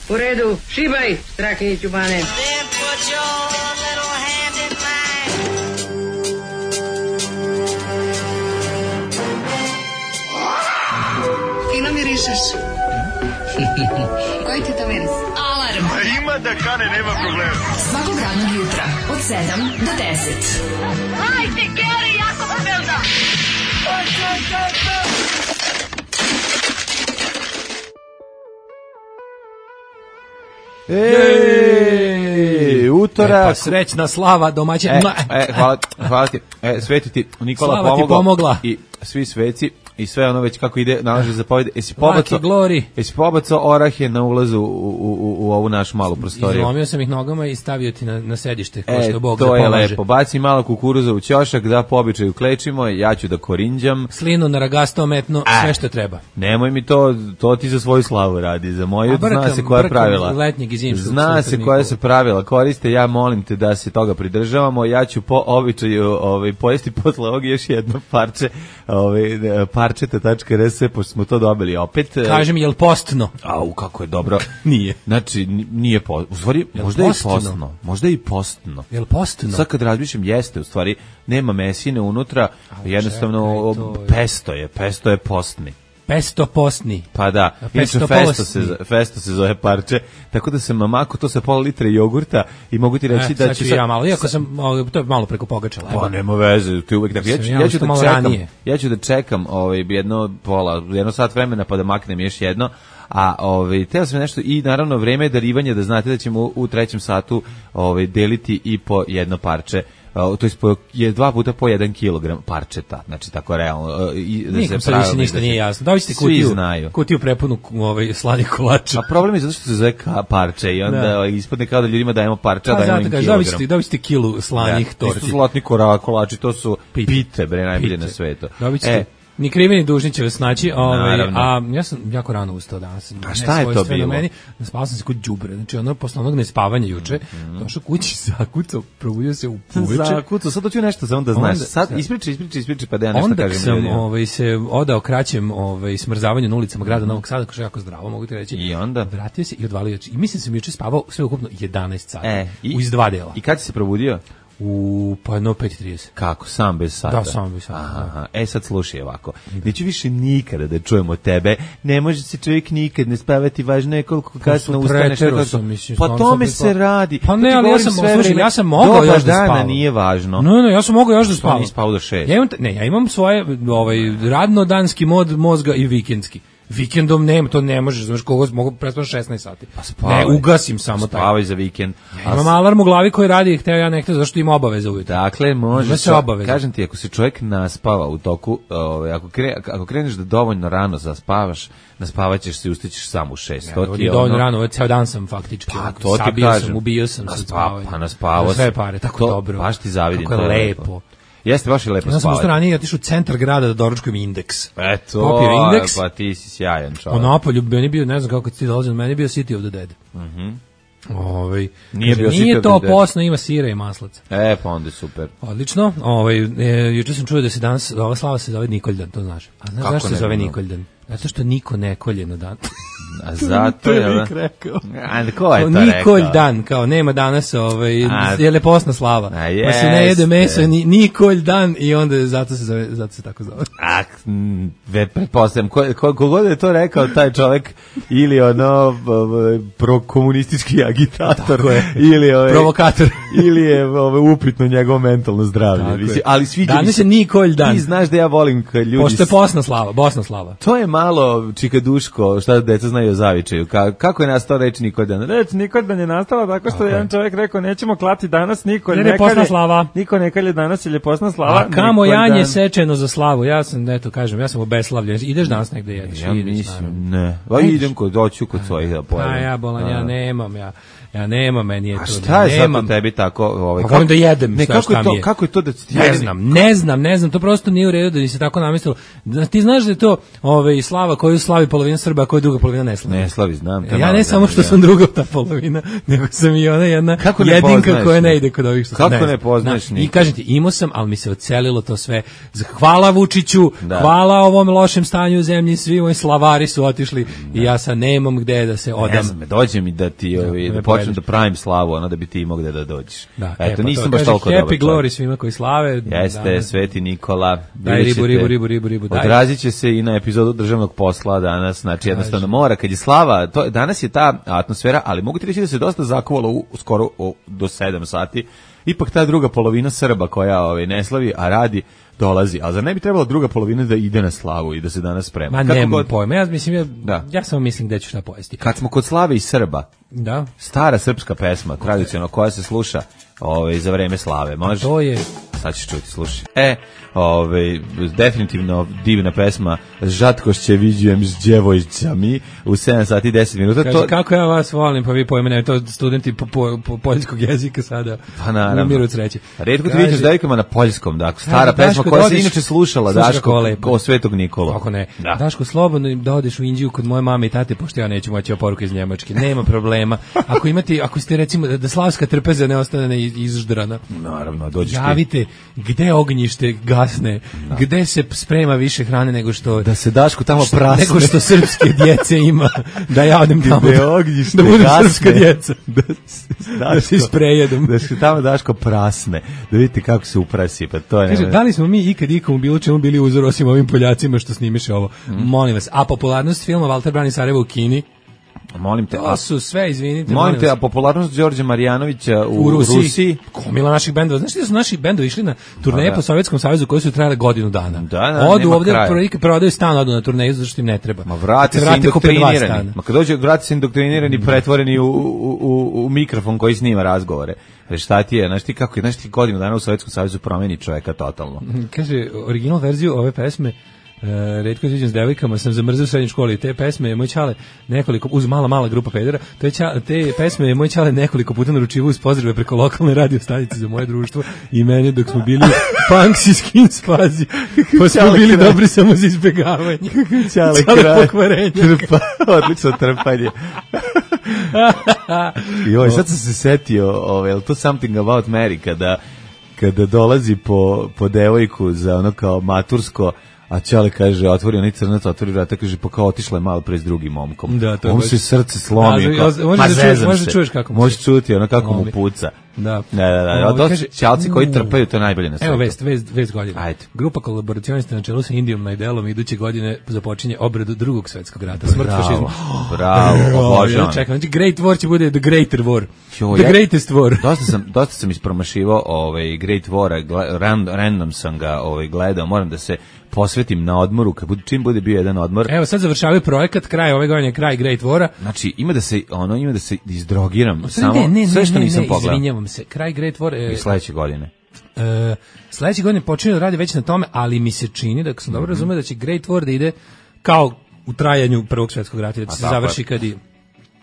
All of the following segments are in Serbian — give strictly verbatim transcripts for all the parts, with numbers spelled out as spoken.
U redu, šibaj, Strahinjić u bane. Fino mirišeš. Koji ti to miris? Alarm. A ima da kane, nema problema. Svakog radnog jutra, od sedam do deset. Hajde, Geri, jako se velda. Ej, utorak. E, pa srećna slava domaćina. E, e, hvala, hvala ti. E, sveti ti Nikola Slava pomogla. ti pomogla. I svi sveci i sve ono već kako ide nalaže zapovjede. Jesi pobacao, jesi pobacao orahe na ulazu u, u, u, u ovu našu malu prostoriju? Izlomio sam ih nogama i stavio ti na, na sedište, ko što e, Bog to da je pomaže. lepo. Baci malo kukuruza u ćošak, da po običaju klečimo, ja ću da korinđam. Slinu na ragasto ometno, A, sve što treba. Nemoj mi to, to ti za svoju slavu radi, za moju A brkam, zna se koja brkam pravila. letnjeg i zimskog Zna se službenika. koja se pravila koriste, ja molim te da se toga pridržavamo, ja ću po običaju ovaj, pojesti posle ovog još jedno parče, ovaj, parčeta tačka r s, pošto smo to dobili opet. Kaži mi, je li postno? Au, kako je dobro. Nije. Znači, nije postno. U stvari, Jel možda je i postno? postno. Možda je i postno. Je li postno? Sad kad razmišljam, jeste, u stvari, nema mesine unutra, Ali jednostavno, čekaj, to je- pesto je, pesto je postni. Pesto postni. Pa da, A inače pesto festo postni. se, zo- festo se zove parče, tako da sam mamako to sa pola litre jogurta i mogu ti reći E, da sad ću ću ja malo, iako sam, o, to je malo preko pogačala. Pa nema veze, ti uvek tako. Ja ću, Sam ja ja ću što da malo čekam, ranije. ja ću da čekam ovaj jedno pola, jedno sat vremena pa da maknem još jedno. A ovaj teo sam nešto i naravno vreme je darivanja, da znate da ćemo u, u trećem satu ovaj deliti i po jedno parče. Uh, to je, po, je dva puta po jedan kilogram parčeta, znači tako realno. Uh, i da Nikom se sad više pravilno ništa da se- nije jasno. Da li ste Svi kutiju, znaju. kutiju prepunu ovaj, slanih kolača? A problem je zato što se zove ka parče i onda Da. ispadne kao da ljudima dajemo parče, a Pa dajemo zato im kažeš, kilogram. dobit ćete, dobit ćete kilu slanih To torti. su zlatni kora, kolači, to su Pite. pite, bre, najbolje Pite. na svetu. Dobit ćete. E, Ni krivi ni dužni će vas naći, ovaj, Naravno. a ja sam jako rano ustao danas. A šta je to nesvojstveno bilo? Meni, spavao sam se kod đubre, znači ono posle onog nespavanja juče, Mhm. došao kući, zakucao, probudio se u uveče. Zakucao, sad hoću nešto samo da znaš. Onda- Sad ispričaj, ispričaj, ispričaj, pa da ja nešto Onda kažem sam ljudima. ovaj, se odao kraćem ovaj, smrzavanju na ulicama grada Novog Sada, što je jako zdravo, mogu ti reći. I onda? Vratio se i odvalio oči. I mislim da sam juče spavao sve ukupno jedanaest sati. E, i- u iz dva dela. I kad si se probudio? U, pa no, pet i trideset. Kako, sam bez sata? Da, sam bez sata, Aha, da. aha. E sad slušaj ovako. Neću više nikada da čujemo tebe. Ne može se čovjek nikad ne spavati, važno je koliko kasno ustaneš. preterao kako- sam, mislim, Pa stvarno tome sam se prespao. radi. Pa To ne, ti ali ja govorim sam, sve slušaj, vreme. ja sam mogao Doba još da dana spavam. nije važno. No, no, ja sam mogao još da Što spavam. nisi spavao do šest? Ja imam, ne, ja imam svoje ovaj, radno-danski mod mozga i vikendski. Vikendom nema, to ne možeš, znaš, kogo mogu prespavati šesnaest sati. Pa spavaj. Ne, ugasim samo taj. Spavaj za vikend. Ja imam alarm u glavi koji radi, hteo ja nekto, zašto ima obaveza ujutro. Dakle, može Ima se obaveza. Kažem ti, ako se čovjek naspava u toku, ovaj, ako, kre, ako kreneš da dovoljno rano zaspavaš, naspavaćeš se i ustaćeš sam u šest. To To ti je dovoljno ono- rano, ovaj ceo dan sam faktički. Pa, onako, to ti sabio kažem. sam, ubio sam Naspa- se spavanje. pa naspavao Za sve si. pare, tako To dobro. baš ti zavidim, Kako je to je lepo. lepo. Jeste, baš je lepo Ja sam spavati. usto ranije otišao u centar grada da doručkujem indeks. Eto, Popio indeks. pa ti si sjajan čovjek. O Napolju, meni bio, ne znam kako ti dolazi, meni je bio City of the Dead. Mhm. Ovaj, Nije kaže, bio City nije of to the Dead. posno, ima sira i maslaca. E, pa onda je super. Odlično. Ovaj, e, juče sam čuo da se danas, ova slava se zove Nikoljdan, to znaš. A znaš Kako zašto se ne zove znam? Nikoljdan? Zato što niko ne kolje na dan. A zato To je... je da? Vik rekao. A ko je to Kao rekao? Nikolj dan, kao nema danas, ovaj, A, je leposna slava. a Pa se ne jede jeste. meso, ni, Nikolj dan i onda zato se, zove, zato se tako zove. A, m, ve, pretpostavljam, ko, ko, kogod je to rekao, taj čovjek, ili ono, b- b- prokomunistički agitator, Tako je. ili, ovaj, Provokator. ili je ovaj, upitno njegovo mentalno zdravlje. Tako Mislim, je. ali sviđa mi Danas se. je Nikolj dan. Ti znaš da ja volim kad ljudi... Pošto je posna slava, bosna slava. To je malo čikaduško, šta deca znaju o zavičaju. Ka, kako je nastao reč Nikoldan? Reč Nikoldan je nastala tako što je jedan čovjek rekao nećemo klati danas Nikolj. Jer je posna slava. Niko ne kalje danas, jer je posna slava. A kamo Nikoldan. janje sečeno za slavu? Ja sam, eto, kažem, ja sam obeslavljen. Ideš danas negde jedeš? Ja Ideš, mislim, naravno. ne. Pa idem kod, doću kod svojih da pojedem. A ja bolan, ja nemam, ja, ja nemam, meni je A to. šta je sad nemam. u tebi tako? Ovaj, Pa volim da jedem, ne, šta- kako je šta to, mi je? kako je to da ti Ne znam, ne znam, ne znam, to prosto nije u redu da mi se tako namestilo. Da ti znaš da je to ovaj slava koju slavi polovina Srba, a koju druga polovina ne slavi. Ne slavi, znam. Ja ne malo, samo što ja. sam druga ta polovina, nego sam i ona jedna Kako ne jedinka poznaješ, koja ne ne? ide kod ovih što Kako ne, ne poznaješ I nikog? kažem ti, imao sam, ali mi se ocelilo to sve. Hvala Vučiću, Da. hvala ovom lošem stanju u zemlji, svi moji slavari su otišli i ja sad nemam gde da se Ne odam. znam, dođe mi da ti ovi, da da me počnem povedeš. da pravim slavu, ono da bi ti imao gde da dođeš. Da, Eto, e, pa nisam to baš kaže, toliko dobar Happy čovjek. glory svima koji slave. Jeste, Da, Sveti Nikola. Daj vidjet ribu, ćete, ribu, ribu, ribu, ribu, daj. Odrazit će se i na epizodu državnog posla danas, znači jednostavno mora, kad je slava, to, danas je ta atmosfera, ali mogu ti reći da se dosta zakuvalo u, skoro u, do sedam sati, ipak ta druga polovina Srba koja ovaj, ne slavi, a radi, dolazi. A zar ne bi trebala druga polovina da ide na slavu i da se danas sprema? Ma Kako nemam god- pojma, ja mislim, ja, Da. ja samo mislim gde ću šta pojesti. Kad smo kod slave i Srba, Da, stara srpska pesma, tradicionalna, koja se sluša ovaj, za vreme slave, može? to je... Sad ćeš čuti, slušaj. E, ovaj, definitivno divna pesma Žatkošće viđujem s djevojčami u sedam sati i deset minuta. Kaže, to, kako ja vas volim, pa vi pojme, ne, to studenti po, po, po poljskog jezika sada Pa naravno. umiru od sreće. Retko ti Kaže- vidiš devojkama na poljskom, dakle, stara Kaže, pesma Daško, koja da se odiš- inače slušala, Slušaj Daško, kako lepo. o Svetog Nikolu. Kako ne? Da. Daško, slobodno da odeš u Indiju kod moje mame i tate, pošto ja neću moći oporuku iz Njemačke. Nema problema. Ako imate, ako ste recimo, da, da slavska trpeza ne ostane ne izždrana, Naravno, dođeš ti. javite gde ognjište gasne, gde se sprema više hrane nego što... Da se Daško tamo što- prasne. nego što srpske djece ima, da ja odem tamo, Gde da, ognjište da budem gasne. srpska djeca, da, se- da se isprejedom. Da se tamo Daško prasne. Da vidite kako se uprasi, pa to je... Kaže, da li smo mi ikad ikomu bilo čemu bili uzor osim ovim Poljacima što snimiše ovo? Molim vas. A popularnost filma Valter Brani Sarajevo u Kini, Molim te, a, to su sve, izvinite, molim te, vas. a popularnost Đorđe Marjanovića u, u Rusiji, Rusiji komila naših bendova. Znaš da su naši bendovi išli na turneje Pa da. po Sovjetskom savezu koji su trajale godinu dana. Da, da, odu nema ovde, kraja. pro- prodaju stan, odu na turneju zato što im ne treba. Ma vrati Kad se vrate, kupe dva indoktrinirani. stana. Ma kad dođe, vrati se indoktrinirani, pretvoreni u, u, u, u mikrofon koji snima razgovore. Jer šta ti je, znaš ti kako je, znaš ti godinu dana u Sovjetskom savezu promeni čoveka totalno. Kaže, original verziju ove pesme Uh, retko sviđam s devojkama, sam zamrzao u srednjoj školi. Te pesme je moj ćale nekoliko, uz mala, mala grupa pedera, te, ćale, te pesme je moj ćale nekoliko puta naručivao uz pozdrave preko lokalne radio stanice za moje društvo i mene dok smo bili punks i skins pazi. Pa smo Ćale bili kraj. dobri samo za izbjegavanje. Ćale Ćale kraj. pokvarenja. Trpa, odlično trpanje. Joj, sad sam se setio, ovaj, je li to Something About Mary, kada, kada dolazi po, po devojku za ono kao matursko, a Ćale kaže, otvori onaj crnac, otvori vrata, kaže, pa kao otišla je malo pre s drugim momkom. Da, to je on baš- se srce slomi. Da, kao, možeš da ma čuješ- zezam možeš da se. čuješ kako mu Možeš se- čuti, ono kako mu Slomi. puca. Da. Da, da, da. Ovo, To kaže- su ćalci koji U. trpaju, to je najbolje na svetu. Evo vest, vest, vest godine. Ajde. Grupa kolaboracionista na čelu sa Indijom Najdelom iduće godine započinje obradu drugog svetskog rata. Smrt Bravo, fašizma. bravo, obožavam. Ja čekam, znači Great War će bude the greater war. Jo, the ja- greatest war. Dosta sam, dosta sam ispromašivao ovaj Great War, gle- ran, random sam ga ovaj, gledao, moram da se posvetim na odmoru, kad bude, čim bude bio jedan odmor. Evo sad završavaju projekat, kraj ove godine, kraj Great Wara. Znači, ima da se, ono, ima da se izdrogiram, U stvari, samo, ne, ne, sve ne, što ne, nisam ne, pogledao. Izvinjavam se, kraj Great War... I E, sledeće godine. e, sledeće godine počinje da radi već na tome, ali mi se čini, da ako sam Mhm. dobro razumeo, da će Great War da ide kao u trajanju prvog svetskog rata, da će A se tako je. završi kad i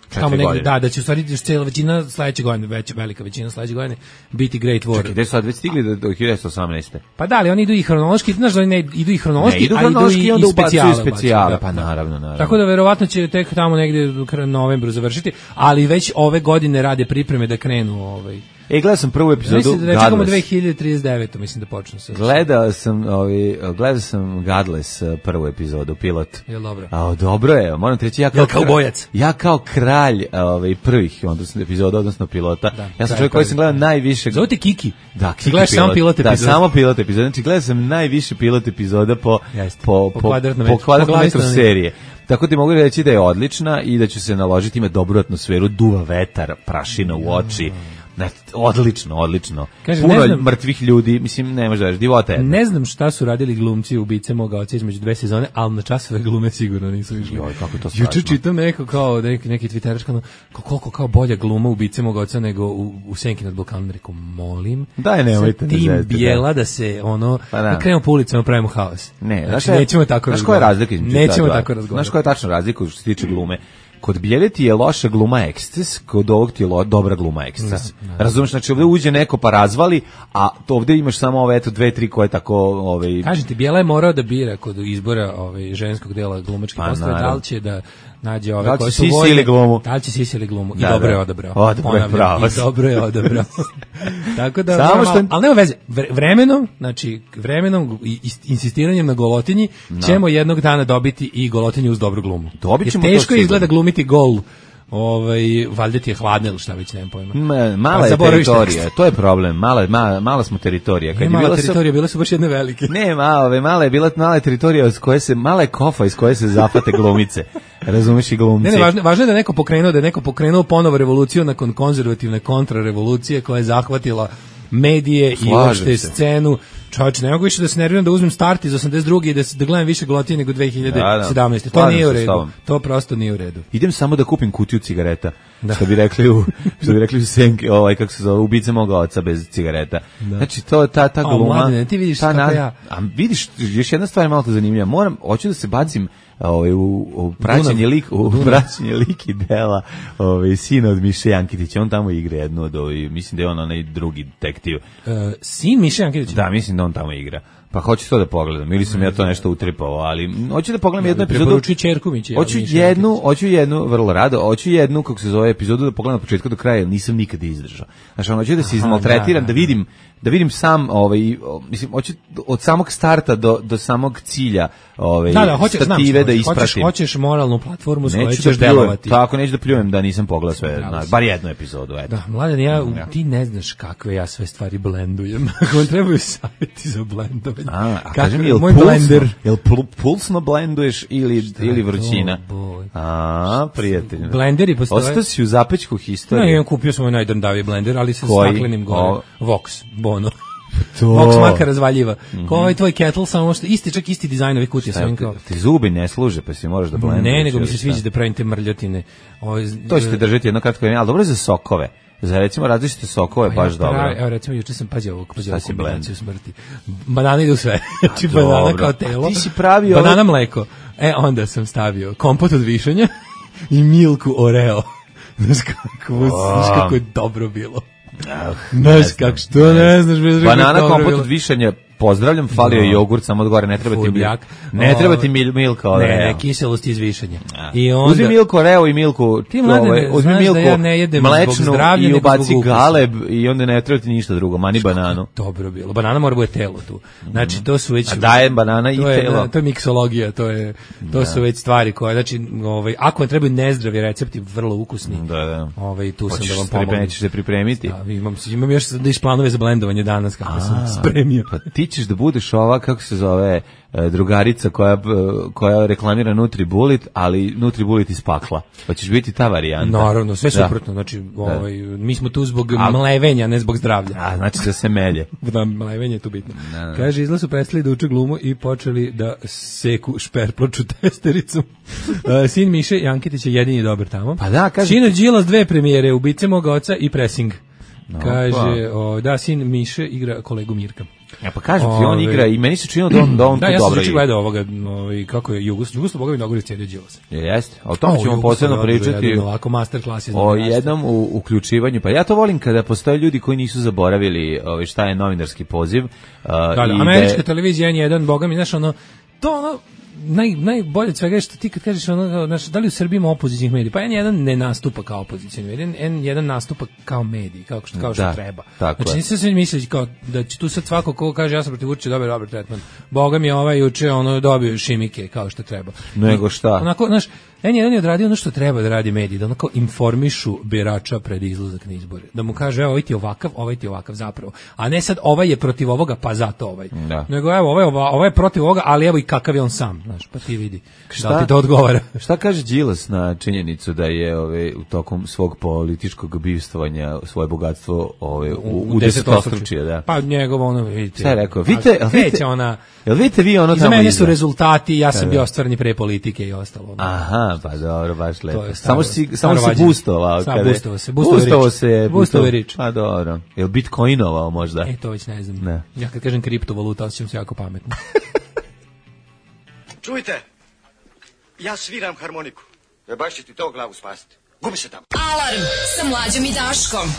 Četiri tamo negde, godine. da, da će u stvari još cijela većina sledeće godine, već velika većina sledeće godine biti Great War. Čekaj, gde su sad već stigli do, do hiljadu devetsto osamnaeste. Pa da, ali oni idu i hronološki, znaš da oni ne idu i hronološki, Ne, idu a hronološki idu i, i onda i ubacuju specijale. specijale, bacuju, pa naravno, naravno. Tako da verovatno će tek tamo negde u kra- novembru završiti, ali već ove godine rade pripreme da krenu ovaj. E, gledao sam prvu epizodu Mislim da čekamo Godless. dve hiljade trideset devet. mislim da počnu sa. Gledao sam, ovaj, gledao sam Godless eh, prvu epizodu, pilot. Jel dobro? A, dobro je, moram ti reći, ja kao, Jel kaubojac? ja kao kralj ovaj, prvih odnosno, epizoda, odnosno pilota, Da, ja sam kralj čovjek koji sam prvih. gledao najviše... Zove te Kiki. Da, Ti gledaš samo pilot Da, epizod. samo pilot epizoda. Znači, gledao sam najviše pilot epizoda po, Jeste. po, Po po, kvadratnom po metru. kvadratnom Po glavi metru stanovnika. serije. Tako ti mogu reći da je odlična i da ću se naložiti, ima dobru atmosferu, duva vetar, prašina u oči. Znači, odlično, odlično. Kaže, Puno ne znam- mrtvih ljudi, mislim, ne možda reći, divota je. Ne znam šta su radili glumci ubice moga oca između dve sezone, ali na časove glume sigurno nisu išli. Joj, kako je to Juče strašno. čitam neko kao neki neki Twitteraš kao koliko kao bolja gluma ubice moga oca nego u, u Senki nad Balkanom, rekao molim. Daj, nemojte sa me tim zezati, bijela da se ono Pa da. da krenemo po ulicama pravimo haos. Ne, znači, znaš šta je- nećemo tako znaš koja je razgovarati. razlika između ta Nećemo dva? tako razgovarati. Znaš koja je tačna razlika što se tiče glume? kod Bijeljeti je loša gluma eksces, kod ovog ti je lo, dobra gluma eksces. Da, da. Razumeš, znači ovde uđe neko pa razvali, a ovde imaš samo ove eto dve, tri koje tako ovaj kažem ti, Bijela je morao da bira kod izbora ovaj ženskog dela glumačke pa, poslove, da li će da nađe ove koje su voljne, da li će sisili glumu, da, i dobro da. je odabrao. Odabro je pravo. I dobro je odabrao. Tako da, samo što... ali nema veze, vremenom, znači vremenom i insistiranjem na golotinji no. ćemo jednog dana dobiti i golotinju uz dobru glumu. Dobit ćemo. Jer teško izgleda glumiti gol. Ovaj valjda ti je hladno ili šta već, nemam pojma. Ma, mala je teritorija, to je problem. Mala mala, mala smo teritorija. Kad je bila teritorija, bile su baš jedne velike. Ne, mala, ove mala je bila mala je teritorija iz koje se mala je kofa iz koje se zafate glumice. Razumeš i glumci. Ne, ne, važno, važno je da neko pokrenuo, da je neko pokrenuo ponovo revoluciju nakon konzervativne kontrarevolucije koja je zahvatila medije Slažem i uopšte se. scenu. Čovječe, ne mogu više da se nerviram da uzmem start iz osamdeset druge i da, da gledam više Golotije nego dve hiljade sedamnaeste. Da, da. To nije u redu. To prosto nije u redu. Idem samo da kupim kutiju cigareta. Da. Što bi rekli u što bi rekli u senke, ovaj kako se zove, ubice moga oca bez cigareta. Da. Znači to ta ta gluma. O, mladine, ti vidiš kako na, ja. A vidiš, još jedna stvar je malo zanimljiva. Moram hoću da se bacim ovaj u, u praćenje lik u praćenje liki dela ovaj sina od Miše Jankitića. On tamo igra jednu od ovih, mislim da je on onaj drugi detektiv. Uh, sin Miše Jankitića. Da, mislim da on tamo igra. Pa hoću to da pogledam, ili sam ja to nešto utripao, ali hoću da pogledam jednu epizodu. Preporuči ćerku mi će. Hoću jednu, hoću jednu, vrlo rado, hoću jednu, kako se zove, epizodu da pogledam od početka do kraja, jer nisam nikad izdržao. Znači, ono, hoću da se izmaltretiram, da vidim, da vidim sam, ovaj, mislim, hoću od samog starta do, do samog cilja, ovaj, da, da, hoćeš, stative znam, da ispratim. Hoćeš, hoćeš moralnu platformu s kojoj ćeš delovati. Tako, neću da pljujem da nisam pogledao sve, na, bar jednu epizodu, eto. Da, Mladen, ja, ti ne znaš kakve ja sve stvari blendujem. Ako trebaju savjeti za blendovanje. A, a kažem, jel moj pulsno, blender. Jel pulsno blenduješ ili, Šta ili vrućina? To, a, prijatelj. Blenderi postoje. Ostao si u zapećku historije. Ne, ja kupio sam ovaj najdrndaviji blender, ali sa staklenim gore. O... Vox, Bono. To. Vox marka razvaljiva. Mm-hmm. Ko ovaj tvoj kettle, samo što isti, čak isti dizajn ovih kutija. Sam kao. Ti zubi ne služe, pa si moraš da blenduješ. Ne, nego mi se sviđa da pravim te mrljotine. Ovaj, to ćete držati jedno kratko vrijeme, ali dobro je za sokove. Za recimo različite sokove je baš ja, dobro. Evo recimo juče sam pazio ovog, pazio ovog kombinaciju smrti. Banana ide u sve. Znači banana kao telo. Ti si pravio banana ovo... mleko. E onda sam stavio kompot od višanja i milku Oreo. Znaš kako, oh. znaš kako je dobro bilo. Ah, znaš kako, što ne znaš. Bez banana kompot od višanja. Pozdravljam, falio je no. jogurt samo od gore, ne treba ti mil, ne treba ti mil, milka Oreo. Ne, ne, kiselost izvišanja. I onda uzmi milku Oreo i milku, ti mladene, uzmi milku, da ja ne jedem mlečnu i ubaci galeb i onda ne treba ti ništa drugo, mani Što bananu. Dobro bilo. Banana mora bude telo tu. Znači to su već A daje banana i to je, telo. To je miksologija, to je to da. su već stvari koje, znači, ovaj ako vam trebaju nezdravi recepti, vrlo ukusni. Da, da. Ovaj tu Hoćeš sam da vam pomognem. Hoćeš se pripremiti. Da, imam imam još da planove za blendovanje danas kako sam spremio. Pa ti ćeš da budeš ova, kako se zove, drugarica koja, koja reklamira Nutribullet, ali Nutribullet iz pakla. Pa ćeš biti ta varijanta. Naravno, sve suprotno. Znači, ovaj, mi smo tu zbog a, mlevenja, ne zbog zdravlja. A, znači da se melje. Da, mlevenje je tu bitno. Da, da. Kaže, izla su prestali da uče glumu i počeli da seku šperploču testericom. uh, sin Miše Jankitić je jedini dobar tamo. Pa da, kaže... Sino Đilas dve premijere, Ubice moga oca i Pressing. No, kaže, pa. o, da, sin Miše igra kolegu Mirka. Ja pa kažem ti, on igra i meni se činilo da on, da on da, tu ja dobro igra. Da, ja sam gledao ovoga, ovaj, kako je Jugos, Jugos Boga mi mnogo recedio Đilasa. Jeste, o tom ćemo posebno pričati. Jedan, ovako masterclass iz o jednom u, uključivanju, pa ja to volim kada postoje ljudi koji nisu zaboravili ovaj, šta je novinarski poziv. Uh, da, da, i američka de... televizija N jedan, Boga mi, znaš, ono, to ono, naj najbolje od svega je što ti kad kažeš ono, znači, da li u Srbiji ima opozicijnih medija, pa N jedan ne nastupa kao opozicijni medij, N jedan nastupa kao medij, kao što kao što da, treba. Znači nisam se misliti kao da će tu sad svako ko kaže ja sam protiv Vučića dobar dobar tretman. Boga mi je ovaj juče ono dobio šimike kao što treba. Nego šta? Onako, znaš, N jedan je odradio ono što treba da radi mediji, da onako informišu birača pred izlazak na izbore. Da mu kaže, evo, ovaj ti je ovakav, ovaj ti je ovakav zapravo. A ne sad, ovaj je protiv ovoga, pa zato ovaj. Da. Nego, evo, ovaj, ovaj je protiv ovoga, ali evo i kakav je on sam. Znaš, pa ti vidi. Šta, da ti to odgovara? Šta kaže Đilas na činjenicu da je ove, u tokom svog političkog bivstvovanja svoje bogatstvo ove, u, u, u desetostručije? Da. Pa njegovo ono, vidite. Šta je rekao? Vidite, vidite, ona... Jel vidite vi ono tamo iza mene su rezultati, ja sam bio ostvareni pre politike i ostalo. Aha, pa dobro, baš lepo. Samo si, samo se boostovao. Samo boostovao se. Boostovao se. Boostovao rič. Pa dobro. Jel bitcoinovao možda? E, to već ne znam. Ne. Ja kad kažem kriptovaluta, osjećam se jako pametno. Čujte, ja sviram harmoniku. E baš će ti to glavu spasiti. Gubi se tamo. Alarm sa Mlađom i Daškom.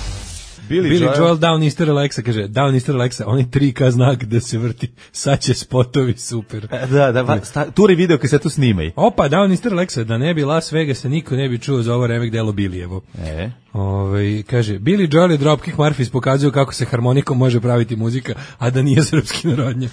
Billy, Billy Joel, Joel Downister Alexa kaže, Downister Alexa, onaj tri K znak da se vrti, sad će spotovi, super. Da, da, va, sta, turi video kad se tu snimaj. Opa, Downister Alexa, da ne bi Las Vegasa, niko ne bi čuo za ovo remek delo Billijevo. E. Ove, kaže, Billy Joel i Dropkick Murphys pokazuju kako se harmonikom može praviti muzika, a da nije srpski narodnjak.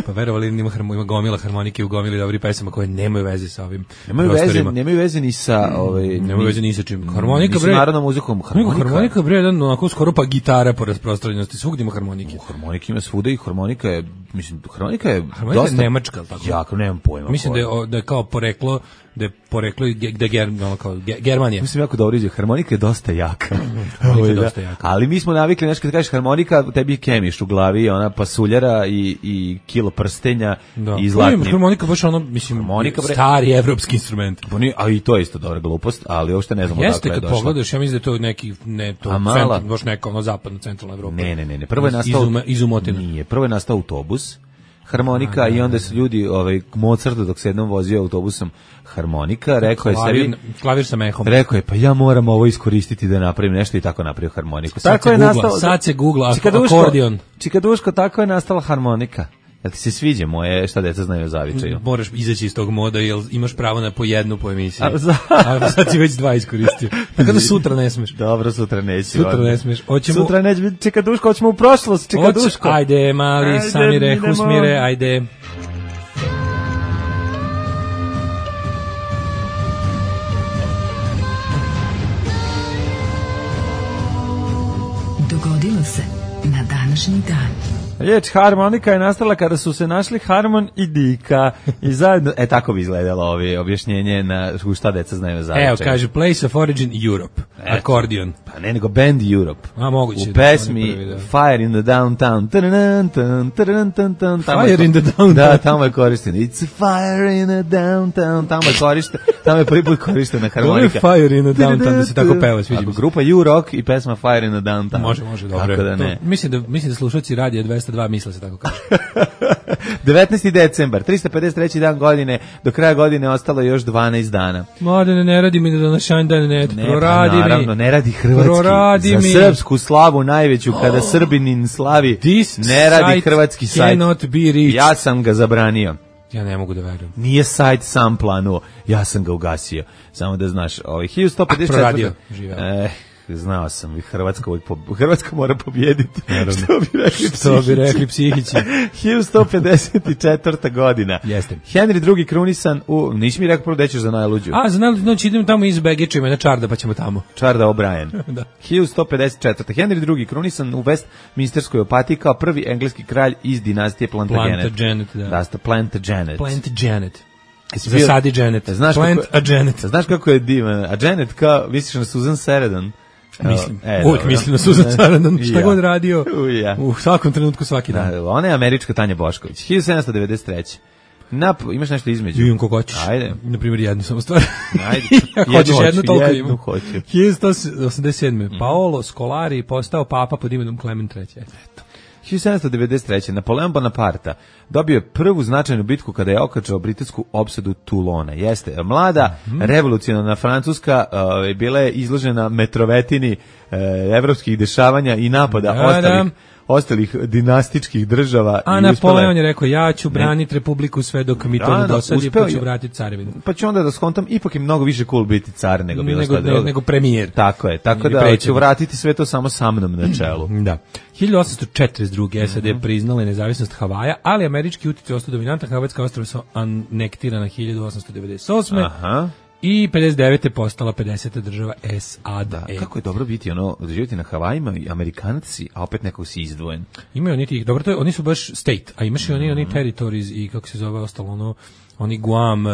Pa verovali ima, harmo, ima gomila harmonike u gomili dobri pesama koje nemaju veze sa ovim nemaju prostorima. Veze, nemaju veze ni sa... Ovaj, nemaju veze ni sa čim. Harmonika, bre... narodnom muzikom. Harmonika, harmonika bre, jedan onako skoro pa gitara po rasprostranjenosti. Svugdje ima harmonike. Harmonika ima svuda i harmonika je, mislim, harmonika je harmonika dosta... je nemačka, ali tako? Jako, nemam pojma. Mislim da je, da je kao poreklo, da je poreklo da je ger, ono kao, Germanija. Mislim jako dobro izgleda. Harmonika je dosta jaka. Harmonika je dosta jaka. Ali mi smo navikli, nešto kad kažeš harmonika, tebi je kemiš u glavi, ona pasuljara i, i kilo prstenja da. I zlatni. Harmonika baš ono, mislim, harmonika, bre, stari evropski instrument. A i to je isto dobra glupost, ali uopšte ne znamo dakle odakle je došlo. Jeste, kad pogledaš, ja mislim da je to neki, ne, to centar, baš neka ono zapadno centralna Evropa. Ne, ne, ne, ne. Prvo je nastao... Izuma, izumotina. Nije, prvo je nastao autobus, harmonika, a, da, i onda su ljudi, ovaj, Mozart dok se jednom vozio autobusom harmonika, rekao je sebi... Klavir sa mehom. Rekao je, pa ja moram ovo iskoristiti da napravim nešto i tako napravio harmoniku. Sad tako se je googla, nastao... Sad se googla, akordion. Čikaduško, tako je nastala harmonika. Jel ti se sviđa moje šta deca znaju o zavičaju? Moraš izaći iz tog moda, jer imaš pravo na po jednu po emisiji. A, za... A sad si već dva iskoristio. Tako da sutra ne smeš. Dobro, sutra neću. Sutra ne smeš. Oćemo... Sutra neće biti Čikaduško, hoćemo u prošlost, Čikaduško. Oć... Ajde, mali, ajde, Samire, Husmire, ajde. Dogodilo se na današnji dan. Riječ harmonika je nastala kada su se našli Harmon i Dika i zajedno, e tako bi izgledalo ovi objašnjenje na šta deca znaju za Evo, kaže, place of origin Europe, e, akordion. Pa ne, nego band Europe. A, moguće. U pesmi prvi, da. Fire in the Downtown. Fire in the Downtown. Da, tamo je korišten. It's a fire in the downtown. Tamo je korišten. Tamo je prvi put korištena harmonika. To je Fire in the Downtown, da se tako peva, sviđa mi se. Grupa U-Rock i pesma Fire in the Downtown. Može, može, dobro. Da ne. To, mislim da mislim da slušaoci radija dvesta dva misle se tako kaže. devetnaesti decembar, tristo pedeset treći dan godine, do kraja godine ostalo još dvanaest dana. Mladene, ne radi mi da današnji dan ne, ne proradi pa, naravno, mi. ne radi hrvatski. Proradi za mi. srpsku slavu najveću, kada oh. Srbinin slavi, This ne radi hrvatski sajt. Ja sam ga zabranio. Ja ne mogu da verujem. Nije sajt sam planuo, ja sam ga ugasio. Samo da znaš, ovaj hiljadu sto pedeset četiri. A proradio, živeo. Eh, znao sam, Hrvatska, Hrvatska mora pobijediti. Naravno. Što bi rekli psihići. Što bi rekli psihići. hiljadu sto pedeset četvrta godina. Jeste. Henry drugi krunisan u, nisi mi rekao prvo da ćeš za najluđu. A, za najluđu, znači idemo tamo iz Begićima na Čarda, pa ćemo tamo. Čarda O'Brien. Da. hiljadu sto pedeset četvrta Henry drugi krunisan u Westminsterskoj opatiji kao prvi engleski kralj iz dinastije Plantagenet. Plantagenet, da. Da, sta Plantagenet. Plantagenet. Zasadi Janet. Znaš Plant kako, a Janet. Znaš kako je divan? A Janet kao, misliš na Susan Sarandon? Mislim, e, uvijek dobro. Mislim na Susan Sarandon, šta ja. God radio, u, ja. u svakom trenutku, svaki dan. Da, ona je američka Tanja Bošković, hiljadu sedamsto devedeset treće Nap, imaš nešto između? Imam kako hoćeš. Ajde. Na primjer jednu samo stvar. Ajde. Ja hoćeš jednu, toliko jednu imam. hoću. hiljadu sto osamdeset sedme Mm. Paolo Scolari postao papa pod imenom Klemen treći Eto. hiljadu sedamsto devedeset treće Napoleon Bonaparte dobio je prvu značajnu bitku kada je okačao britansku opsadu Toulona. Jeste, mlada mm -hmm. revolucionarna Francuska uh, bila je izložena metrovetini uh, evropskih dešavanja i napada da, ostalih, da. ostalih dinastičkih država. A Napoleon je rekao, ja ću braniti republiku sve dok mi to ne dosadi, pa ću vratiti carevinu. Pa ću onda da skontam, ipak je mnogo više cool biti car nego bilo nego, ne, nego premijer. Tako je, tako da predsjednik. Ću vratiti sve to samo sa mnom na čelu. Da. hiljadu osamsto četrdeset druge S A D priznale nezavisnost Havaja, ali američki utjecaj ostao dominantan. Havajska ostrva su anektirana hiljadu osamsto devedeset osme Aha. I pedeset devete postala pedeseta država S A D. Da, kako je dobro biti ono, živjeti na Havajima i Amerikanac si, a opet nekog si izdvojen. Imaju oni tih, dobro, to je, oni su baš state, a imaš i oni, oni territories i kako se zove ostalo ono, oni Guam, uh,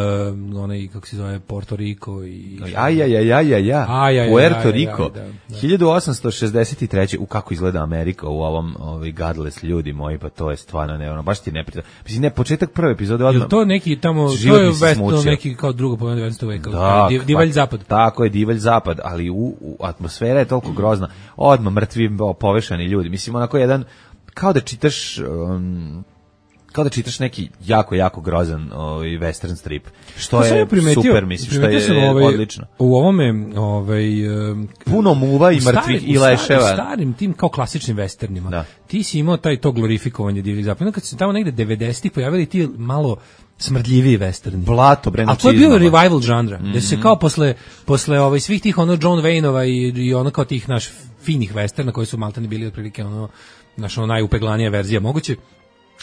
onaj, kako se zove, Porto Rico i... Aj, aj, aj, aj, aj, aj, Puerto Rico. Da, da. hiljadu osamsto šezdeset treće U kako izgleda Amerika u ovom, ovi godless ljudi moji, pa to je stvarno ne, ono, baš ti ne prita. Mislim, ne, početak prve epizode odmah... Jel to neki tamo, to je vest, neki kao drugo polovina devetnaestog veka, da, div, divalj zapad. Tako je, divalj zapad, ali u, u atmosfera je toliko grozna, odmah mrtvi, povešani ljudi. Mislim, onako jedan, kao da čitaš... Um, kao da čitaš neki jako, jako grozan ovaj, western strip. Što To sam je ja primetio- super, mislim, što primetio sam, je ovaj, odlično. U ovome, ovaj, um, Puno muva i u starim- mrtvih i u starim- leševa. U starim tim kao klasičnim westernima. Da. Ti si imao taj to glorifikovanje divljih zapada. Kad se tamo negde devedesetih pojavili ti malo smrdljiviji westerni. Blato, bre, A to je bio nacizma. revival žanra. Mm -hmm. Da se kao posle, posle ovaj, svih tih ono John Wayneova i, i ono kao tih naš finih westerna koji su maltene bili otprilike ono, naš ono najupeglanija verzija moguće.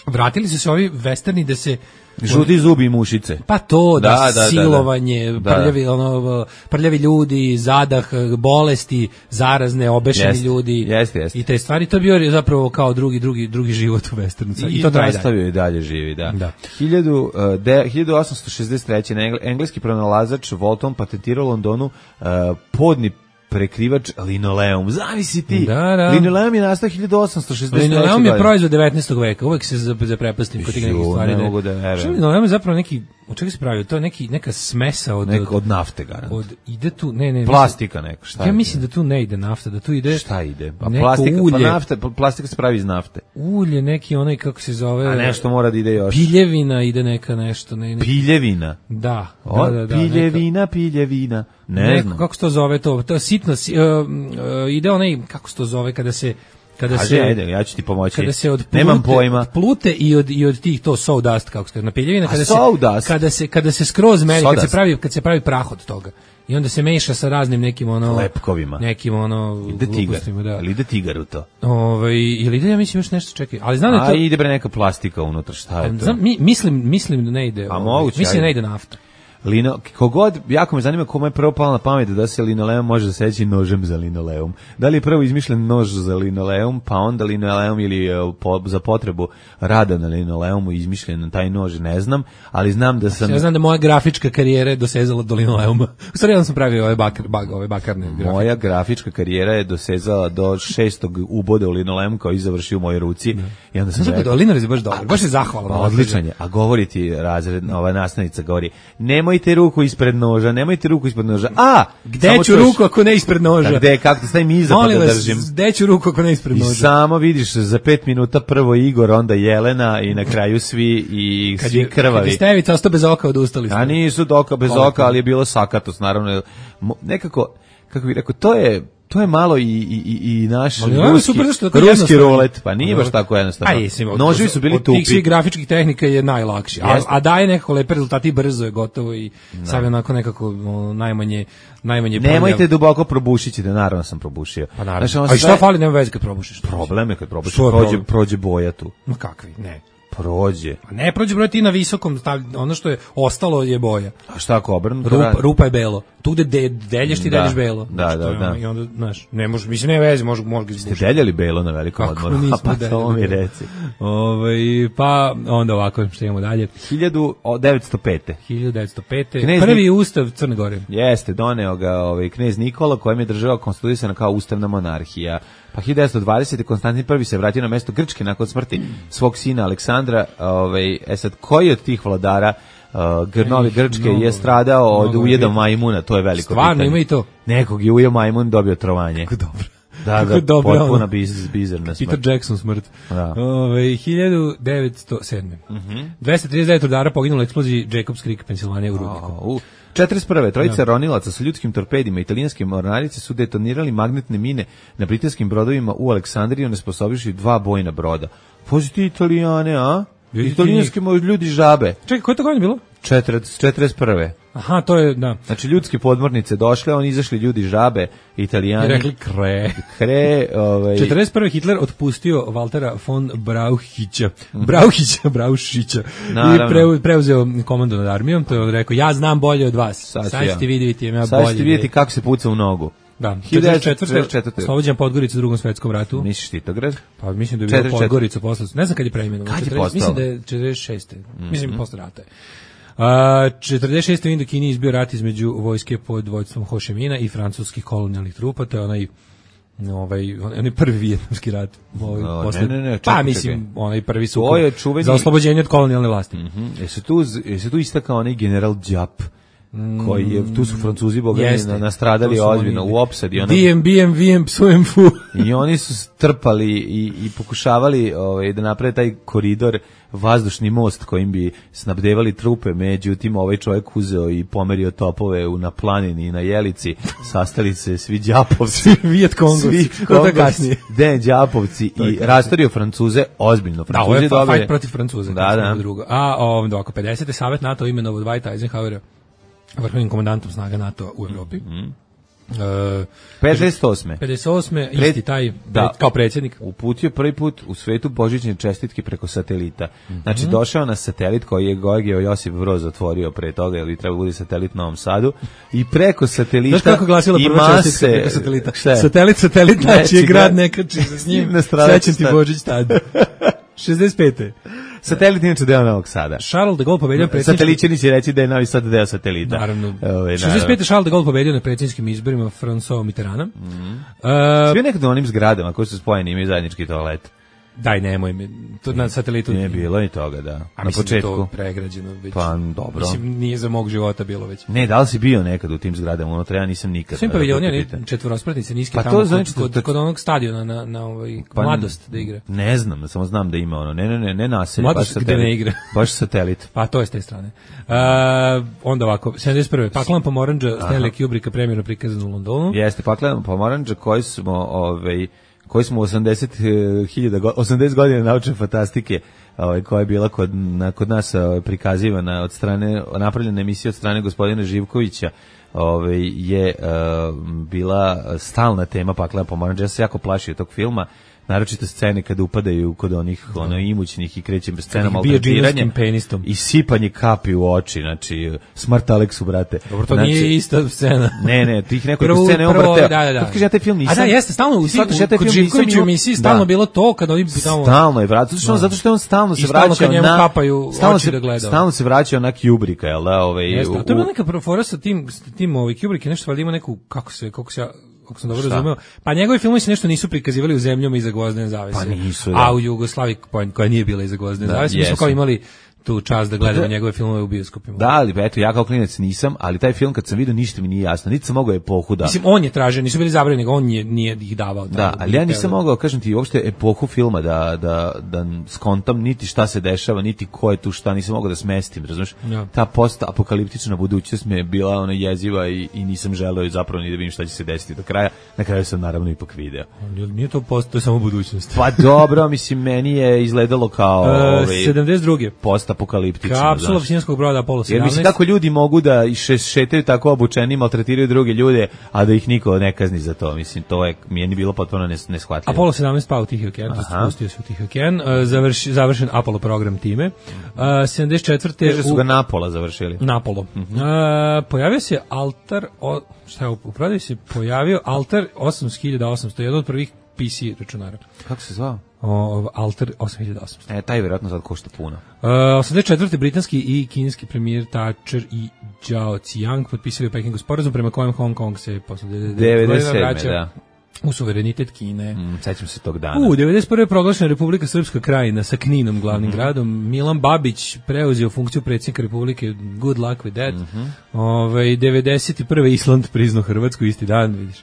Vratili su se ovi westerni da se Žuti zubi i mušice. pa to da, Da, da, da, da. silovanje, Da. prljavi ono prljavi ljudi, zadah, bolesti, zarazne, obešeni Jeste, ljudi. jeste, jeste. I te stvari to je bio zapravo kao drugi drugi drugi život u westernu. I, I to traje dalje. nastavio i dalje živi, da. Da. Hiljadu, uh, de, hiljadu osamsto šezdeset treće. na engleski pronalazač Walton patentirao u Londonu uh, podni prekrivač linoleum. Zavisi ti. Da, da. Linoleum je nastao hiljadu osamsto šezdeset treće. Linoleum je godine. proizvod devetnaestog veka. Uvek se za- zaprepastim kod tih nekih Ju, stvari. ne da- mogu da verujem. Što je linoleum je zapravo neki, od čega se pravi? To je neki, neka smesa od... Neko od nafte, garant. od ide tu, ne, ne. Plastika neka, šta Ja je? mislim da tu ne ide nafta, da tu ide... Šta ide? Pa neko plastika, ulje. pa nafta, pa plastika se pravi iz nafte. Ulje, neki onaj, kako se zove... A nešto mora da ide još. Piljevina ide neka nešto. Ne, ne, Piljevina. da, O, da, da, da. piljevina, piljevina. Ne Neko, znam. kako se to zove to? To je sitno, si- uh, uh, ide onaj, kako se to zove, kada se... Kada Kaži, se, ajde, ja ću ti pomoći. kada se od plute, Nemam pojma. od plute i od i od tih to sawdust kako se kaže na piljevina kada se sawdust? kada se kada se skroz meri kad se Sawdust. pravi kad se pravi prah od toga i onda se meša sa raznim nekim ono Lepkovima. nekim ono Ide tigar. glupostima, da. Ali ide tigar u to. Ovaj ili ide ja mislim još nešto čekaj, ali znam da je A to ide bre neka plastika unutra, šta je to? znam, mi, mislim mislim da ne ide. A ovaj, moguće, mislim da ne ajde. ide nafta. Lino, kogod, jako me zanima kome je prvo palo na pamet da se linoleum može zaseći nožem za linoleum. Da li je prvo izmišljen nož za linoleum, pa onda linoleum ili e, po, za potrebu rada na linoleumu izmišljen taj nož, ne znam, ali znam da sam... Ja znam da moja grafička karijera je dosezala do linoleuma. U stvari ja sam pravio ove bakar, bag, ove bakarne grafike. Moja grafička karijera je dosezala do šestog uboda u linoleum koji je završio u mojoj ruci. I onda sam Znam da rekao, Linar je baš dobar, baš je zahvalan. pa odličan je, a govori ti razredna, ova nastavnica govori, nemojte ruku ispred noža, nemojte ruku ispred noža. A, Gde samo ću čuješ- ruku ako ne ispred noža? A gde, kako te stavim iza pa Molim da vas, držim? gde ću ruku ako ne ispred I noža? samo vidiš za pet minuta prvo Igor, onda Jelena i na kraju svi i Kad svi je, kad krvavi. je Stevica ostao bez oka, odustali ste. A nisu doka bez Kolektivno. oka, ali je bilo sakatos, naravno. Mo- Nekako, kako bih rekao, to je to je malo i, i, i- i naš Ali ovo je ruski, super zašto je tako ruski jednostavno. rulet, pa nije baš tako jednostavno. A jesam, od- Noževi su bili od tih svih tupi. grafičkih tehnika je najlakši. A, Jeste. a daje nekako lepe rezultate i brzo je gotovo i sad je onako nekako ono, najmanje najmanje Nemojte prljav. duboko probušiti, da naravno sam probušio. Pa naravno. Znaš, ono A i šta sve- fali, nema veze kad probušiš. Problem je kad probušiš, Što je prođe, problem? prođe boja tu. Ma kakvi, ne. Prođe. A ne prođe broj ti na visokom, stav, ono što je ostalo je boja. A šta ako obrnuto Rupa, radi? rupa je belo. Tu gde de, delješ ti Da, delješ belo. da, Znači, da, to je da. ono, I onda, znaš, ne može, mislim, ne veze, može, može ga Ste izbušiti. deljali belo na velikom Kako odmoru? nismo Pa deljali to mi belo? reci. Ovaj, pa onda ovako, što imamo dalje. hiljadu devetsto pete. hiljadu devetsto pete. Knez Prvi Nik- ustav Crne Gore. Jeste, doneo ga ovaj knez Nikola, kojem je država konstituisana kao ustavna monarhija. Pa hiljadu devetsto dvadesete. Konstantin prvi se vratio na mesto Grčke nakon smrti svog sina Aleksandra. Ovaj, e sad, koji od tih vladara uh, Grnovi Ih, Grčke mnogo, je stradao od mnogo je ujeda bilo. majmuna, to je veliko Stvarno, pitanje. ima i to? Nekog je ujeo majmun, dobio trovanje. Dobro. Da, Kako da, dobro, potpuno ono. biz, bizarna smrt. Peter Jackson smrt. Da. Ove, hiljadu devetsto sedme. Mhm. dvesta trideset devet rudara poginulo u eksploziji Jacobs Creek, Pensilvanija u rudniku. A, u četrdeset prve. Trojica ronilaca sa ljudskim torpedima italijanske mornarice su detonirali magnetne mine na britanskim brodovima u Aleksandriji, onesposobivši dva bojna broda. Pođi ti Italijane, a? Vidite Italijanski mo- ljudi žabe. Čekaj, koje je to godine bilo? četrdeset, četrdeset prve. Aha, to je, da. Znači, ljudske podmornice došle, oni izašli ljudi žabe, I Italijani. rekli kre. Hre, ovaj... četrdeset prve. Hitler otpustio Valtera von Brauchića, Brauchića, Braušića i Naravno. preu, preuzeo komandu nad armijom, to je on rekao, ja znam bolje od vas, Sad sad, ću ja. ćete vidjeti, ja Sad bolje. ćete vidjeti kako se puca u nogu. Da, hiljadu četrdeset četvrte. devetsto četrdeset četvrte. Oslobođen Podgorica u drugom svetskom ratu. Misliš Titograd? Pa mislim da je četrdeset bilo četvrte. Podgorica posle. Ne znam kad je preimenovan. Kad je četrdeset postalo? Mislim da je četrdeset šeste. Mislim posle rata je. A, četrdeset šeste. u Indokini izbio rat između vojske pod vođstvom Ho Chi Minha i francuskih kolonijalnih trupa, to je onaj ovaj onaj prvi vijetnamski rat. Ovaj, No, posle, ne, ne, ne, čekaj, pa mislim, čekaj. onaj prvi su To je čuveni- za oslobođenje od kolonijalne vlasti. Mhm. Jesi tu, jesi tu istakao onaj general Đap, koji je, tu su Francuzi bogani Jeste. nastradali To su ozbiljno oni- u opsadi. Ono, D M B M V M psujem fu. I oni su strpali i, i pokušavali ovaj, da naprave taj koridor, vazdušni most kojim bi snabdevali trupe, međutim ovaj čovjek uzeo i pomerio topove u, na planini i na Jelici, sastali se svi đapovci, Vijet Kongovci. svi To je Kongovci, kasnije. den đapovci i rastario Francuze ozbiljno. Da, ovo je Francuzi fa- dobili- fight protiv Francuza. Da, da. Drugo. A ovdje oko pedesete Savet NATO imenovao Dwighta Eisenhowera vrhovnim komandantom snaga NATO u Evropi. Mm. E, pedeset osme pedeset osme Pred- isti taj da. pred- kao predsjednik. uputio prvi put u svetu božićne čestitke preko satelita. Mhm. Znači, došao na satelit koji je Gojgeo Josip Broz otvorio pre toga, jer bi trebalo bude satelit na Novom Sadu, i preko satelita Znaš kako glasila i prva mase- čestitka preko satelita? Šta je? Satelit, satelit, Neći znači je grad grad. nekači se s njim, Nastradač srećan ti stad. Božić tad. šezdeset pete Satelit inače deo Novog Sada. Charles de Gaulle pobedio predsjedničkim... Satelićani će reći da je Novi Sad deo satelita. Naravno. Ove, šezdeset pete Charles de Gaulle pobedio na predsjedničkim izborima François Mitterranda. Mhm. E, Svi nekad u onim zgradama koji su spojeni imaju zajednički toalet. daj, nemoj me. To na satelitu Nije bilo ni toga, da. A Na mislim da je početku. to pregrađeno već. Pa, dobro. Mislim, nije za mog života bilo već. Ne, da li si bio nekad u tim zgradama unutra? Ja nisam nikad. Svim da paviljoni, te oni pitam. četvorospratnice niske Pa to tamo znači kod, da- kod, kod onog stadiona na, na ovaj, Pa, Mladost da igra. Ne znam, samo znam da ima ono. Ne, ne, ne, ne naselje, Mladost baš gde satelit. ne igra. Baš satelit. Pa to je s te strane. Uh, onda ovako, sedamdeset prve Paklan Pomoranđa, Stanley Kubricka premijerno prikazan u Londonu. Jeste, paklen pomoranđa koji smo, ovaj, koji smo u osamdeset hiljada go- osamdeset godina naučne fantastike, ovaj, koja je bila kod, na, kod nas ovaj, prikazivana od strane, napravljena emisija od strane gospodina Živkovića, ovaj, je uh, bila stalna tema paklena pomoranđa. Ja se jako plašio tog filma, naročito scene kada upadaju kod onih ono imućnih i kreće bez scena Kad ih bije maltretiranja džinovskim penistom. i sipanje kapi u oči, znači smrt Aleksu, brate. Dobro, to Znači, nije ista scena. Ne, ne, tih nekoliko Prvo- scena je on prvo, vrteo. da, da, da. Kad kaže, ja taj film nisam... A da, jeste, stalno u, Shvataš, ja taj kod film nisam Živkoviću u imao- emisiji stalno Da. bilo to, kad oni tamo... Stalno je vrat, zato što, on, Da. zato što on stalno se I stalno vraćao kad njemu na... kapaju stalno oči se, da gleda. Stalno se vraćao na Kubricka, jel da? Ovaj, Jeste, u- a to je bila u- neka profora sa tim, sa tim ovaj, Kubrick je nešto valjda ima neku, kako se, kako se ja, kako sam dobro Šta? razumeo, pa njegovi filmovi se nešto nisu prikazivali u zemljama iza gvozdene zavese. Pa nisu, da. A u Jugoslaviji, koja- koja nije bila iza gvozdene Da, zavese, mi smo jesu. kao imali tu čast da gledamo Da. njegove filmove u bioskopima. Da, ali eto, ja kao klinac nisam, ali taj film kad sam vidio ništa mi nije jasno, niti sam mogao epohu da... Mislim, on je tražio, nisu bili zabranjeni, nego on je, nije ih davao. Da, tamo, ali ja nije nisam hteo. mogao, kažem ti, uopšte epohu filma da, da, da skontam niti šta se dešava, niti ko je tu šta, nisam mogao da smestim, razumiješ? Ja. Ta post-apokaliptična budućnost mi je bila ona jeziva i, i nisam želeo i zapravo ni da vidim šta će se desiti do kraja. Na kraju sam naravno ipak video. Nije- Nije to post, to je samo budućnost. Pa dobro, mislim, meni je izgledalo kao E, ovaj, sedamdeset druge post-apokaliptično. Kapsula znaš. finskog broda Apollo Jer sedamnaest. mislim, kako ljudi mogu da i še, šetaju tako obučeni, maltretiraju druge ljude, a da ih niko ne kazni za to. Mislim, to je, mi je bilo potpuno nes, neshvatljivo. Apollo sedamnaest pao u Tihi okean, to Aha. spustio se u Tihi okean, e, završi, završen Apollo program time. E, sedamdeset četvrte Kaže su u ga napola završili. Napolo. Mhm. E, pojavio se altar, o, šta je, u prodaju se pojavio altar osam hiljada osamsto, jedan od prvih P C računara. Kako se zvao? O, altar osam hiljada osamsto. E, taj vjerojatno sad košta puno. E, osamdeset četvrte britanski i kineski premijer Thatcher i Zhao Ziyang potpisali u Pekingu sporazum prema kojem Hong Kong se posle devedeset sedme vraća da. u suverenitet Kine. Mm, sećam se tog dana. U, devedeset prve je proglašena Republika Srpska krajina sa Kninom glavnim Mhm. gradom. Milan Babić preuzeo funkciju predsjednika Republike. Good luck with that. Mhm. Ovaj, devedeset prve Island priznao Hrvatsku isti dan, vidiš.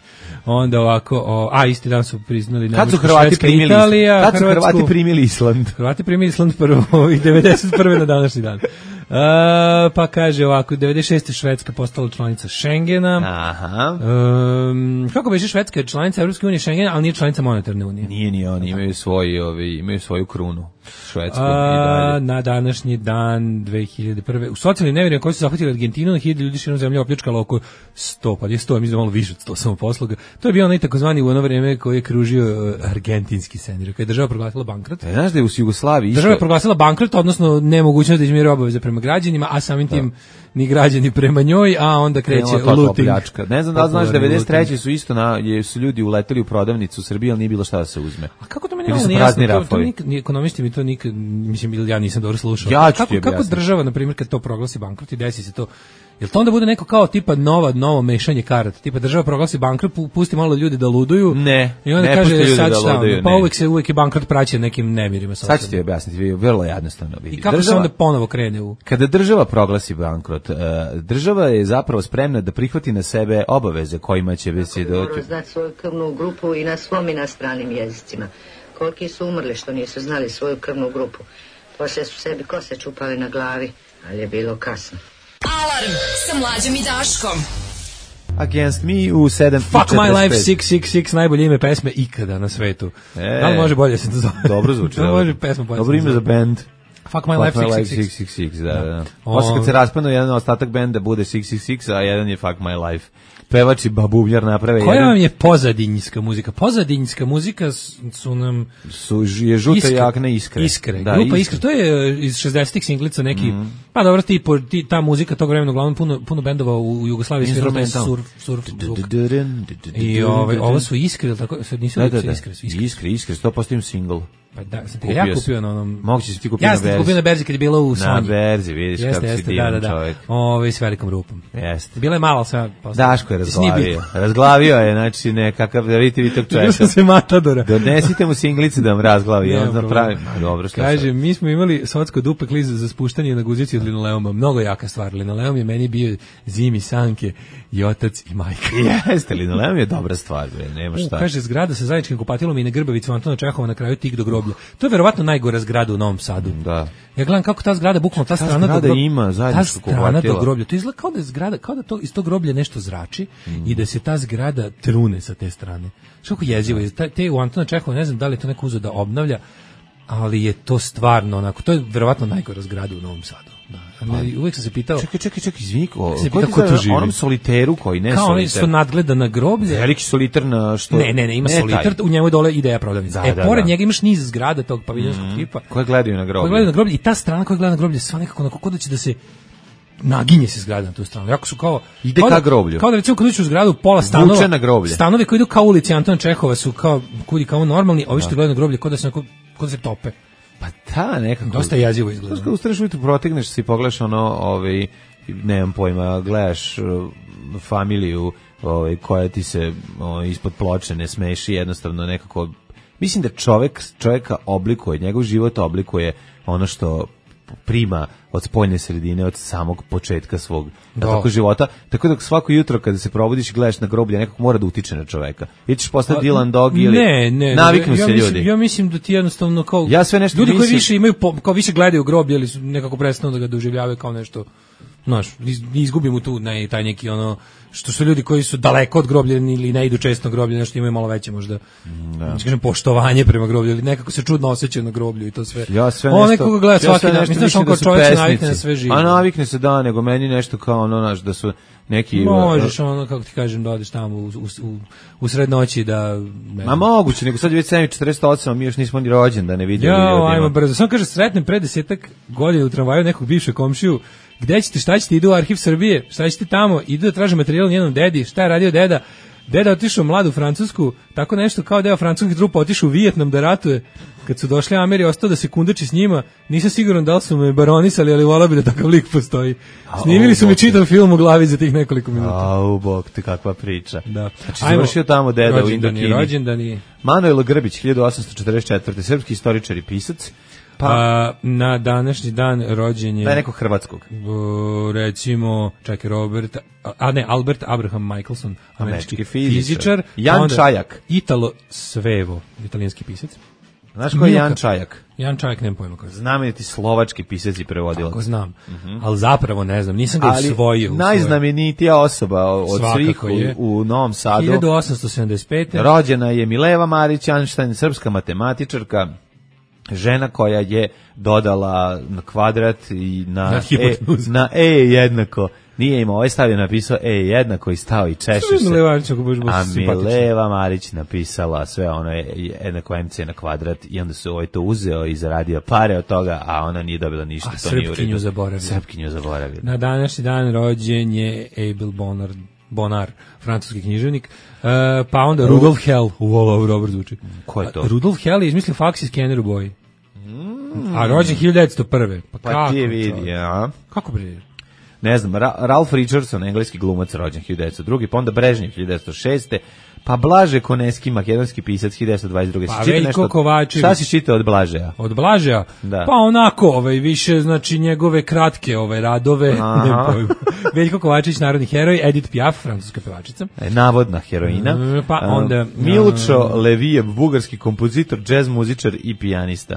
Onda ovako, o, a isti dan su priznali Kad su Nemačka, Hrvati Švedska, primili Italija, Kad su Hrvatsku. Hrvati primili Island? Hrvati primili Island prvo i devedeset prve na današnji dan. A, pa kaže ovako, devedeset šeste Švedska postala članica Schengena. Aha. Um, kako beše Švedska je članica Evropske unije Schengena, ali nije članica monetarne unije. Nije ni oni, imaju svoj, ovi, imaju svoju krunu. Švedsku i A, dalje. na današnji dan dve hiljade prve u socijalnim nevirima koji su zahvatili Argentinu, na hiljade ljudi širom zemlje opljačkalo oko sto, pa je sto, mislim da malo više od sto samoposluga. To je bio onaj takozvani u ono vreme koji je kružio uh, argentinski scenarij, kada je država proglasila bankrot. E, znaš da je u Jugoslaviji isto... Država je proglasila bankrot, odnosno nemogućnost da izmiri obaveze prema građanima, a samim tim ni građani prema njoj, a onda kreće Krenula takva looting. pljačka. Ne znam da li znaš, Popularni devedeset treće looting. su isto na, je, su ljudi uleteli u prodavnicu u Srbiji, ali nije bilo šta da se uzme. A kako to meni Ili su prazni to, to rafovi? nikad, ni ekonomisti mi to nikad, mislim, ili ja nisam dobro slušao. Ja ću kako, ti kako objasniti. država, na primjer, kad to proglasi bankrot i desi se to, jel to onda bude neko kao tipa nova, novo mešanje karata? Tipa država proglasi bankrot, pu- pusti malo ljudi da luduju. Ne, I onda ne pusti kaže ljudi sad da šta, luduju, pa ne. uvek se uvek je bankrot praćen nekim nemirima. Sad ću ti objasniti, vi- vrlo jednostavno vidi. I kako Država- se onda ponovo krene u... Kada država proglasi bankrot, e, država je zapravo spremna da prihvati na sebe obaveze kojima će se doći. Dobro znati svoju krvnu grupu i na svom i na stranim jezicima. Koliki su umrli što nisu znali svoju krvnu grupu. Poslije su sebi kose čupali na glavi, ali je bilo kasno. Alarm sa Mlađom i Daškom. Against me u sedam Fuck My Life šest šest šest, najbolje ime pesme ikada na svetu. E, da li može bolje se to zove? Dobro zvuči. Da li dobro. može pesma bolje Dobro se ime zove? za band. Fuck My Life šest šest šest. šest šest šest, da, da. O- Posle kad se raspadnu jedan ostatak benda bude šest šest šest, a jedan je Fuck My Life. Pevač i babuvljar naprave Koja jedan. vam je pozadinjska muzika? Pozadinjska muzika s- su nam Su, je žuta Iskre. jakna iskre. Iskre. Da, Grupa Iskre. To je e, iz šezdesetih singlica neki, Mhm. pa dobro, ti, po- ti, ta muzika tog vremena, uglavnom puno, puno bendova u, u Jugoslaviji sviralo taj Instrumental. surf, surf zvuk. I ovaj, ovo su Iskre, ili tako, sad nisu Da, da, Iskre, da. Iskre, su Iskre. Iskre, iskre, sto posto im single. Pa da, sam ti ga ja Kupio kupio sam. na onom... Moguće si ti kupio Ja na sam ti berzi. kupio na berzi kad je bilo u Na Sonji. berzi, vidiš Jeste, kako si jeste, da, divan da, da. čovjek. Ove, s velikom rupom. Jeste. Bila je malo, ali sve posle. Daško je Mislim, nije razglavio. bitno. Razglavio je, znači nekakav, da vidite vi tog Vidio čovjeka. sam se Matadora. Donesite mu singlice da vam razglavi. Nema On zna problema. pravi. Ma, dobro, što Kaže, mi smo imali socko dupe kliz za spuštanje na guzici od linoleuma. Mnogo jaka stvar. Linoleum je meni bio zimi sanke i otac i majka. Jeste, linoleum je dobra stvar, bre, nema U, šta. kaže, zgrada sa zajedničkim kupatilom i na Grbavicu Antona Čehova na kraju tik do groblja. To je verovatno najgora zgrada u Novom Sadu. Da. Ja gledam kako ta zgrada, bukvalno ta, Ta strana do zgrada groblja, ima ta zajedničko strana kupatilo. do groblja. To izgleda kao da je zgrada, kao da to iz tog groblja nešto zrači i da se ta zgrada trune sa te strane. Što kako jezivo je. Ta- Te u Antona Čehova, ne znam da li je to neko uzeo da obnavlja, ali je to stvarno onako, to je verovatno najgora zgrada u Novom Sadu. Da. A ne, uvijek sam se pitao, Čekaj, čekaj, čekaj, izvini, ko, Se ko pita ti ko tu zove, živi? onom soliteru koji ne kao oni soliter. su nadgleda na groblje. Veliki solitar na što... Ne, ne, ne, ima taj. solitar, u njemu je dole ideja prodavnica. Da, e, da, pored da. njega imaš niz zgrada tog paviljonskog tipa. Koje gledaju na groblje. Koji gleda na groblje i ta strana koja gleda na groblje sva nekako onako kod da će da se naginje se zgrada na tu stranu. Jako su kao Ide kao ka da- groblju. Kao da recimo kad uđeš u zgradu pola stanova. Vuče na groblje. Stanovi koji idu kao ulici Antona Čehova su kao kudi kao normalni, a ovi što gledaju na groblje kao da se onako kao da se tope. Pa ta nekako... Dosta jezivo izgleda. Znaš, kad ustaneš ujutru, protegneš se i pogledaš ono, ovaj, nemam pojma, gledaš uh, familiju ovaj, koja ti se ovaj, ispod ploče ne smeši, jednostavno nekako... Mislim da čovek, čoveka oblikuje, njegov život oblikuje ono što prima od spoljne sredine, od samog početka svog Da. tako života, tako da svako jutro kada se probudiš i gledaš na groblje, nekako mora da utiče na čoveka. Ili ćeš postati Dylan Dog ili ne, ne, naviknu ja se mislim, ljudi. Ja mislim da ti jednostavno kao Ja sve nešto ljudi koji mislim- više imaju po- kao više gledaju groblje ili su nekako prestanu da ga doživljavaju kao nešto, znaš, iz- izgubimo tu ne, taj neki ono što su ljudi koji su daleko od groblja ili ne idu često na groblje, nešto imaju malo veće možda da. kažem poštovanje prema groblju ili nekako se čudno osjećaju na groblju i to sve. Ja sve On nešto. nekoga gleda ja svaki sve dan, nešto mislim mislim on kao da su čovjek se pesnici. navikne na sve živo. A navikne se da, nego meni nešto kao ono, znaš, da su neki... Možeš ono, kako ti kažem, da odeš tamo u, u, u, u sred noći da... ne Ma znam. moguće, nego sad je već sedam četrdeset osam, a mi još nismo ni rođen da ne vidimo Ja, ljudima. ajmo brzo. Samo kaže, sretnem pre desetak godina u tramvaju nekog bivšeg komšiju. Gde ćete, šta ćete, idu u arhiv Srbije, šta ćete tamo, idu da traže materijal njenom dedi, šta je radio deda? Deda otišao mlad u Francusku, tako nešto kao deo francuskih trupa otišao u Vijetnam da ratuje. Kad su došli Ameri, ostao da se kundači s njima, nisam siguran da li su me baronisali, ali volao bi da takav lik postoji. Snimili su mi čitav film u glavi za tih nekoliko minuta. Au, bog, ti kakva priča. Da. Znači, završio tamo deda u rođendani, Indokini. rođendani. Manuel Grbić, hiljadu osamsto četrdeset četvrte. Srpski istoričar i pisac. Pa, A, na današnji dan rođen je... da je nekog hrvatskog. Uh, recimo, čekaj, Robert, a ne, Albert Abraham Michelson, američki, Američki fizičar. fizičar. Jan Onda Čajak. Italo Svevo, italijanski pisac. Znaš ko je Milka. Jan Čajak? Jan Čajak, nemam pojma ko je. Znameniti slovački pisac i prevodilac. Ako znam, ali zapravo ne znam, nisam ga Ali usvojio. usvojio. najznamenitija osoba od Svakako svih je. u, u Novom Sadu. hiljadu osamsto sedamdeset pete. Rođena je Mileva Marić Einstein, srpska matematičarka, žena koja je dodala na kvadrat i na, Na e, hipotenuzu. na E jednako. Nije imao, ovaj stavio napisao E jednako i stao i češe se. Mileva Marić, ako budeš baš A simpatična. Mileva Marić napisala sve ono je jednako M C na kvadrat i onda su ovaj to uzeo i zaradio pare od toga, a ona nije dobila ništa. A to nije u Srpkinju redu. zaboravio. Srpkinju zaboravio. Na današnji dan rođen je Abel Bonner, Bonar, francuski književnik, uh, pa onda Rudolf Hell, u ovo dobro zvuči. Ko je to? Rudolf Hell je izmislio faks i skener u boji. Mm. A rođen hiljadu devetsto prve. Pa, pa kako, ti je vidi, ja. Kako bre? Ne znam, Ra Ralph Richardson, engleski glumac, rođen hiljadu devetsto druge, pa onda Brežnjev hiljadu devetsto šeste, pa Blaže Koneski, makedonski pisac hiljadu devetsto dvadeset druge. Pa Veljko Kovačević. Šta si čitao od Blažeja? Od Blažeja? Da. Pa onako, ovaj, više, znači, njegove kratke ove radove. Ne pojmu. Veljko Kovačević, narodni heroj, Edith Piaf, francuska pevačica. E, navodna heroina. Pa onda... Uh, Milčo Levijev, bugarski kompozitor, džez muzičar i pijanista.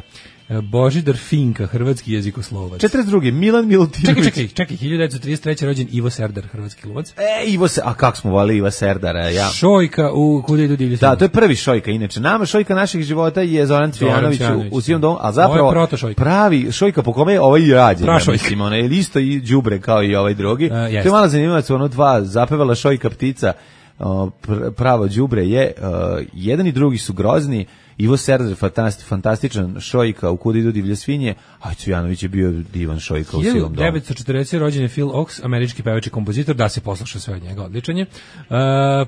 Božidar Finka, hrvatski jezikoslovac. četrdeset druge Milan Milutinović. Čekaj, čekaj, čekaj, hiljadu devetsto trideset treće rođen Ivo Serdar, hrvatski lovac. E, Ivo se, a kako smo volili Iva Serdara, ja. Šojka u Kuda idu divlje. Da, to je prvi Šojka, inače. Nama Šojka naših života je Zoran Cvijanović u, u Sivom domu, a zapravo pravi Šojka po kome je ovaj i rađen. Ja mislim, ona je isto i đubre kao i ovaj drugi. Uh, to je malo zanimljivac, ono dva, zapevala Šojka ptica, uh, pr pravo đubre je, uh, jedan i drugi su grozni. Ivo Serdar, fantasti, fantastičan Šojka u Kuda idu divlje svinje, a Cvijanović je bio divan Šojka u Sivom domu. hiljadu devetsto četrdeset rođen je Phil Ochs, američki pevač i kompozitor, da se posluša sve od njega, odličan je. Uh,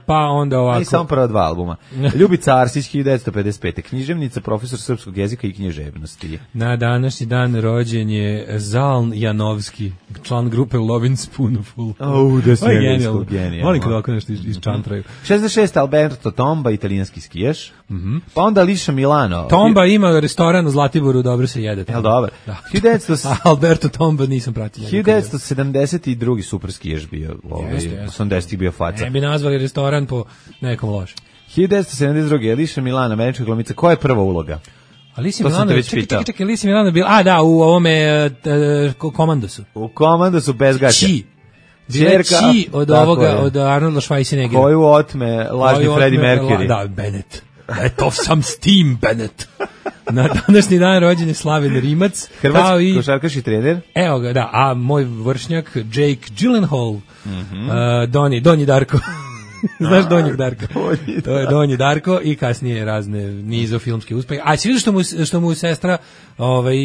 pa onda ovako... I samo prva dva albuma. Ljubica Arsić, hiljadu devetsto pedeset pete književnica, profesor srpskog jezika i književnosti. Na današnji dan rođen je Zaln Janovski, član grupe Lovin Spoonful. Oh, da se je genijal. Volim kada ovako nešto iščantraju. šezdeset šeste Alberto Tomba, italijanski skijaš. Mm -hmm. Pa onda Liša Milano. Tomba ima restoran u Zlatiboru, dobro se jede. Jel dobro? Da. hiljadu devetsto... Alberto Tomba nisam pratio. hiljadu devetsto sedamdeset drugi super skijaš bio. Ovaj, osamdesetih bio faca. Ne bi nazvali restoran po nekom lošem. hiljadu devetsto sedamdeset druge Liša Milano, američka glumica. Koja je prva uloga? Alicia Milano, čekaj, čekaj, čekaj, Alicia Milano bila, a da, u ovome uh, Komandosu. U Komandosu bez gaća. Či. Bila Či od ovoga, je. Od Arnolda Schwarzeneggera. Koju otme lažni Freddie Mercury. La, da, Bennett. Let off some steam, Bennett. Na današnji dan rođen je Slaven Rimac. Hrvatski košarkaš i trener. Evo ga, da, a moj vršnjak Jake Gyllenhaal, mm -hmm. uh, Donji, Donji Darko. Znaš Donjeg Darka? To je Donji Darko i kasnije razne nizo filmske uspehe. A si vidio što mu, što mu sestra ovaj,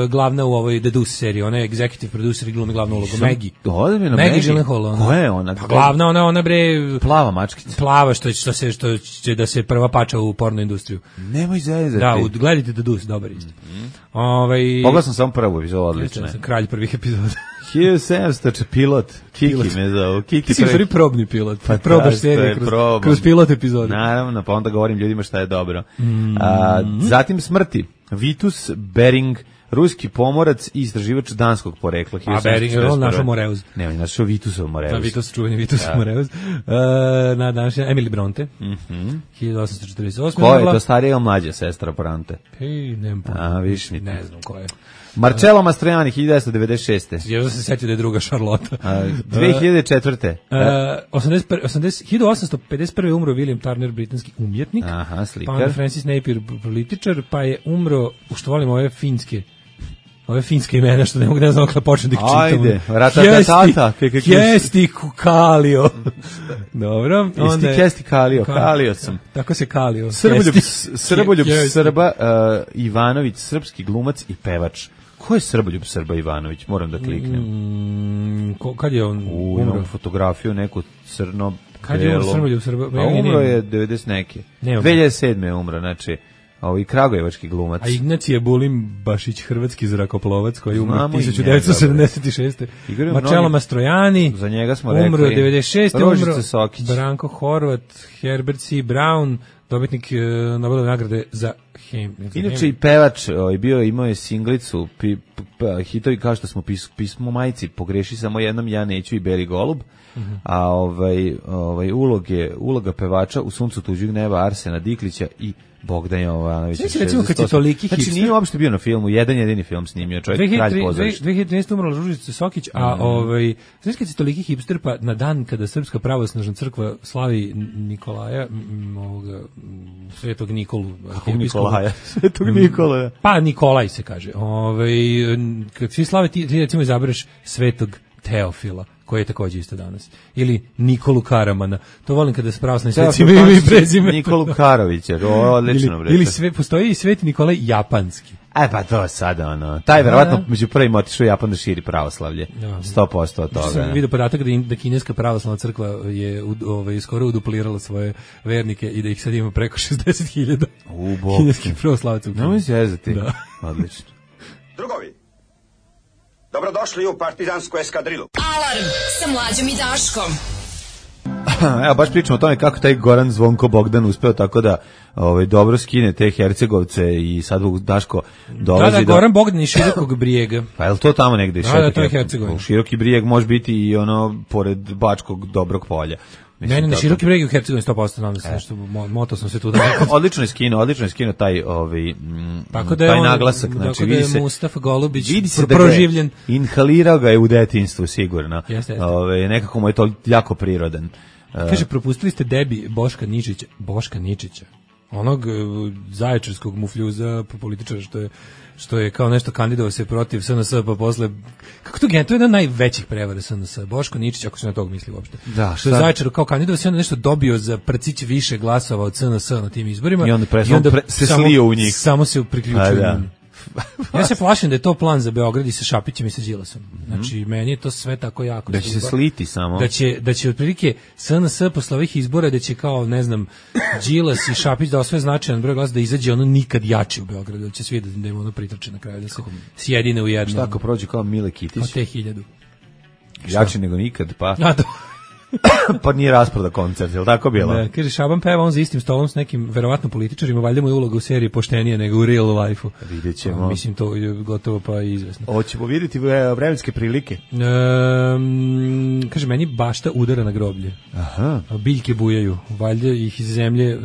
glavna u ovoj The Deuce seriji, ona je executive producer i glumi glavnu ulogu, Maggie. Maggie, Maggie Gyllenhaal. Koja je ona? Pa glavna, ona, ona bre... Plava mačkica. Plava, što, što, se, što će da se prva pača u porno industriju. Nemoj zezati. Da, u, gledajte The Deuce, dobar isto. Mm -hmm. ovaj, Pogledao sam samo prvu epizodu, odlično. Ja sam kralj prvih epizoda. hiljadu sedamsto pilot, Kiki pilot. Me zove. Kiki ti si prvi probni pilot, pa probaš serije kroz, kroz pilot epizode. Naravno, pa onda govorim ljudima šta je dobro. Mm. A, zatim smrti. Vitus Bering, ruski pomorac i istraživač danskog porekla. A Bering je on našao Moreuz. Ne, on je našao Vitusov Moreuz. Da, Vitus, čuveni Vitus ja. Moreuz. Uh, na današnji, Emily Bronte, mm -hmm. hiljadu osamsto četrdeset osme. Ko je to, starija ili mlađa sestra Bronte? Hej, nemam pojma. A, viš mi. Ne znam ko je. Marcello Mastroianni, hiljadu devetsto devedeset šeste. Jer se setio da je druga Šarlota. A, dve hiljade četvrte. Uh, hiljadu osamsto pedeset prve umro William Turner, britanski umjetnik. Aha, slikar. Pa onda Francis Napier, političar, pa je umro, što volim ove finske, ove finske imena, što ne mogu ne znam kako počnem da ih čitam. Ajde, ratatatata. Kesti Kalio. Dobro. Isti Kesti Kalio, Kalio sam. Tako se Kalio. Srboljub, Srboljub Srba, uh, Ivanović, srpski glumac i pevač. Ko je Srboljub Srba Ivanović? Moram da kliknem. Mm, ko, kad je on U, umro? Imam fotografiju, neku crno Kad je umro Srboljub Srba? A umro je devedeset neke. dve hiljade sedme je umro, znači... Ovo i kragujevački glumac. A Ignacije Bulim Bašić, hrvatski zrakoplovac koji je umro hiljadu devetsto sedamdeset šeste. Marcello Mastroianni, za njega smo umro rekli. devedeset šeste. Ružica Sokić. Branko Horvat, Herbert C. Brown, dobitnik uh, Nobelove nagrade za hem. Inače i pevač, ovaj, bio imao je singlicu, pi, p, hitovi kao što smo pis, pismo majci, pogreši samo jednom, ja neću i Beli golub. Uh -huh. A ovaj, ovaj uloge, uloga pevača u Suncu tuđeg neba Arsena Diklića i Bogdan Jovanović. Znači, recimo kad je toliki hipster. Znači, nije uopšte bio na filmu, jedan jedini film snimio, čovjek kralj pozorišta. dve hiljade trinaeste. umrla Ružica Sokić, a mm. ovaj, znači kad je toliki hipster, pa na dan kada Srpska pravoslavna crkva slavi Nikolaja, m, ovoga, Svetog Nikolu. Kako Nikolaja? Svetog Nikola. Pa Nikolaj se kaže. Ovaj, kad svi slave, ti, ti recimo izabereš Svetog Teofila, koji je takođe isto danas. Ili Nikolu Karamana. To volim kada se pravoslavni sveci imaju i prezime. Nikolu Karovića, odlično. Ili, ili sve, postoji i Sveti Nikolaj japanski. E pa to sada ono. Taj verovatno među prvim otišao u Japan da širi pravoslavlje. sto posto od toga. Sam vidio podatak da, in, da kineska pravoslavna crkva je u, ovaj, skoro uduplirala svoje vernike i da ih sad ima preko šezdeset hiljada kineskih pravoslavaca. Ne mi se jezati. Da. Odlično. Drugovi, dobrodošli u partizansku eskadrilu. Alarm sa Mlađom i Daškom. Evo, baš pričamo o tome kako taj Goran Zvonko Bogdan uspeo tako da ovaj, dobro skine te Hercegovce i sad Daško dolazi da... Da, do... Goran Bogdan iz Širokog Brijega. Pa je li to tamo negde? Da, da, to je Hercegovina. Široki Brijeg može biti i ono, pored Bačkog Dobrog polja. Ne, ne, na Široki Brijeg u Hercegovini sto posto nam se nešto, moto sam se tu da nekad. Odlično je skino, odlično je skino taj, ovaj, m, tako da je taj on, naglasak. Znači, tako da je Mustafa Golubić vidi se da proživljen. Da inhalirao ga je u detinjstvu, sigurno. Jeste, jeste. Ove, nekako mu je to jako prirodan. Kaže, propustili ste debi Boška Ničića. Boška Ničića. Onog uh, zaječarskog mufljuza političara što je što je kao nešto kandidovao se protiv S N S, pa posle kako to gen, to je jedna od najvećih prevara S N S. Boško Ničić, ako se na tog misli uopšte. Da, što je Zaječar kao kandidovao se, onda nešto dobio za prcić više glasova od S N S na tim izborima. I onda, pre, I onda pre, se samo, slio u njih. Samo se priključio da. njim. Ja se plašim da je to plan za Beograd i sa Šapićem i sa Đilasom. Znači, mm-hmm. meni je to sve tako jako. Da će se sliti samo. Da će, da će otprilike S N S posle ovih izbora, da će kao, ne znam, Đilas i Šapić da osvoje značajan broj glasa, da izađe ono nikad jače u Beogradu, da će svi da im ono pritrče na kraju, da se sjedine u jednom. Šta ako prođe kao Mile Kitić? Kao te hiljadu. Jače nego nikad, pa... A, da. Pa nije rasproda koncert, je li tako bilo? Da, kaže, Šaban peva on za istim stolom s nekim verovatno političarima, valjda mu je uloga u seriji poštenije nego u real life-u. Vidjet ćemo. A, mislim, to je gotovo pa izvesno. Hoćemo vidjeti vremenske prilike. Um, kaže, meni bašta udara na groblje. Aha. Biljke bujaju, valjda ih iz zemlje, uh,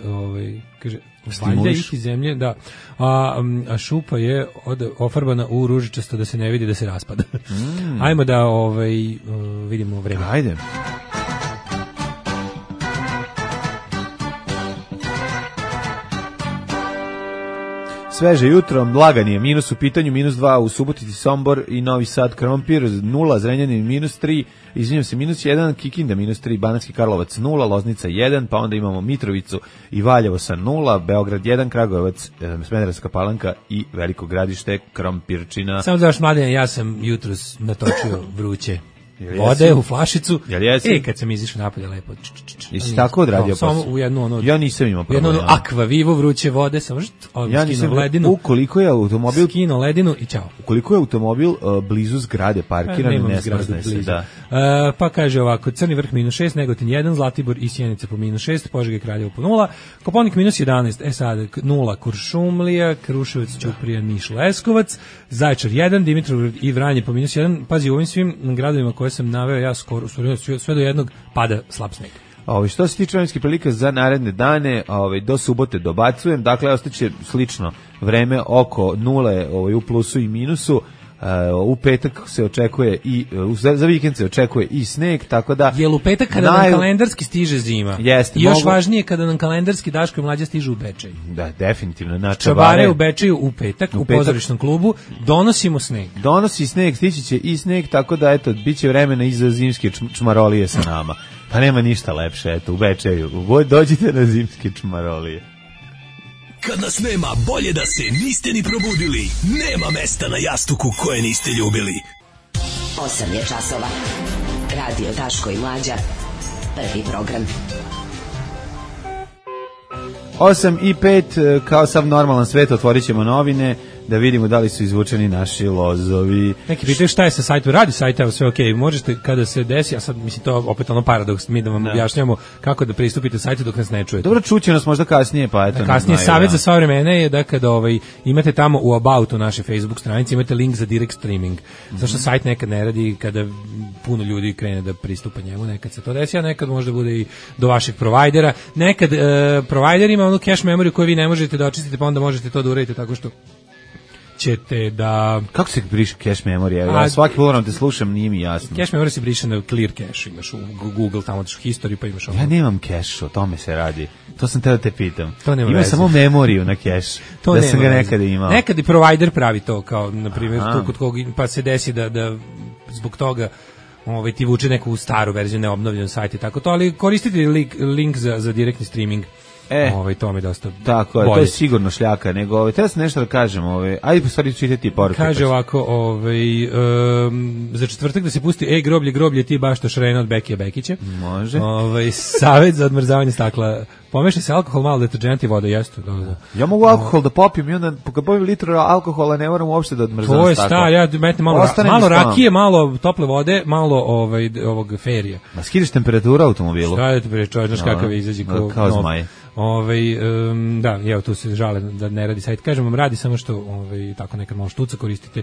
ovaj, kaže... Valjda ih iz zemlje, da. A, a šupa je od, ofarbana u ružičasto da se ne vidi da se raspada. Mm. Ajmo da ovaj, uh, vidimo vreme. Ajde. Sveže jutro, lagan je, minus u pitanju, minus dva u Subotici, Sombor i Novi Sad, Krompir, nula, Zrenjanin, minus tri, izvinjam se, minus jedan, Kikinda, minus tri, Banatski Karlovac, nula, Loznica, jedan, pa onda imamo Mitrovicu i Valjevo sa nula, Beograd, jedan, Kragujevac, Smederevska Palanka i Veliko Gradište, Krompirčina. Samo da još, Mladen, ja sam jutros natočio vruće vode u flašicu. E, kad sam izišao napolje lepo. Jesi tako odradio posao? Samo u jednu ono. Ja nisam imao problema. U jednu ono Aqua Vivo vruće vode, samo što ja nisam ledinu. Ukoliko je automobil skino ledinu i ćao. Ukoliko je automobil uh, blizu zgrade parkiran, ne, ne smrzne se, da. Uh, pa kaže ovako, Crni Vrh minus šest, Negotin jedan, Zlatibor i Sjenica po minus šest, Požega i Kraljevo po nula, Koponik minus jedanaest, e sad nula Kuršumlija, Kruševac, Ćuprija, Niš, Leskovac, Zaječar jedan, Dimitrovgrad i Vranje po minus jedan. Pazi, u ovim svim gradovima koje sam naveo, ja skoro sve do jednog pada slab sneg. Ovaj što se tiče vremenskih prilika za naredne dane, ovaj do subote dobacujem, dakle ostaće slično vreme oko nule, ovaj u plusu i minusu. Uh, u petak se očekuje i uh, za, za vikend se očekuje i sneg, tako da jel u petak kada naj... nam kalendarski stiže zima. Jeste, i još mogu... važnije kada nam kalendarski Daško i Mlađa stižu u Bečej. Da, definitivno. Na Čabare, čabare u Bečeju u petak u, u petak, pozorišnom klubu donosimo sneg. Donosi sneg, stići će i sneg, tako da eto biće vremena i za zimske čmarolije sa nama. Pa nema ništa lepše, eto u Bečeju. Dođite na zimske čmarolije. Kad nas nema, bolje da se niste ni probudili. Nema mesta na jastuku koje niste ljubili. osam je časova. Radio Daško i Mlađa. Prvi program. osam i pet, kao sav normalan svet, otvorit ćemo novine, da vidimo da li su izvučeni naši lozovi. Neki pitaju šta je sa sajtom, radi sajta, evo sve okej, okay. Možete kada se desi, a sad mislim to opet ono paradoks, mi da vam ne. objašnjamo kako da pristupite sajtu dok nas ne čujete. Dobro, čuće nas možda kasnije, pa eto. Da, kasnije savjet za sva vremena je da kada ovaj, imate tamo u Aboutu naše Facebook stranici, imate link za direct streaming. Mm-hmm. Zašto sajt nekad ne radi kada puno ljudi krene da pristupa njemu, nekad se to desi, a nekad možda bude i do vašeg provajdera. Nekad uh, provider ima onu cache memoriju koju vi ne možete da očistite, pa onda možete to da uradite tako što ćete da... Kako se briše cache memorija? Ja a, svaki put te slušam, nije mi jasno. Cache memorija se briše na clear cache, imaš u Google, tamo ćeš historiju, pa imaš ono. Ja nemam cache, o tome se radi. To sam te da te pitam. To nema Ima veze. samo memoriju na cache. To da sam ga nekada imao. Nekad i provider pravi to, kao, na primjer, tu kod kog, pa se desi da, da zbog toga ovaj, ti vuče neku staru verziju, neobnovljenu sajt i tako to, ali koristite link, link za, za direktni streaming. E, ovaj, to mi je dosta tako je, bolje. to je sigurno šljaka, nego ovaj, treba se nešto da kažem, ovaj, ajde po stvari čitati poruke. Kaže ovako, ovaj, um, za četvrtak da se pusti ej groblje, groblje, ti baš to Šrena od Bekija Bekića. Može. Ovaj, savjet za odmrzavanje stakla. Pomeša se alkohol, malo deterđent i voda, jeste. Da, da. Ja mogu alkohol da popijem i onda kad popijem litru alkohola ne moram uopšte da odmrzavam to je staklo. star, ja metnem malo, Ostane malo mi stalno. rakije, malo tople vode, malo ovaj, ovog ferija. Ma skidaš temperaturu automobilu? Šta da ti pričaš, znaš kakav izađe kao, kao zmaj. Ovaj um, da, evo tu se žale da ne radi sajt. Kažem vam, radi samo što ovaj tako nekad malo štuca, koristite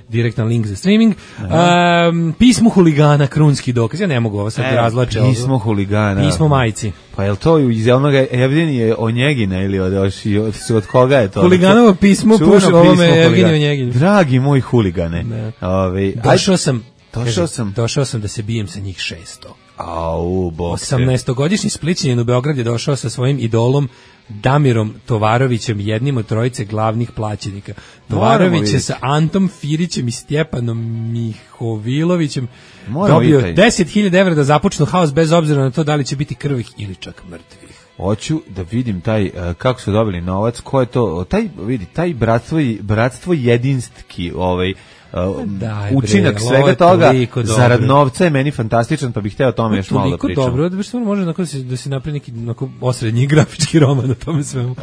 direktan link za streaming. Um, pismo huligana, krunski dokaz. Ja ne mogu ovo sad e, razlače. Pismo huligana. Pismo majci. Pa je li to iz onog Evgenije Onjegina ili od, od, od, od koga je to? Huliganovo pismo pušao ovome Evgenije Onjeginu. Dragi moj huligane. Ove, došao sam, došao sam. Došao sam da se bijem sa njih šesto. Au, bok. osamnaestogodišnji Splićanin u Beograd je došao sa svojim idolom Damirom Tovarovićem, jednim od trojice glavnih plaćenika. Tovarović je sa Antom Firićem i Stjepanom Mihovilovićem Moramo dobio vidjeti. deset hiljada evra da započnu haos bez obzira na to da li će biti krvih ili čak mrtvih. Hoću da vidim taj, uh, kako su dobili novac, ko je to, taj, vidi, taj bratstvo, bratstvo jedinstki, ovaj, Uh, Daj, učinak bre, svega toga zarad dobro. novca je meni fantastičan, pa bih hteo o tome još malo da pričam. Toliko dobro, da se može da se da se napravi neki onako osrednji grafički roman na tome svemu. Uh,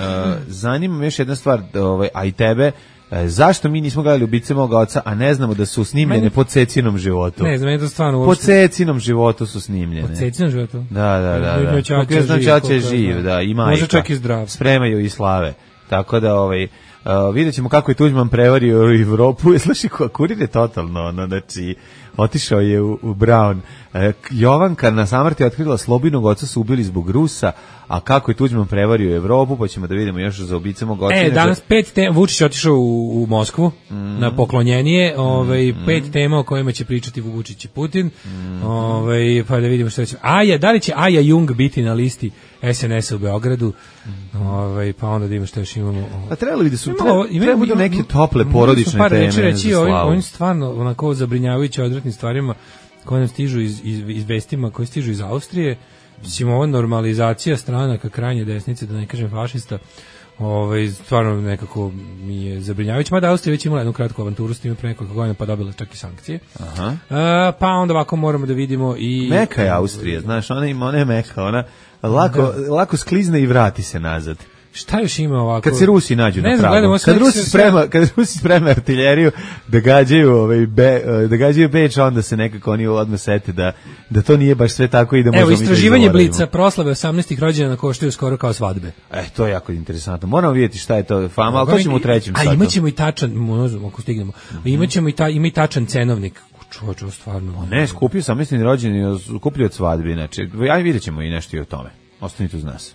zanima me još jedna stvar, ovaj, a i tebe, uh, zašto mi nismo gledali Ubice moga oca, a ne znamo da su snimljene meni, po Cecinom životu? Ne znam, je to stvarno uopšte. Po Cecinom životu su snimljene. Po Cecinom životu? Da, da, da. da. Kako ja znam Ćaća je živ, da, i majka. Može čak i zdrav. Spremaju i slave. Tako da, ovaj, Uh, vidjet ćemo kako je Tuđman prevario u Evropu. Slušaj, kurir je totalno, ono, znači, otišao je u, u Brown. Uh, Jovanka na samrti je otkrila Slobinog oca su ubili zbog Rusa, a kako je Tuđman prevario u Evropu, pa ćemo da vidimo još za ubice mog oca. E, danas pet tema, Vučić je otišao u, u Moskvu mm. na poklonjenje, ovaj, mm. pet tema o kojima će pričati Vučić i Putin, mm. ovaj, pa da vidimo što će. Aja, da li će Aja Jung biti na listi es en es a u Beogradu, mm. ovaj, pa onda da imamo što još imamo. A trebali bi da su, treba, treba budu neke tople porodične par teme. Reći, reći, ovim, ovim stvarno onako zabrinjavajuće odvratnim stvarima koje nam stižu iz, iz, iz vestima, koje stižu iz Austrije. Mislim, ova normalizacija stranaka krajnje desnice, da ne kažem fašista, ovaj, stvarno nekako mi je zabrinjavajuće. Mada Austrija već imala jednu kratku avanturu s time pre nekoliko godina, pa dobila čak i sankcije. Aha. Uh, pa onda ovako moramo da vidimo i... Meka je Austrija, znaš, ona ima, ona je meka, ona lako, da. lako sklizne i vrati se nazad. Šta još ima ovako? Kad se Rusi nađu ne na znam, pragu. Kad Rusi sprema, kad Rusi sprema artiljeriju da gađaju, ovaj be, da gađaju Beč, onda se nekako oni odmah sete da da to nije baš sve tako i da možemo. Evo, istraživanje da Blica, proslave osamnaestih rođendana koštaju skoro kao svadbe. E, to je jako interesantno. Moramo vidjeti šta je to fama, al to ćemo u trećem satu. A imaćemo i tačan, možemo ako stignemo. Mm -hmm. Imaćemo i ta ima i tačan cenovnik. Čoveče, stvarno. O ne, skupio osamnaesti rođendan, skupljaju od svadbe, znači, aj videćemo i nešto i o tome. Ostanite uz nas.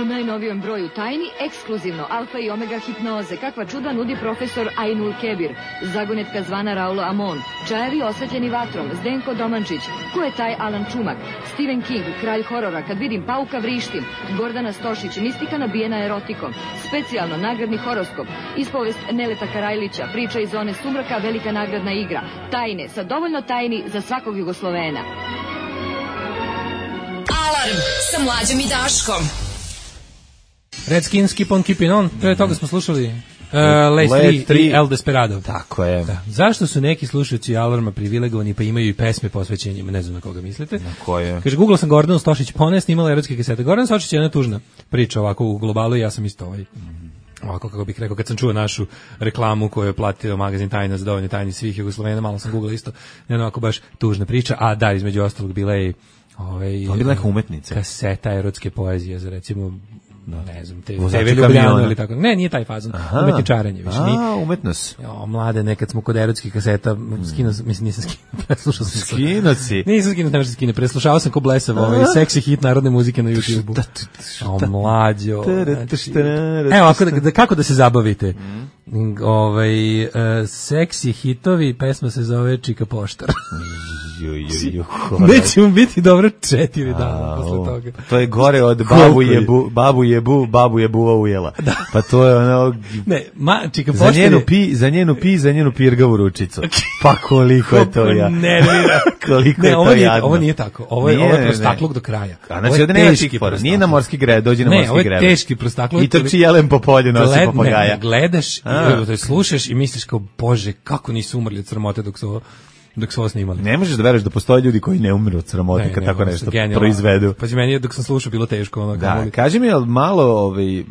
U najnovijem broju Tajni, ekskluzivno Alfa i Omega hipnoze, kakva čuda nudi profesor Ainul Kebir, zagonetka zvana Raulo Amon, čajevi osvetljeni vatrom, Zdenko Domančić, ko je taj Alan Čumak, Stephen King, kralj horora, kad vidim pauka vrištim, Gordana Stošić, mistika nabijena erotikom, specijalno nagradni horoskop, ispovest Neleta Karajlića, priča iz zone sumraka, velika nagradna igra, Tajne, sa dovoljno tajni za svakog Jugoslovena. Alarm sa Mlađom i Daškom. Redskins, Keep on Keeping On, pre toga smo slušali uh, Lace tri i El Desperado. Tako je. Da. Zašto su neki slušalci Alarma privilegovani pa imaju i pesme posvećenjima, ne znam na koga mislite. Na koje? Kaže, Google sam Gordon Stošić Pone, snimala erotske kasete. Gordon Stošić je jedna tužna priča ovako u globalu i ja sam isto ovaj, ovako kako bih rekao, kad sam čuo našu reklamu koju je platio magazin Tajna za dovoljno tajni svih Jugoslovena, malo sam Google isto, ne ovako baš tužna priča, a da, između ostalog bila je ovaj, bila neka umetnica. Kaseta erotske poezije za recimo no, ne znam, te te Ljubljana ili tako. Ne, nije taj fazon. Umetničarenje više. A, umetnost. Jo, mlade, nekad smo kod erotskih kaseta, skinuo sam, mislim, nisam skinuo, preslušao sam. Skinuo si? Nisam skinuo, ne možda skine, preslušao sam ko blesav ovaj seksi hit narodne muzike na YouTubeu. O, mlađo. Evo, ako da, da, kako da se zabavite? Ovaj, uh, seksi hitovi, pesma se zove Čika Poštar. Ju, ju, ju, neće mu biti dobro četiri dana posle toga. To je gore od babu jebu, babu jebu, babu jebuva ujela. Da. Pa to je ono... Ne, ma, čika, za, njenu pi, za njenu pi, za njenu pirgavu ručicu. Pa koliko je to ja. Ne, koliko ne, je to ovo nije, jadno. Ovo nije tako. Ovo je, nije, ovo je prostakluk do kraja. A znači ovdje nema tih fora. Nije na morski greb, dođi na ne, morski greb. Ne, ovo je teški prostakluk. I trči jelen po polju, nosi papagaja. Ne, gledaš, i, slušaš i misliš kao, Bože, kako nisu umrli od sramote dok su dok su ovo snimali. Ne možeš da veruješ da postoje ljudi koji ne umiru od sramote kad tako nešto genijalno proizvedu. Pa meni je dok sam slušao bilo teško. Ono, da, kaži mi je malo ovaj,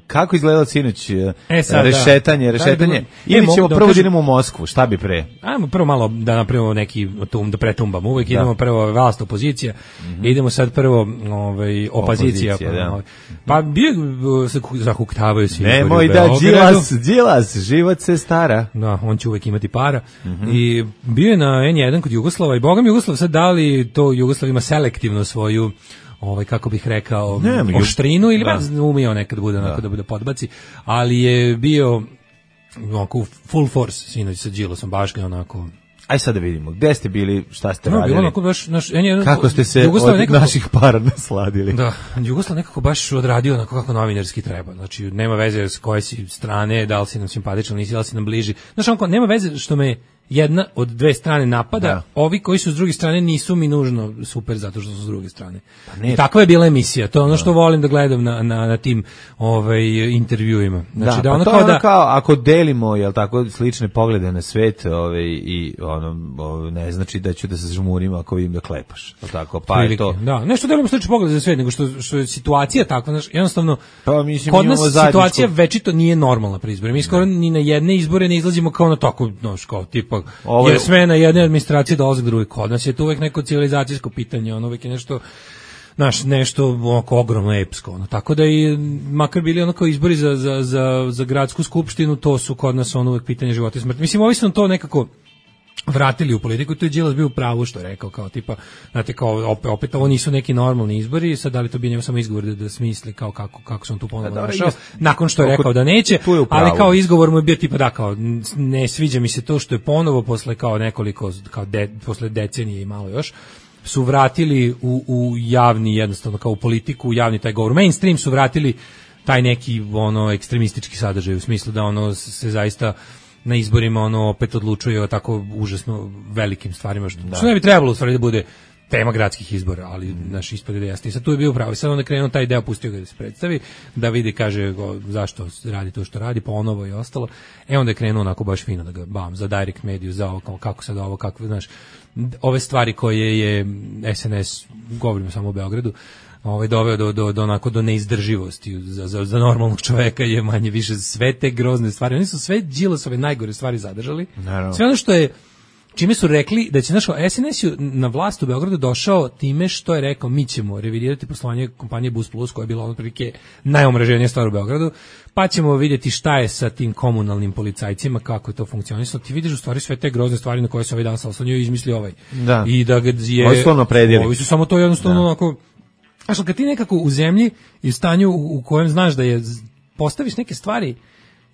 kako izgledalo sinoć e, sad, rešetanje, da. rešetanje. Da, ili ćemo da prvo da idemo u Moskvu, šta bi pre? Ajmo prvo malo da napravimo neki tum, da pretumbamo. Uvijek da. idemo prvo vlast opozicija, mm-hmm. idemo sad prvo ovaj, opozicija. opozicija pa, ovaj. pa bio se zahuktavaju svi. Nemoj da, Đilas, Đilas, život se stara. Da, on će uvijek imati para. Mm-hmm. I bio je na en jedan kod Jugoslava i Boga mi Jugoslav sad dali to Jugoslav ima selektivno svoju ovaj kako bih rekao ne, oštrinu ili da. umio nekad bude onako da. da bude podbaci, ali je bio onako full force sinoć sa Đilasom baš ga onako. Aj sad da vidimo, gde ste bili, šta ste no, radili? Bilo onako baš, naš, en jedan, kako ste se Jugoslav od nekako, naših para nasladili? Da, Jugoslav nekako baš odradio onako kako novinarski treba. Znači, nema veze s koje si strane, da li si nam simpatičan, nisi, da li si nam bliži. Znaš, onako, nema veze što me jedna od dve strane napada, da. Ovi koji su s druge strane nisu mi nužno super zato što su s druge strane. Pa ne, takva je bila emisija, to je ono što da. volim da gledam na, na, na tim ovaj, intervjuima. Znači, da, da pa ono to kao je ono da, kao ako delimo jel tako slične poglede na svet ovaj, i ono, ovaj, ne znači da ću da se žmurim ako vidim da klepaš. Tako, pa je to. Da, nešto delimo slične poglede za svet, nego što, što je situacija takva, znači, jednostavno, pa, mislim, kod nas situacija večito nije normalna pri izborima. Mi skoro ni na jedne izbore ne izlazimo kao na tako, no, kao tipa ovo je smena jedne administracije dolazak druge. Kod nas je to uvek neko civilizacijsko pitanje, ono uvek je nešto naš nešto oko ogromno epsko, ono. Tako da i makar bili ono kao izbori za, za, za, za gradsku skupštinu, to su kod nas ono uvek pitanje života i smrti. Mislim, ovi su to nekako vratili u politiku, to je Đilas bio u pravu što je rekao, kao tipa, znate, kao opet, opet ovo nisu neki normalni izbori, sad da li to bi njemu samo izgovor da, da smisli kao kako, kako sam tu ponovno našao, nakon što je rekao da neće, ali kao izgovor mu je bio tipa da kao, ne sviđa mi se to što je ponovo posle kao nekoliko, kao de, posle decenije i malo još, su vratili u, u javni, jednostavno kao u politiku, u javni taj govor, mainstream su vratili taj neki ono ekstremistički sadržaj u smislu da ono se zaista na izborima ono opet odlučuje o tako užasno velikim stvarima što, što ne bi trebalo u stvari da bude tema gradskih izbora, ali mm. naš ispade da jeste. I sad tu je bio pravo. I sad onda krenuo taj deo, pustio ga da se predstavi, da vidi, kaže go, zašto radi to što radi, ponovo i ostalo. E onda je krenuo onako baš fino da ga bam, za direct mediju, za ovo, kako sad ovo, kako, znaš, ove stvari koje je S N S, govorimo samo o Beogradu, ovaj doveo do do do onako do neizdrživosti za za za normalnog čoveka je manje više sve te grozne stvari. Oni su sve Đilasove najgore stvari zadržali. Naravno. Sve ono što je čime su rekli da će naš S N S na vlast u Beogradu došao time što je rekao mi ćemo revidirati poslovanje kompanije Bus Plus koja je bila otprilike najomraženija stvar u Beogradu, pa ćemo vidjeti šta je sa tim komunalnim policajcima, kako je to funkcionisalo. Ti vidiš u stvari sve te grozne stvari na koje se ovaj dan salsanio i izmislio ovaj. Da. I da ga je Ovi su ono predjeli. Ovi su samo to jednostavno onako. Znači, kad ti nekako u zemlji i u stanju u kojem znaš da je, postaviš neke stvari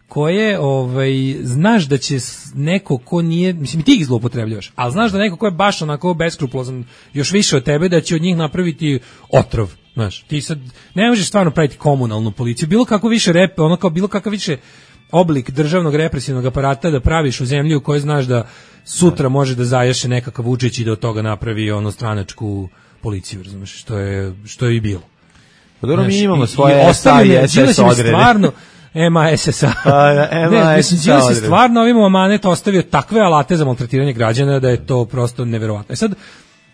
koje ovaj, znaš da će neko ko nije, mislim ti ih zloupotrebljavaš, ali znaš da neko ko je baš onako beskrupulozan još više od tebe, da će od njih napraviti otrov. Znaš, ti sad ne možeš stvarno praviti komunalnu policiju, bilo kako više rep, ono kao bilo kakav više oblik državnog represivnog aparata da praviš u zemlji u kojoj znaš da sutra može da zaješe nekakav Vučić i da od toga napravi ono stranačku policiju, razumeš, što je što je i bilo. Pa dobro, mi imamo svoje S A i S S odrede. Stvarno M A S S A. Ne, mislim, Đilas je stvarno ovim amanet ostavio takve alate za maltretiranje građana da je to prosto neverovatno. E sad,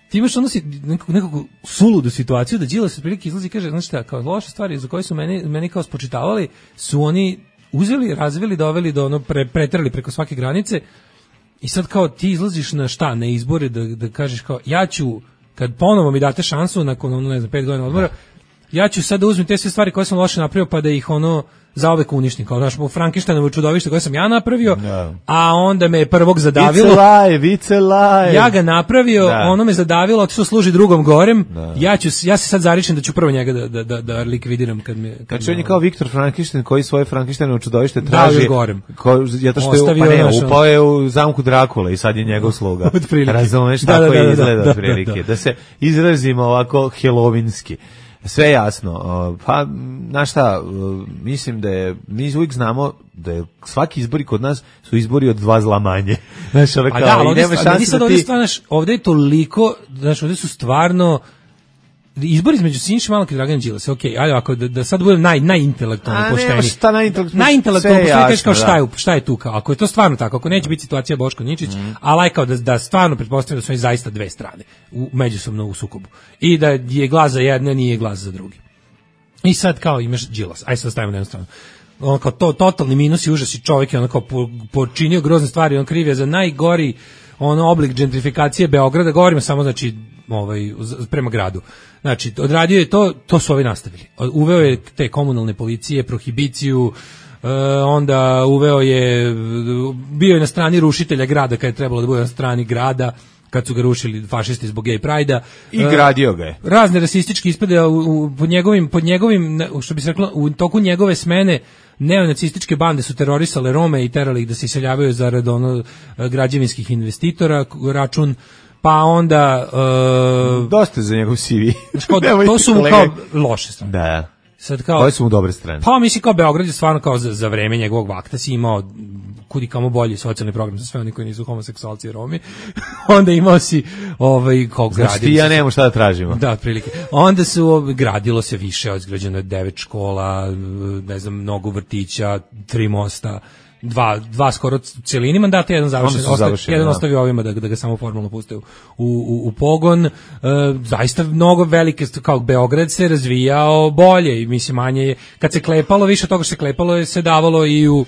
ti imaš ono si nekako, nekako suludu situaciju da Đilas otprilike izlazi i kaže, znaš šta, kao loše stvari za koje su meni, meni kao spočitavali, su oni uzeli, razvili, doveli do ono, pre, pretrali preko svake granice i sad kao ti izlaziš na šta, na izbore da, da kažeš kao, ja ću kad ponovo mi date šansu nakon ono ne znam pet godina odmora, ja ću sad da uzmem te sve stvari koje sam loše napravio pa da ih ono zaovek uništim, kao znaš, Frankensteinovo čudovište koje sam ja napravio, no. a onda me prvog zadavilo. It's alive, it's alive. Ja ga napravio, da. Ono me zadavilo, otišao služi drugom gorem. Da. Ja ću ja se sad zaričem da ću prvo njega da da da, da likvidiram kad me kad znači on je kao Viktor Frankenstein koji svoje Frankensteinovo čudovište traži. Ko zato što je pa ne, upao je u zamku Drakula i sad je njegov sluga. Razumeš da, tako da, da, je izgleda da, otprilike. da, da. Da se izrazimo ovako helovinski. Sve jasno. Pa, znaš šta, mislim da je, mi uvijek znamo da je svaki izbori kod nas su izbori od dva zla manje. Znaš, ove kao, da, i nema šanse da ti... Ovdje, ovdje je toliko, znaš, ovdje su stvarno, izbor između Siniše Malog i Dragana Đilasa, okej, okay, ali ako da, da sad budem naj najintelektualno pošteni. A ne, šta najintelektualno? Najintelektualno pošteni kažeš kao šta je, šta je tu kao. Ako je to stvarno tako, ako neće biti situacija Boško Ničić, mm. a lajkao da da stvarno pretpostavljam da su oni zaista dve strane u međusobno u sukobu. I da je glas za jedne, nije glas za drugi. I sad kao imaš Đilas. Aj sad stavimo na jednu stranu. On kao to totalni minus i užas i čovjek je on kao po, počinio grozne stvari, on kriv je za najgori ono oblik gentrifikacije Beograda, govorimo samo znači ovaj prema gradu. Znači, odradio je to, to su ovi nastavili. Uveo je te komunalne policije, prohibiciju, e, onda uveo je, bio je na strani rušitelja grada kad je trebalo da bude na strani grada, kad su ga rušili fašisti zbog gay prajda. I gradio ga je. Razne rasističke ispade u, u, pod njegovim, pod njegovim, što bi se reklo, u toku njegove smene neonacističke bande su terorisale Rome i terali ih da se iseljavaju zarad ono građevinskih investitora, račun. Pa onda uh, dosta za njegov C V. To su mu kao loše strane. Da. Sad kao, koje su mu dobre strane? Pa mislim kao Beograd je stvarno kao za, za vreme njegovog vakta si imao kudi kamo bolji socijalni program za sve oni koji nisu homoseksualci i Romi. Onda imao si ovaj kao gradio. Znači ti ja nemamo šta da tražimo. Da, otprilike. Onda su gradilo se više, izgrađeno je devet škola, ne znam, mnogo vrtića, tri mosta. Dva, dva skoro cijelini mandata, jedan završen, ostavi, jedan ostavio ovima da, da ga samo formalno puste u, u, u pogon. E, zaista mnogo velike, kao Beograd se razvijao bolje i mislim manje, kad se klepalo, više toga što se klepalo je se davalo i u,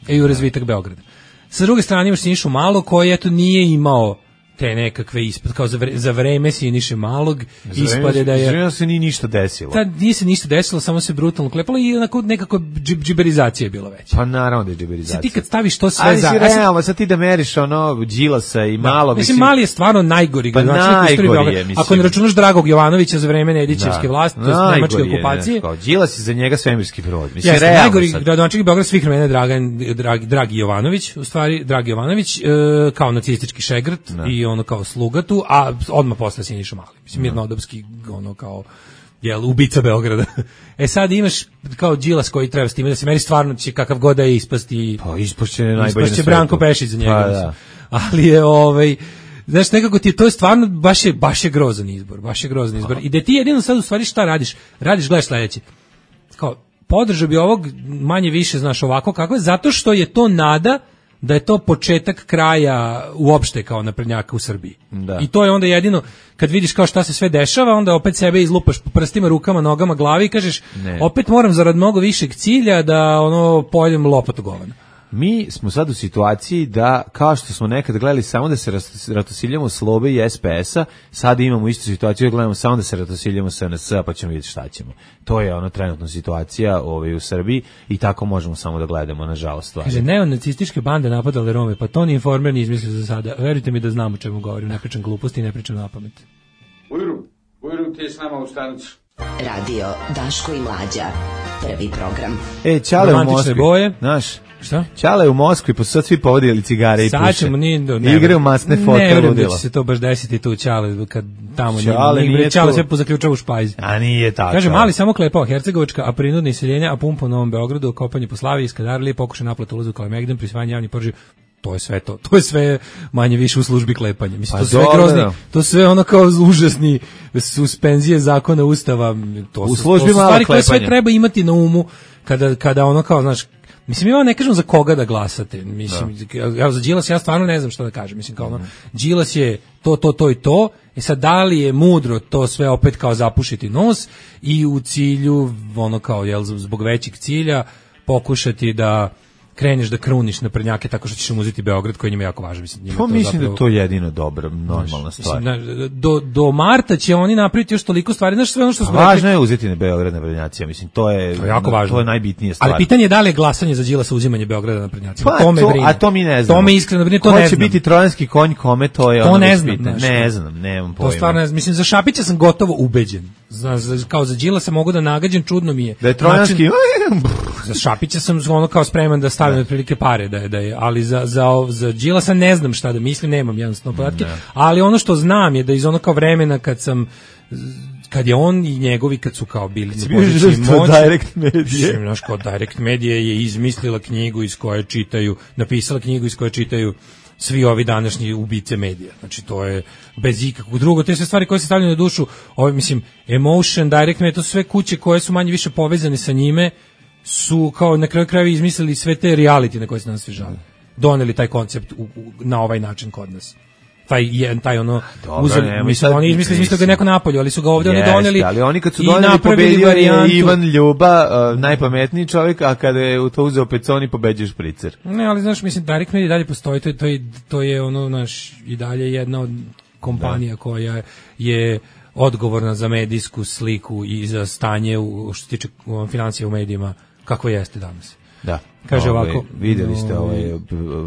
i u razvitak Beograda. Sa druge strane imaš Sinišu Malog koji eto nije imao te nekakve ispad, kao za, vre, za vreme Siniše Malog ispade da je... Za se nije ništa desilo. Ta, nije se ništa desilo, samo se brutalno klepalo i onako nekako džib, džiberizacija je bila veća. Pa naravno da je džiberizacija. Sad ti kad staviš to sve ali za... Ali si realno, sad ti da meriš ono Đilasa i da, Malog... Mislim, Mali je stvarno najgori. Pa najgori je, mislim. Ako ne računaš Dragog Jovanovića za vreme Nedićevske vlasti, to je nemačke okupacije. Đilas je za njega svemirski brod. Mislim, yes, realno najgori gradonačelnik Beograda svih vremena Dragan, Dragi, Dragi Jovanović, u stvari, Dragi Jovanović, e, kao nacistički šegrt no. i ono kao sluga tu, a odmah posle Siniša Mali. Mislim, mirnodopski, ono kao, jel, ubica Beograda. E sad imaš kao Đilas koji treba s time da se meri stvarno će kakav god da je ispasti. Pa ispašće najbolje ispašće Branko Pešić za njega. Pa, da. Ali je ovaj, znaš, nekako ti to je stvarno, baš je, baš je grozan izbor, baš je grozan izbor. I da ti jedino sad u stvari šta radiš? Radiš, gledaš sledeće. Kao, podržao bi ovog manje više, znaš, ovako kako je, zato što je to nada da je to početak kraja uopšte kao naprednjaka u Srbiji. Da. I to je onda jedino, kad vidiš kao šta se sve dešava, onda opet sebe izlupaš po prstima, rukama, nogama, glavi i kažeš, ne. Opet moram zarad mnogo višeg cilja da ono pojedem lopatu govana. Mi smo sad u situaciji da, kao što smo nekad gledali samo da se ratosiljamo Slobe i S P S-a, sad imamo istu situaciju da gledamo samo da se ratosiljamo S N S-a, pa ćemo vidjeti šta ćemo. To je ono trenutna situacija ovaj, u Srbiji i tako možemo samo da gledamo, nažalost. Stvari. Kaže, neonacističke bande napadale Rome, pa to ni Informer ni izmislio za sada. Verujte mi da znam o čemu govorim, ne pričam gluposti i ne pričam napamet. Ujru, Ujru, ti je s nama u stanicu. Radio Daško i Mlađa, prvi program. E, Ćale u Moskvi, boje. Znaš, šta? Ćale u Moskvi, pa sad svi povodili cigare i puše. Sad ćemo, ni, do, ne, igre u masne fote. Ne vjerujem da će se to baš desiti tu u Ćale, kad tamo Ćale nije, nije Ćale sve pozaključava u špajzi. A nije tako. Kaže, Mali samo klepao Hercegovačka, a prinudne iseljenja, a pumpa u Novom Beogradu, kopanje po Slavi, Skadarli, pokušaj naplata ulazu Kalemegdan, prisvajanje javnih porođaja. To je sve to. To je sve manje više u službi klepanja. Mislim, to sve grozni, to sve ono kao užasni suspenzije zakona, ustava, to u su, službi to su stvari koje sve treba imati na umu kada, kada ono kao, znaš, mislim, ja ne kažem za koga da glasate. Mislim, da. Ja za Đilas ja stvarno ne znam šta da kažem. Mislim, kao ono, Đilas je to, to, to i to. I sad, da li je mudro to sve opet kao zapušiti nos i u cilju, ono kao, jel, zbog većeg cilja, pokušati da kreneš da kruniš naprednjake tako što ćeš im uzeti Beograd koji njima jako važan. Mislim, njima pa to mislim zapravo, da je to jedino dobro, normalna stvar. Mislim, do, do marta će oni napraviti još toliko stvari. Znaš, sve ono što smo važno rekli, je uzeti na Beograd naprednjacija, mislim, to je, to je jako važno. To je najbitnija stvar. Ali pitanje je da li je glasanje za Đilasa uzimanje Beograda naprednjacima. Pa, to me to, brine. a to mi ne znamo. To me iskreno brine, to Ko ne će znam. biti trojanski konj kome, to je to ono ne znam, pitanje. Ne znam, nemam pojma. To stvarno ne znam. Mislim, za Šapića sam gotovo ubeđen. Za, za, kao za Đilasa mogu da nagađam, čudno mi je. Da je trojanski... Način, za Šapića sam ono kao spreman da stavim otprilike pare, da je, da je, ali za, za, za Đilasa ne znam šta da mislim, nemam jednostavno podatke, ne. Ali ono što znam je da iz ono kao vremena kad sam kad je on i njegovi kad su kao bili na poziciji moći, Direct Media. Znaš, kao Direct Media je izmislila knjigu iz koje čitaju, napisala knjigu iz koje čitaju svi ovi današnji ubice medija. Znači, to je bez ikakvog drugo. Te sve stvari koje se stavljaju na dušu, ovaj, mislim, Emotion, Direct Media, to su sve kuće koje su manje više povezane sa njime, su kao na kraju krajeva izmislili sve te reality na koje se nas svi žale. Doneli taj koncept u, u, na ovaj način kod nas. Taj je taj ono uzeli, mislim, oni izmislili mislim ga neko napolju, ali su ga ovdje yes, oni doneli. Ali oni kad su doneli pobedio je Ivan Ljuba, uh, najpametniji čovjek, a kada je u to uzeo Peconi pobeđuje Špricer. Ne, ali znaš, mislim, Direct Media dalje postoji, to je, to je, to je ono, naš, i dalje jedna od kompanija da. koja je odgovorna za medijsku sliku i za stanje u, što se tiče financija u medijima, kako jeste danas. Da. Kaže ove, ovako, videli ste ovaj,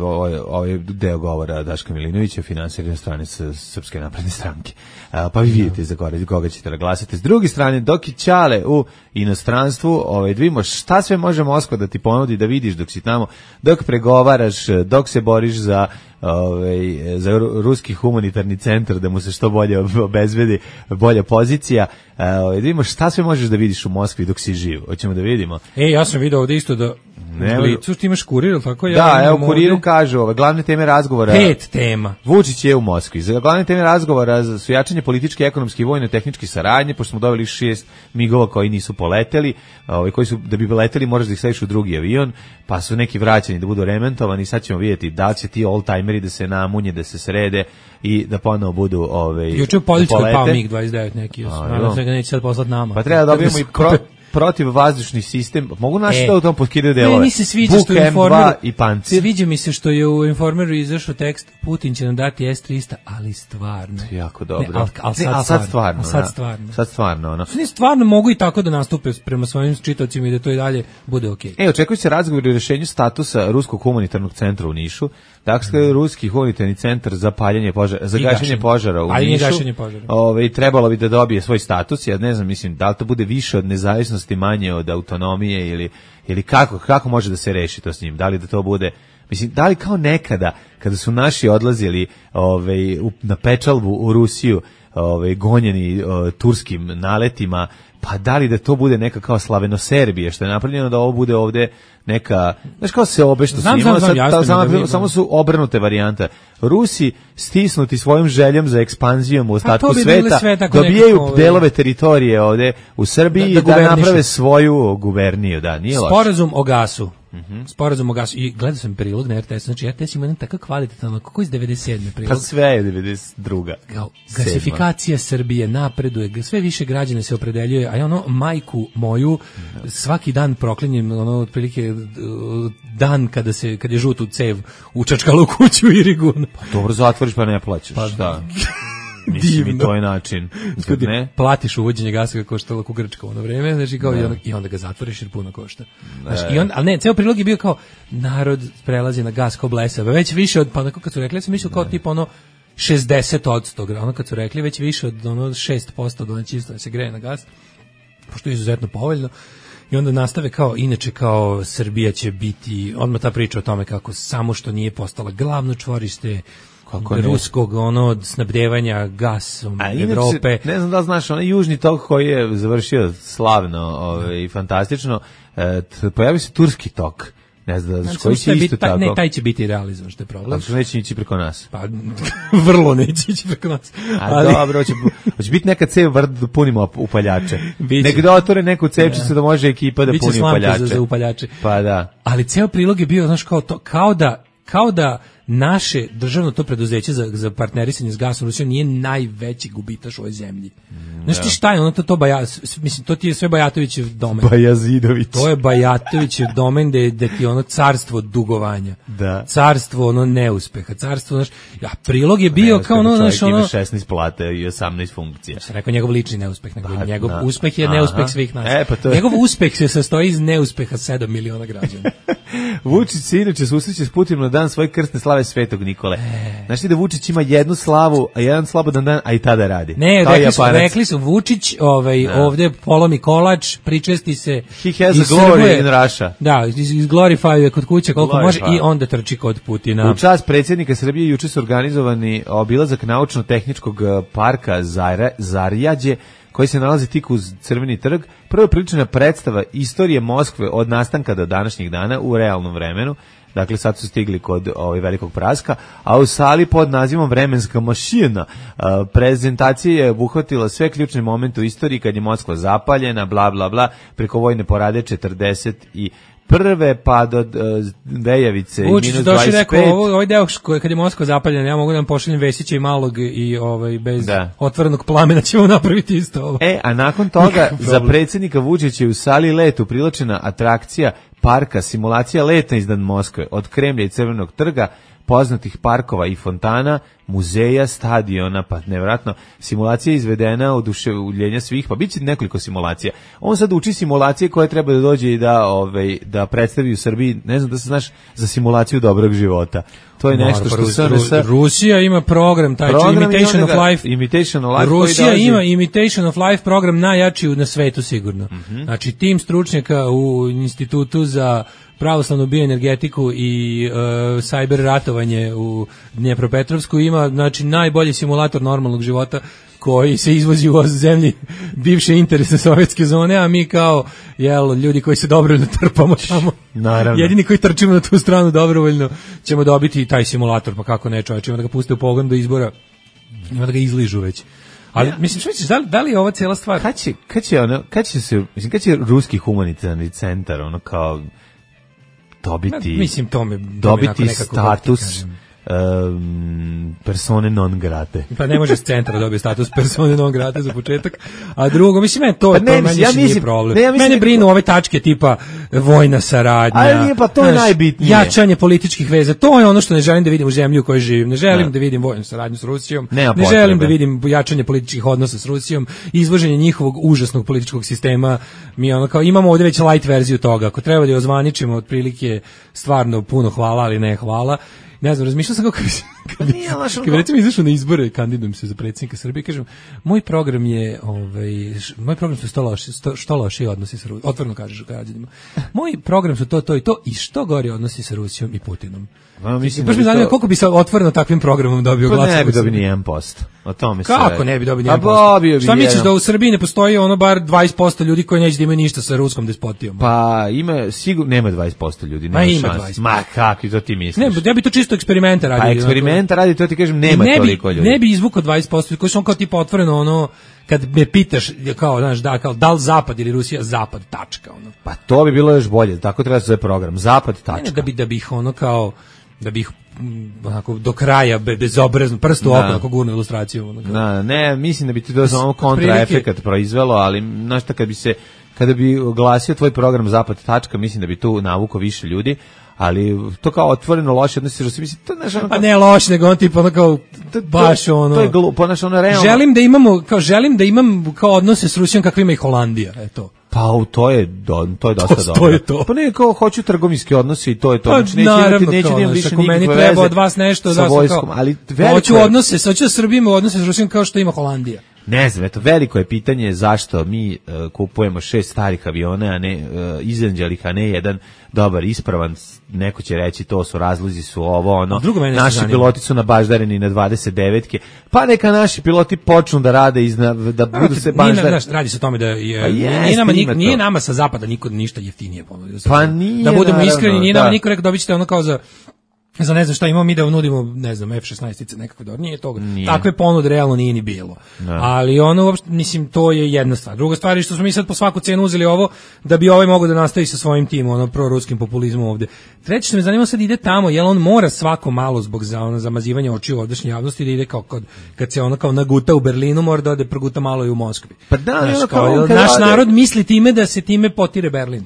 ovaj, ovaj deo govora Daška Milinovića, finansirane stranice Srpske napredne stranke. A, pa vi vidite za koga, koga ćete da glasate. S druge strane, dok je Ćale u inostranstvu, ovaj, vidimo šta sve može Moskva da ti ponudi da vidiš dok si tamo, dok pregovaraš, dok se boriš za ovaj, za ruski humanitarni centar, da mu se što bolje obezbedi bolja pozicija. Ovaj, vidimo šta sve možeš da vidiš u Moskvi dok si živ. Hoćemo da vidimo. E, ja sam video ovde isto da ne, Licu, ti imaš kurir, ili tako? Ja da, evo kuriru ovdje kažu, ove glavne teme razgovora. Pet tema. Vučić je u Moskvi. Za glavne teme razgovora su jačanje političke, ekonomske i vojno-tehničke saradnje, pošto smo dobili šest migova koji nisu poleteli, ovaj koji su, da bi leteli moraš da ih staviš u drugi avion, pa su neki vraćeni da budu remontovani, sad ćemo vidjeti da će ti old-timeri da se namunje, da se srede i da ponovo budu ovaj juče u Poljskoj pao mig dvadeset devet neki, nadam se ga neće sad poslati nama. Pa treba da dobijemo i pro, protiv vazdušni sistem. Mogu naši e, da u tom potkidaju delove. Ne, se sviđa Buk što je Informeru i Pancir. Sviđa mi se što je u Informeru izašao tekst Putin će nam dati S trista, ali stvarno. Jako dobro. Ne, al, al sad, ne, al sad stvarno. Al sad stvarno. Sad stvarno, ono. Oni stvarno mogu i tako da nastupe prema svojim čitaocima i da to i dalje bude okej. Okay. E, očekuje se razgovor o rješenju statusa Ruskog humanitarnog centra u Nišu. Dakle, Ruski humanitarni centar za paljenje požara, za gašenje požara u Nišu. Ovaj trebalo bi da dobije svoj status. Ja ne znam, mislim, da li to bude više od nezavisnosti, manje od autonomije ili ili kako kako može da se reši to s njim? Da li da to bude, mislim, da li kao nekada kada su naši odlazili ovaj na pečalbu u Rusiju, ovaj gonjeni o, turskim naletima, pa da li da to bude neka kao Slaveno-Serbije, što je napravljeno, da ovo bude ovde neka, znaš kao se obe što znam, s njima, znam, znam, sad, samo, da samo su obrnute varijante. Rusi stisnuti svojom željom za ekspanzijom u ostatku bi sveta, dobijaju nekako, delove teritorije ovde u Srbiji da, da, da naprave svoju guberniju, da, nije loše. Sporazum o gasu. Mm-hmm. Sporazum o gasu. I gledao sam prilog na R T S, znači R T S ima jedan takav kvalitetan, kako iz devedeset sedme prilog. Pa sve je devedeset druga. Kao, gasifikacija Srbije napreduje, sve više građana se opredeljuje, a ja ono, majku moju, svaki dan proklinjem, ono, otprilike dan kada se, kad je žutu cev učačkala u kuću u Irigu. Pa dobro, zatvoriš pa ne plaćaš, pa, šta? Mislim i to je način. Ne? Platiš uvođenje gasa kako koštalo ku Grčka u ono vreme, znači kao i onda, i onda ga zatvoriš jer puno košta. Znači, i on, ali ne, ceo prilog je bio kao narod prelazi na gas kao blesava, već više od, pa onako kad su rekli, ja sam mislio kao tipa ono šezdeset odsto, ono kad su rekli već više od ono šest posto domaćinstva da se greje na gas, pošto je izuzetno povoljno. I onda nastave kao, inače kao Srbija će biti, odmah ta priča o tome kako samo što nije postala glavno čvorište kako ruskog ono snabdevanja gasom a Evrope. Inače, ne znam da znaš, onaj južni tok koji je završio slavno ovaj, i fantastično, e, pojavi se turski tok. Ne znam, znači, koji će isto taj, tako. Ne, taj će biti realizovan, što je problem. Ali što neće ići preko nas. Pa, vrlo neće ići preko nas. A ali... dobro, hoće, hoće biti neka cev da punimo upaljače. Nek da otvore neku cevčicu da može ekipa da puni upaljače. Za, za upaljače. Pa da. Ali ceo prilog je bio, znaš, kao, to, kao da, kao da naše državno to preduzeće za, za partnerisanje s gasom Rusijom nije najveći gubitaš u ovoj zemlji. Znaš ti šta je, ono to, to Baja, mislim, to ti je sve Bajatovićev domen. Bajazidović. To je Bajatovićev domen da je, da ti je ono carstvo dugovanja. Da. Carstvo ono neuspeha, carstvo, znaš, ja, prilog je bio neuspeh, kao ono, znaš, ono... ima šesnaest plate i osamnaest funkcija. Sam rekao njegov lični neuspeh, nego Pa, njegov na. uspeh je Aha. neuspeh svih nas. E, pa to je... Njegov uspeh se sastoji iz neuspeha sedam miliona građana. Vučić se inače susreće s Putinom na dan svoje krsne slave Svetog Nikole. E. Znaš ti da Vučić ima jednu slavu, a jedan slobodan dan, a i tada radi. Ne, rekli su, rekli su Vučić ovaj, da. ovde polomi kolač, pričesti se. He has a glory in Russia. Da, izglorifaju kod kuće koliko glorify. može i onda trči kod Putina. U čast predsjednika Srbije juče su organizovani obilazak naučno-tehničkog parka Zara, Zarjađe, koji se nalazi tik uz Crveni trg. Prva prilična predstava istorije Moskve od nastanka do današnjih dana u realnom vremenu. Dakle, sad su stigli kod ovaj velikog praska, a u sali pod nazivom Vremenska mašina prezentacija je obuhvatila sve ključne momente u istoriji kad je Moskva zapaljena, bla, bla, bla, preko vojne porade četrdeset i prve pa do uh, Vejavice i minus dvadeset pet. Rekao, ovo, ovaj deo koji kad je Moskva zapaljena, ja mogu da vam pošaljem Vesića i Malog i ovaj, bez da. otvorenog plamena ćemo napraviti isto ovo. E, a nakon toga za predsjednika Vučića je u sali letu priločena atrakcija parka, simulacija leta iznad Moskve, od Kremlja i Crvenog trga, poznatih parkova i fontana, muzeja, stadiona, pa nevjerojatno, simulacija je izvedena od oduševljenja svih, pa bit će nekoliko simulacija. On sad uči simulacije koje treba da dođe i da, ovaj, da predstavi u Srbiji, ne znam da se znaš, za simulaciju dobrog života. To je nešto što se Ru, Ru, Rusija ima program, taj program Imitation of Life. Imitation of Life. Rusija ima Imitation of Life program najjači na svetu sigurno. Mm-hmm. Znači tim stručnjaka u Institutu za pravoslavnu bioenergetiku i uh, cyber ratovanje u Dnjepropetrovsku ima znači najbolji simulator normalnog života koji se izvozi u zemlji bivše interesne sovjetske zone, a mi kao jel, ljudi koji se dobrovoljno trpamo tamo. Naravno. Jedini koji trčimo na tu stranu dobrovoljno ćemo dobiti taj simulator, pa kako ne čovječ, ima da ga puste u pogon do izbora, ima da ga izližu već. Ali, ja. mislim, što misliš, da li, da li je ova cijela stvar? Kad će, kad će, ono, kad će se, mislim, kad će ruski humanitarni centar, ono kao, dobiti, Ma, mislim, to me, to dobiti me status um, persone non grate. Pa ne može s centra da dobije status persone non grate za početak. A drugo, mislim, meni to, pa ne, to meni ja nije problem. Ne, ja mislim, mene brinu ove tačke tipa vojna saradnja. Ali nije, pa to je znaš, najbitnije. Jačanje političkih veza. To je ono što ne želim da vidim u zemlji u kojoj živim. Ne želim ne. da vidim vojnu saradnju s Rusijom. Nema ne potrebe. želim da vidim jačanje političkih odnosa s Rusijom. Izvoženje njihovog užasnog političkog sistema. Mi ono kao imamo ovdje već light verziju toga. Ako treba da je ozvaničimo otprilike stvarno puno hvala, ali ne hvala. Ne znam, razmišljam sam kako kad bi, kad bi recimo izašao na izbore i kandidujem se za predsjednika Srbije, kažem, moj program je, ovaj, moj program su što loši, što loši odnosi sa Rusijom, otvoreno kažeš građanima. Moj program su to, to i to i što gori odnosi sa Rusijom i Putinom. Ma, mislim baš da me zanima to... koliko bi se otvoreno takvim programom dobio glasova. Pa ne bi dobio ni jedan posto. O tome se kako ne bi dobio ni jedan posto? Šta misliš da u Srbiji ne postoji ono bar dvadeset posto ljudi koji neće da imaju ništa sa ruskom despotijom? Pa ima, sigurno nema dvadeset posto ljudi. Ma ima dvadeset posto. Ma kakvi to ti misliš? Ne, ja bi to čisto eksperimenta radio. Pa eksperimenta radi, to ti kažem, nema ne toliko bi, ljudi. Ne bi izvukao dvadeset posto, koji su on kao tipa otvoreno ono, kad me pitaš, kao, znaš, da, kao, da li Zapad ili Rusija, Zapad, tačka, ono. Pa to bi bilo još bolje, tako treba se zove program, Zapad, tačka. Ne, da bi, da bi ih ono kao, da bi ih onako do kraja bezobrazno prstu oko onako gurnu ilustraciju onako. Na, ne, mislim da bi ti to samo kontraefekat proizvelo, ali znaš šta, kad bi se kada bi oglasio tvoj program Zapad tačka, mislim da bi tu navuko više ljudi, ali to kao otvoreno loše odnosi, mislim to znaš ono. Pa ne loše, nego on tipa ono kao baš ono. To je glupo, znaš ono realno. Želim da imamo, kao želim da imam kao odnose s Rusijom kakve ima i Holandija, eto. Pa to je do, to je dosta to, dobro. To je to. Pa ne, kao hoću trgovinski odnosi i to je to. Pa, znači neće naravno, neće kao, nemam više nikakve meni veze. treba od vas nešto sa da vojskom, kao, ali veliko hoću odnose, hoću da Srbija ima odnose s Rusijom kao što ima Holandija. Ne znam, eto, veliko je pitanje zašto mi uh, kupujemo šest starih aviona, a ne uh, izanđelih, a ne jedan dobar, ispravan, neko će reći to su razlozi, su ovo, ono, naši piloti su nabaždareni na dvadeset devetke, pa neka naši piloti počnu da rade, izna, da budu se baždareni. Radi se o tome da je, pa jest, nije, nama, nije, nije nama sa zapada niko ništa jeftinije ponudio. Pa nije, da budemo naravno, iskreni, nije da. nama niko rekao dobit ćete ono kao za za ne znam šta imamo mi da nudimo, ne znam, F šesnaest nekakve dobro, nije toga. Nije. Takve ponude realno nije ni bilo. Da. Ali ono, uopšte, mislim, to je jedna stvar. Druga stvar je što smo mi sad po svaku cenu uzeli ovo, da bi ovaj mogao da nastavi sa svojim tim, ono, proruskim populizmom ovde. Treće što me zanima sad ide tamo, jel on mora svako malo zbog za, ono, zamazivanja očiju ovdašnje javnosti da ide kao kod, kad se ono kao naguta u Berlinu, mora da ode proguta malo i u Moskvi. Pa da, znaš, ono kao, kao, jel, naš narod misli time da se time potire Berlin.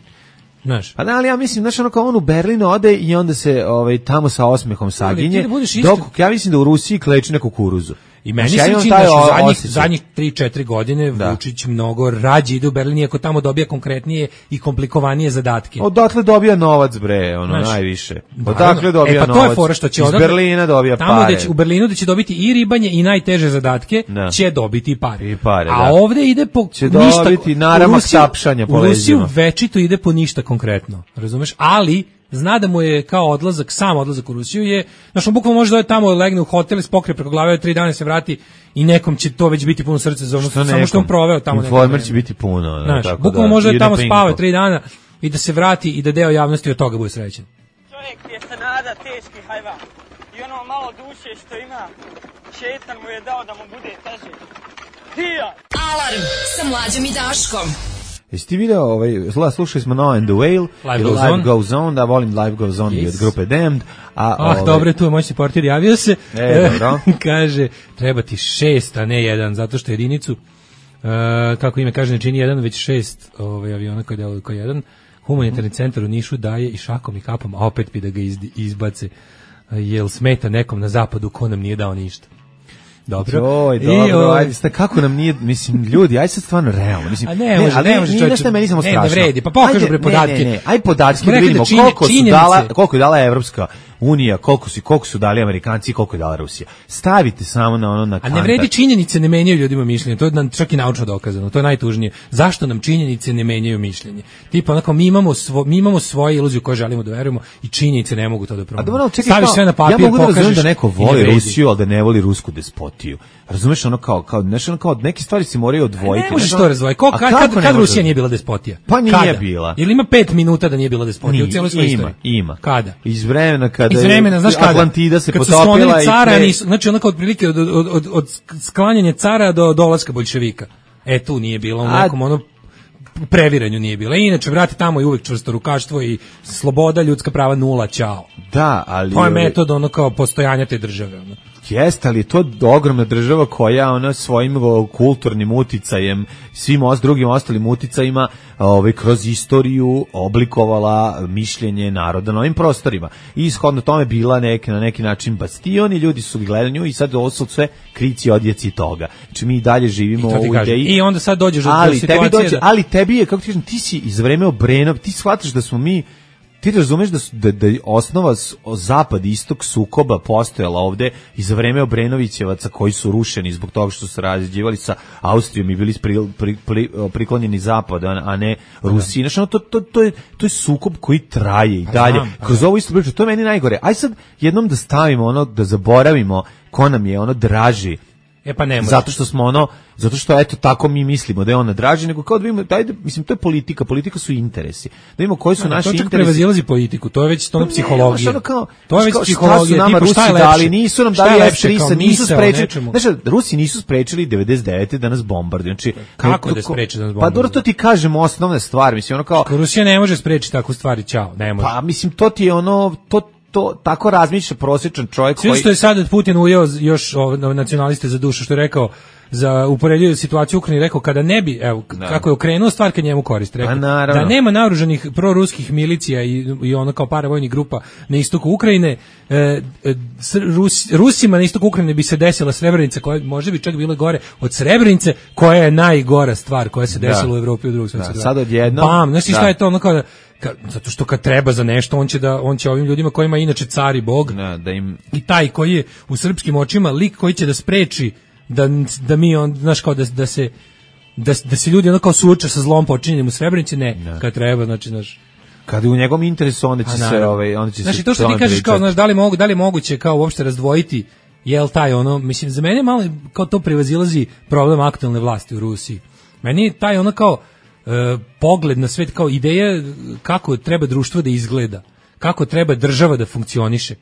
Znaš. Pa da, ali ja mislim, znaš, ono kao on u Berlin ode i onda se ovaj, tamo sa osmehom saginje, da dok ja mislim da u Rusiji kleči na kukuruzu. I meni znači, se ja čini taj da o- zadnjih, osjećaj. zadnjih tri četiri godine Da. Vučić mnogo rađe ide u Berlin, iako tamo dobija konkretnije i komplikovanije zadatke. Odatle dobija novac, bre, ono, Znaš, najviše. naravno. Odakle dobija e, pa novac? to je fora što će Iz odatle- Berlina dobija tamo pare. da će, u Berlinu da će dobiti i ribanje i najteže zadatke, Da. će dobiti pare. I pare, A da. ovde ide po Će ništa. dobiti u naramak Rusiju- tapšanja po U Rusiju leđima. večito ide po ništa konkretno, razumeš? Ali zna da mu je kao odlazak, sam odlazak u Rusiju je, znaš, on bukvalno može da je tamo, legne u hotel i spokrije preko glave, tri dana se vrati i nekom će to već biti puno srce za ono, Što samo što on nekom? proveo tamo. neko Informer vreme. će biti puno. da, Znaš, tako bukvalno da, može da ide tamo pinko. spava tri dana i da se vrati i da deo javnosti od toga bude srećan. Čovjek je se nada teški hajvan i ono malo duše što ima, šetan mu je dao da mu bude teže. Dija! Alarm sa Mlađom i Daškom. Jesi ti video, ovaj, sla- slušali smo No and the Whale, Life i Goes Life On. Goes On, da volim Life Goes On i Yes. od grupe Damned. A, Ah, ovaj, dobro, tu je moj supporter, javio se. E, dobro. Kaže, treba ti šest, a ne jedan, zato što jedinicu, e, kako ime kaže, ne čini jedan, već šest ovaj, aviona koji deluju kao jedan. Humanitarni centar u Nišu daje i šakom i kapom, a opet bi da ga izdi- izbace. E, Jel smeta nekom na zapadu ko nam nije dao ništa? Dobro. Joj, I, dobro, ovaj, ajde, sta, kako nam nije, mislim, ljudi, ajde sad stvarno realno, mislim, A ne može, ali ne može nije čovječe, nešto meni samo ne, ne strašno. vredi, pa pokažu Ajde, bre ne, podatke. Ne, ne, aj podatke Smo da rekli vidimo da činje- koliko su činjenice. dala, koliko je dala Evropska unija, koliko su, koliko su dali Amerikanci, koliko je dala Rusija. Stavite samo na ono na A kantar. ne vredi, činjenice ne menjaju ljudima mišljenje, to je nam čak i naučno dokazano, to je najtužnije. Zašto nam činjenice ne menjaju mišljenje? Tipa onako, mi imamo, svo, mi imamo svoje iluzije koje želimo da verujemo i činjenice ne mogu to da A promene. dobro, čekaj, Staviš kao, sve na papir, ja mogu da pokažeš razumem da neko i ne voli vredi. Rusiju, ali da ne voli rusku despotiju. Razumeš, ono kao, kao, znaš, ono kao, neke stvari se moraju odvojiti. Ne možeš znaš, to ono- razdvojiti. Ko, A kad, kako kad, ne kad može? Rusija nije bila despotija? Pa nije Kada? bila. Ili ima pet minuta da nije bila despotija u Nije, cijeloj svojoj ima, istoriji? ima. Kada? Iz vremena kada Iz vremena, znaš kada? Atlantida se kad su potopila sklonili i cara, pre- nisu, znači onako otprilike od, od, od, od sklanjanja cara do dolaska boljševika. E, tu nije bilo u A- nekom ono u previranju nije bilo. I inače, vrati tamo i uvek čvrsto rukaštvo i sloboda, ljudska prava nula, ćao. Da, ali... To je metod ono kao postojanja te države. Ono. Jeste, ali je to ogromna država koja ona svojim o, kulturnim uticajem, svim os, drugim ostalim uticajima ovaj, kroz istoriju oblikovala mišljenje naroda na ovim prostorima. I ishodno tome bila neke, na neki način bastion i ljudi su gledali nju i sad ovo su sve krici odjeci toga. Znači mi i dalje živimo I to ti u kažem. ideji. I onda sad dođeš do ali situacije tebi dođe, da- ali tebi je, kako ti kažem, ti si iz vreme Obrenov, ti shvataš da smo mi ti razumeš da, su, da, da je osnova s- o zapad i istok sukoba postojala ovde i za vreme Obrenovićevaca koji su rušeni zbog toga što su se razđivali sa Austrijom i bili pri, pri, pri, priklonjeni zapadu, a, a ne Rusiji. Znači, ono, to, to, to, je, to je sukob koji traje i Pa dalje. znam, pa Kroz da. ovo isto priču, to je meni najgore. Aj sad jednom da stavimo ono, da zaboravimo ko nam je ono draži. E pa ne može. Zato što smo ono, zato što eto tako mi mislimo da je ona draži, nego kao da vidimo, ajde, mislim to je politika, politika su interesi. Da vidimo koji su Ne, naši to čak interesi. prevazilazi politiku, to je već to Pa ono ne, psihologija. ono kao- to je već kao šta su psihologija, nama tipa šta je Rusi lepše? dali, nisu nam Šta je dali lepše, F tri, kao nisu misao o sprečili. nečemu? Znači, Rusi nisu sprečili devedeset devete da nas bombarduju. Znači, Kako ko- da ko- spreče da nas Pa dobro, bombarduju? to ti kažemo osnovne stvari, mislim ono kao Ako Rusija ne može sprečiti takvu stvari, ćao, ne može. pa mislim to ti je ono to to tako razmišlja prosječan čovjek Sve koji što je sad Putin ujeo još ove nacionaliste za dušu, što je rekao za uporedio situaciju u Ukrajini, rekao kada ne bi, evo, Da. kako je okrenuo stvar kad njemu korist, rekao, Pa naravno. da nema naoružanih proruskih milicija i, i ono kao paravojnih grupa na istoku Ukrajine, e, e, s- Rus, Rusima na istoku Ukrajine bi se desila Srebrenica, koja može bi čak bilo gore od Srebrenice, koja je najgora stvar koja se Da. desila u Evropi u drugog svjetskog Da, rata. sad odjednom- Bam, znaš ti šta da. je to ono kao da, ka- zato što kad treba za nešto, on će da on će ovim ljudima kojima je inače car i bog, da, da im i taj koji je u srpskim očima lik koji će da spreči da, da mi on, znaš kao da, da se da, da se ljudi ono kao suoče sa zlom počinjenim u Srebrenici, ne, kad treba, znači, znaš, kad je u njegovom interesu onda će a se naravno. ovaj onda će Znaš, se i to što ti tome kažeš kao, pričati. znaš, da li mogu, da li je moguće kao uopšte razdvojiti, jel taj ono, mislim, za mene malo kao to prevazilazi problem aktualne vlasti u Rusiji. Meni je taj ono kao e, pogled na svet, kao ideja kako treba društvo da izgleda, kako treba država da funkcioniše.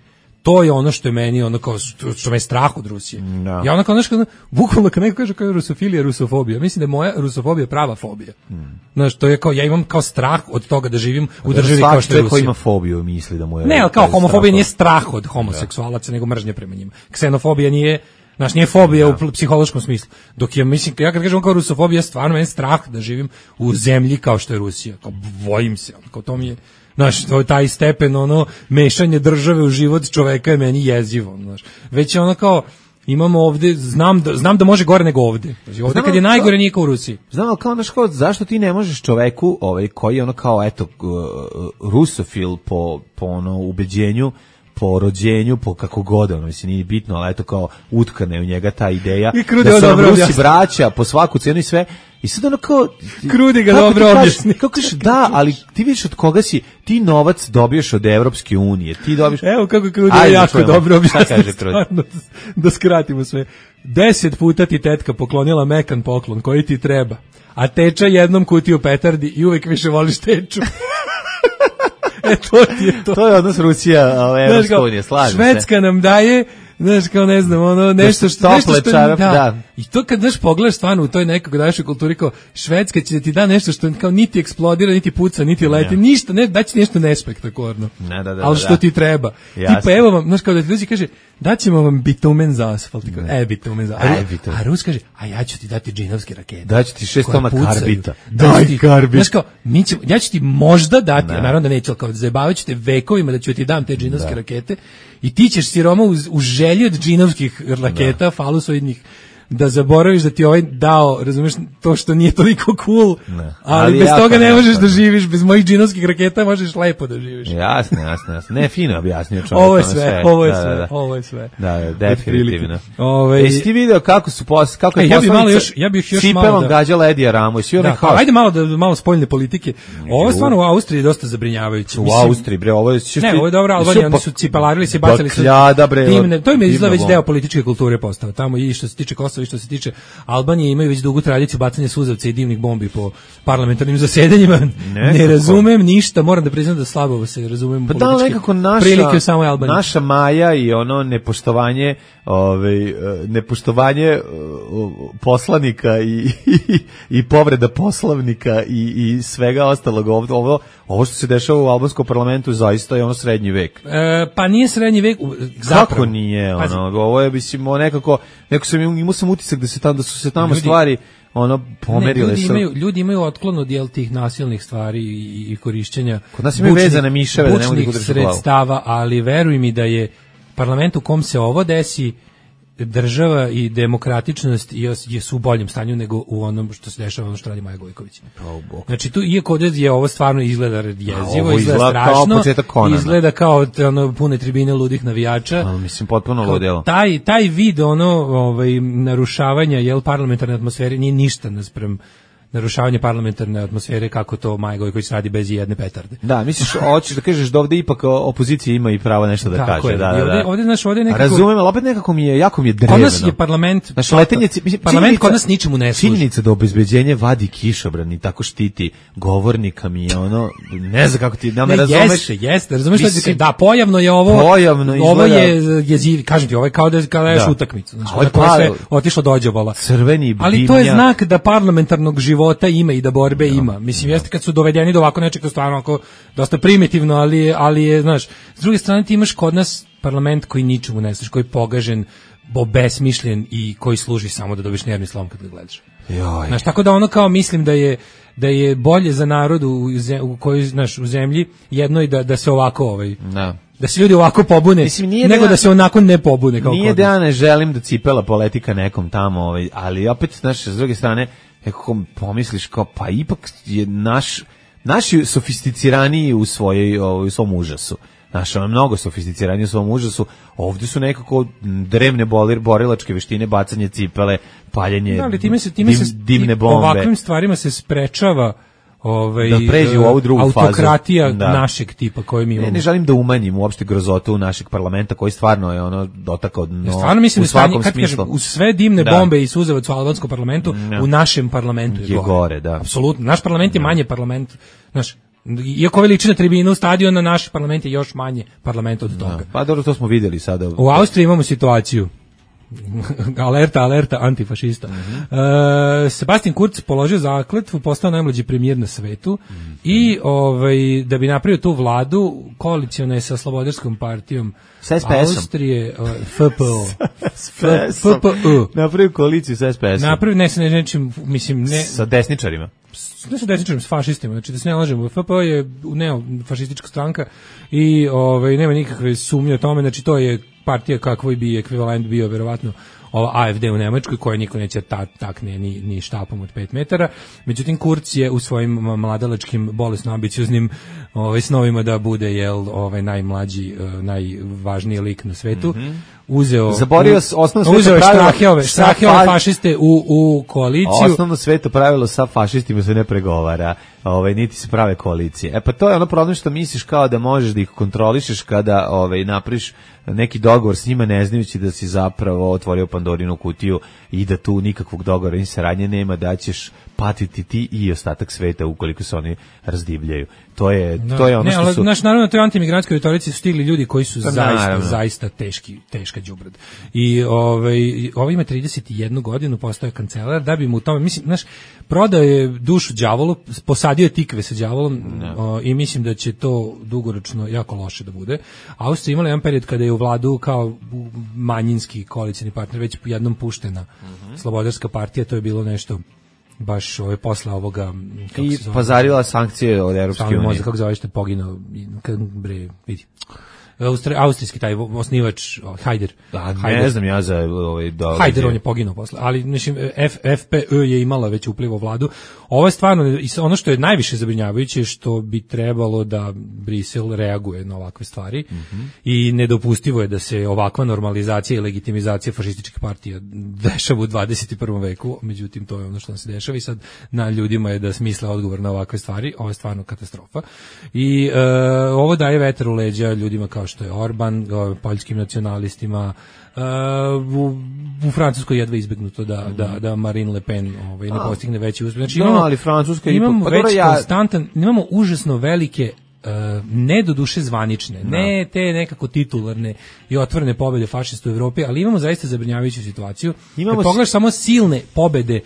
to je ono što je meni ono kao što me je strah od Rusije. No. Ja ono kao nešto, bukvalno kad neko kaže kao rusofilija, rusofobija, mislim da je moja rusofobija prava fobija. Mm. Znaš, to je kao, ja imam kao strah od toga da živim u državi kao što je Rusija. Ko ima fobiju misli da mu je... Ne, ali kao homofobija nije strah od homoseksualaca, nego mržnja prema njima. Ksenofobija nije, znaš, nije fobija no. u psihološkom smislu. Dok ja mislim, ja kad kažem kao rusofobija, stvarno meni strah da živim u zemlji kao što je Rusija. Kao, bojim se, kao to mi je... Znaš, to je taj stepen, ono, mešanje države u život čoveka je meni jezivo, znaš. Već je ono kao, imamo ovde, znam da, znam da može gore nego ovde. Znači, ovde znam, kad je najgore nije kao u Rusiji. Znam, ali kao, znaš, kao, zašto ti ne možeš čoveku, ovaj, koji je ono kao, eto, rusofil po, po ono, ubeđenju, po rođenju, po kako god, ono, mislim, nije bitno, ali eto kao utkane u njega ta ideja, da su nam Rusi braća po svaku cenu i sve, i sad ono kao... Krudi ga dobro objasni. Kako kažeš, da, ali ti vidiš od koga si, ti novac dobiješ od Evropske unije, ti dobiješ... Evo kako Krudi je jako dobro objasni, stvarno, da skratimo sve. Deset puta ti tetka poklonila mekan poklon, koji ti treba, a teča jednom kutiju petardi i uvek više voliš teču. E, to ti je to. To je odnos Rusija, Evropska unija, slažem se. Švedska nam daje, znaš, kao ne znam, ono, nešto što... Nešto što čarap, da. da. I to kad, znaš, pogledaš stvarno u toj nekog našoj kulturi, kao Švedska će da ti da nešto što kao niti eksplodira, niti puca, niti leti, ne. ništa, ne, daći nešto nespektakularno. Ne, da, da, ali što da. ti treba. Jasne. Tipa, evo vam, znaš, kao da ti dođe kaže, daćemo vam bitumen za asfalt. E, bitumen za asfalt. A, a Rus kaže, a ja ću ti dati džinovske rakete. Daću ti šest toma karbita. Daj ti, karbit. Znaš, kao, mi ćemo, ja ću ti možda dati, ne. naravno da neću, ali kao zajebavaću te vekovima da ću ti dam te džinovske da. rakete i ti ćeš siroma u, u želji od džinovskih raketa, da. falusoidnih, da zaboraviš da ti ovaj dao, razumeš, to što nije toliko cool, ne. ali, ali bez toga ne možeš da živiš, bez mojih džinovskih raketa možeš lepo da živiš. Jasno, jasno, jasno. Ne, fino objasnio čovjek. Ovo je sve, sve. ovo je da, sve, da, da. ovo je sve. Da, definitivno. Ove... Jesi ti video kako su pos, kako je ja bih malo još, ja bih još malo da gađala Edija Ramo i svi onaj haos. Ajde malo da malo spoljne politike. Ovo je stvarno u Austriji dosta zabrinjavajuće. U Austriji bre, ovo je Ne, ovo je dobro, Albanija, oni su cipelarili se, bacali su dimne. To im je izgleda već deo političke kulture postao. Tamo i što se tiče Kosova i što se tiče Albanije imaju već dugu tradiciju bacanja suzavca i dimnih bombi po parlamentarnim zasedanjima. Ne, ne razumem ništa, moram da priznam da slabo se razumem pa političke da, nekako naša, prilike u samoj Albaniji. Naša Maja i ono nepoštovanje, ovaj, nepoštovanje poslanika i, i, i povreda poslovnika i, i svega ostalog. Ovo, ovo što se dešava u albanskom parlamentu zaista je ono srednji vek. E, pa nije srednji vek. Zapravo. Kako nije? Ono, ovo je, mislim, nekako, neko sam, imao sam utisak da se tamo, da su se tamo ljudi, stvari ono pomerile. Ne, ljudi, imaju, ljudi imaju otklon od jel tih nasilnih stvari i, i korišćenja kod nas imaju vezane miševe da ne mogu da sredstava, ali veruj mi da je parlament u kom se ovo desi, država i demokratičnost jesu u boljem stanju nego u onom što se dešava, ono što radi Maja Gojković. Oh, znači tu iako je ovo stvarno izgleda jezivo, izgleda strašno, kao izgleda kao ono pune tribine ludih navijača. Ali mislim potpuno ludilo. Taj taj vid ono ovaj narušavanja jel parlamentarne atmosfere nije ništa naspram narušavanje parlamentarne atmosfere kako to Maja Gojković radi bez jedne petarde. Da, misliš, hoćeš da kažeš da ovde ipak opozicija ima i pravo nešto da tako kaže. Je. Da, da, ovde, da. ovde, znaš, ovde nekako... Razumem, ali opet nekako mi je, jako mi je drevno. Kod nas je parlament... Znaš, letenje, parlament kod nas ničemu ne služi. Činjenica da obezbeđenje vadi kišobran i tako štiti govornika mi je ono, ne znam kako ti, da me ne, razumeš. Jeste, jeste, razumeš šta ti da, pojavno je ovo... Pojavno izgleda... Ovo je jezivi, kažem ti, ovo je kao da kada da. utakmicu. Znači, ovo je pa, sve otišlo dođebola. Crveni bimnjak. Ali to je znak da parlamentarnog života ima i da borbe no, ima. Mislim, no. jeste kad su dovedeni do ovako nečega stvarno ako dosta primitivno, ali, ali je, znaš, s druge strane ti imaš kod nas parlament koji ničemu ne služi, koji je pogažen, besmišljen i koji služi samo da dobiš nervni slom kad ga gledaš. Joj. Znaš, tako da ono kao mislim da je da je bolje za narod u, u kojoj, znaš, u zemlji jedno i da, da se ovako ovaj... No. Da se ljudi ovako pobune, mislim, nego da, da se onako ne pobune. Kao nije da ja ne želim da cipela politika nekom tamo, ovaj, ali opet, znaš, s druge strane, kako pomisliš kao, pa ipak je naš, naši sofisticiraniji u, svojoj, u svom užasu. Znaš, ono mnogo sofisticiraniji u svom užasu. Ovdje su nekako drevne bolir, borilačke veštine, bacanje cipele, paljenje da, ali time se, time dim, se, dimne bombe. Ovakvim stvarima se sprečava ovaj da pređe u ovu drugu fazu. Autokratija da. našeg tipa koju mi imamo. Ne, ne želim da umanjim uopšte grozotu našeg parlamenta koji stvarno je ono dotakao dno. Ja stvarno mislim u svakom da smislu. Uz sve dimne da. bombe i suzavac u albanskom parlamentu, ja. u našem parlamentu je, je gore. gore da. Apsolutno. Naš parlament je manje parlament. Znaš, Iako ove liči na tribinu stadiona, naš parlament je još manje parlament od toga. Da, pa dobro, to smo videli sada. U Austriji imamo situaciju. alerta, alerta, antifašista. Mm-hmm. e, Sebastian Kurz položio zakletvu, postao najmlađi premijer na svetu mm-hmm. i ovaj, da bi napravio tu vladu, koaliciona je sa Slobodarskom partijom Austrije, F P O. F P O. Napravio koaliciju sa S P S-om. Napravio, ne sa nečim, mislim, ne... Sa desničarima. Ne sa desničarima, s fašistima, znači da se ne lažemo. F P O je neofašistička stranka i ovaj, nema nikakve sumnje o tome, znači to je partija kakvoj bi ekvivalent bio verovatno ova A F D u Nemačkoj, koja niko neće ta, takne ni, ni štapom od pet metara. Međutim, Kurz je u svojim mladalačkim, bolesno ambicioznim ovaj, snovima da bude jel, ovaj, najmlađi, uh, najvažniji lik na svetu. Mm-hmm. Uzeo, Zaborio osnovno uzeo sveto pravilo štrahjove, štrahjove fašiste u, u koaliciju. Osnovno sveto pravilo sa fašistima se ne pregovara, ovaj, niti se prave koalicije. E pa to je ono problem što misliš kao da možeš da ih kontrolišeš kada ovaj, napriš neki dogovor s njima ne znajući da si zapravo otvorio Pandorinu kutiju i da tu nikakvog dogovora ni saradnje nema, da ćeš patiti ti i ostatak sveta ukoliko se oni razdivljaju. To je, da. to je ono ne, što ali, su... Naš, naravno, toj antimigrantskoj retorici su stigli ljudi koji su da, zaista, naravno. zaista teški, teška đubrad. I ovaj, ovaj ima trideset jednu godinu, postaje kancelar, da bi mu u tome, mislim, znaš, prodao je dušu đavolu, posadio je tikve sa đavolom o, i mislim da će to dugoročno jako loše da bude. Austrija imala jedan period kada je u vladu kao manjinski koalicijni partner već jednom puštena mm-hmm. Slobodarska partija, to je bilo nešto baš ove posle ovoga kako i pazarila sankcije od Europske unije. Možda kako zoveš te poginuo bre vidi. Austri, austrijski taj osnivač Hajder. Da, ne znam ja za ovaj da. Hajder on je poginuo posle, ali mislim F, FPÖ je imala već upliv u vladu. Ovo je stvarno ono što je najviše zabrinjavajuće, što bi trebalo da Brisel reaguje na ovakve stvari mm-hmm. i nedopustivo je da se ovakva normalizacija i legitimizacija fašističkih partija dešava u dvadeset prvom veku, međutim to je ono što nam se dešava i sad na ljudima je da smisle odgovor na ovakve stvari. Ovo je stvarno katastrofa. I e, ovo daje vetar u leđa ljudima kao što je Orban, poljskim nacionalistima. Uh, u, u Francuskoj jedva izbegnuto da, mm. da, da Marine Le Pen ovaj, ne postigne veći uspjeh. Znači, imamo, no, ali Francuska imamo pa već ja... konstantan, imamo užasno velike Uh, ne do duše zvanične, no. ne te nekako titularne i otvorene pobede fašista u Evropi, ali imamo zaista zabrinjavajuću situaciju. Imamo pogledaš s... samo silne pobede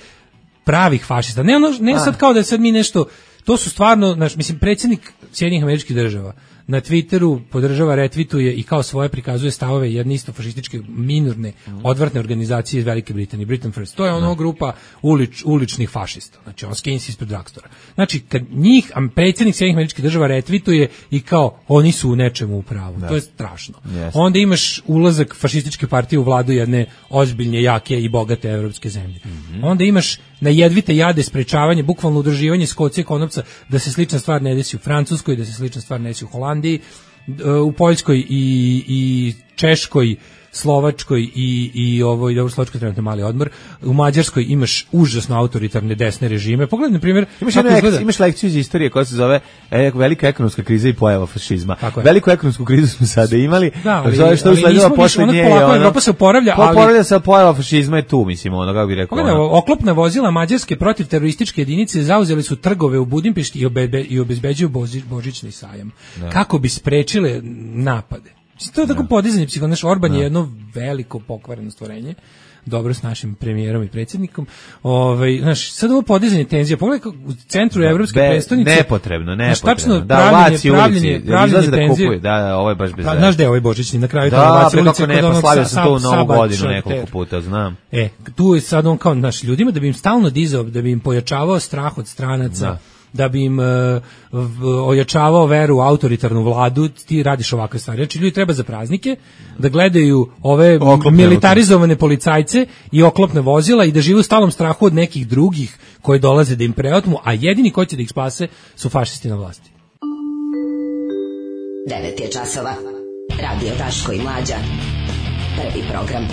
pravih fašista. Ne ono, ne sad kao da je sad mi nešto, to su stvarno, naš, mislim, predsjednik Sjedinjenih Američkih Država na Twitteru podržava, retvituje i kao svoje prikazuje stavove jedne isto fašističke minorne odvratne organizacije iz Velike Britanije, Britain First. To je ono grupa ulič, uličnih fašista. Znači on skensi ispred Dragstora. Znači kad njih predsjednik Sjedinjenih Američkih Država retvituje i kao oni su u nečemu u pravu. Da. To je strašno. Yes. Onda imaš ulazak fašističke partije u vladu jedne ozbiljne, jake i bogate evropske zemlje. Mm-hmm. Onda imaš na jedvite jade sprečavanje, bukvalno udruživanje skocije konopca da se slična stvar ne desi u Francuskoj, da se slična stvar ne desi u Holandiji, u Poljskoj i, i Češkoj, Slovačkoj i i ovo i dobro Slovačkoj trenutno mali odmor. U Mađarskoj imaš užasno autoritarne desne režime. Pogledaj na primjer, imaš lekciju, imaš lekciju iz istorije koja se zove e, velika ekonomska kriza i pojava fašizma. Veliku ekonomsku krizu smo sada imali. Da, ali, zove što usledila posle nje. Ono, Evropa se oporavlja, ali oporavlja se, pojava fašizma je tu, mislim, ono kako bih rekao. Pogledaj, ono. Oklopna vozila mađarske protivterorističke jedinice zauzeli su trgove u Budimpešti i, obebe, i obezbeđuju božić, božićni sajam. Da. Kako bi sprečile napade. To je tako no. podizanje psihonaš. Orban no. je jedno veliko pokvareno stvorenje, dobro s našim premijerom i predsjednikom. Ovaj, znaš, sad ovo podizanje tenzija, pogledaj u centru da, evropske be, prestonice. Nepotrebno, nepotrebno. Da, pravljenje, pravljenje, pravljenje da tenzije. Kupuju, da, da, ovo je baš bez veze. Znaš gde je ovaj božićni na kraju? Da, pre kako ne, poslavio sam to u novu godinu nekoliko puta, znam. E, tu je sad on kao naš ljudima da bi im stalno dizao, da bi im pojačavao strah od stranaca. Da. Da bi im uh, ojačavao veru u autoritarnu vladu, ti radiš ovakve stvari. Znači, ljudi treba za praznike da gledaju ove oklopne militarizovane policajce i oklopne vozila i da žive u stalnom strahu od nekih drugih koji dolaze da im preotmu, a jedini koji će da ih spase su fašisti na vlasti. devet je časova. Radio Daško i Mlađa. Prvi program.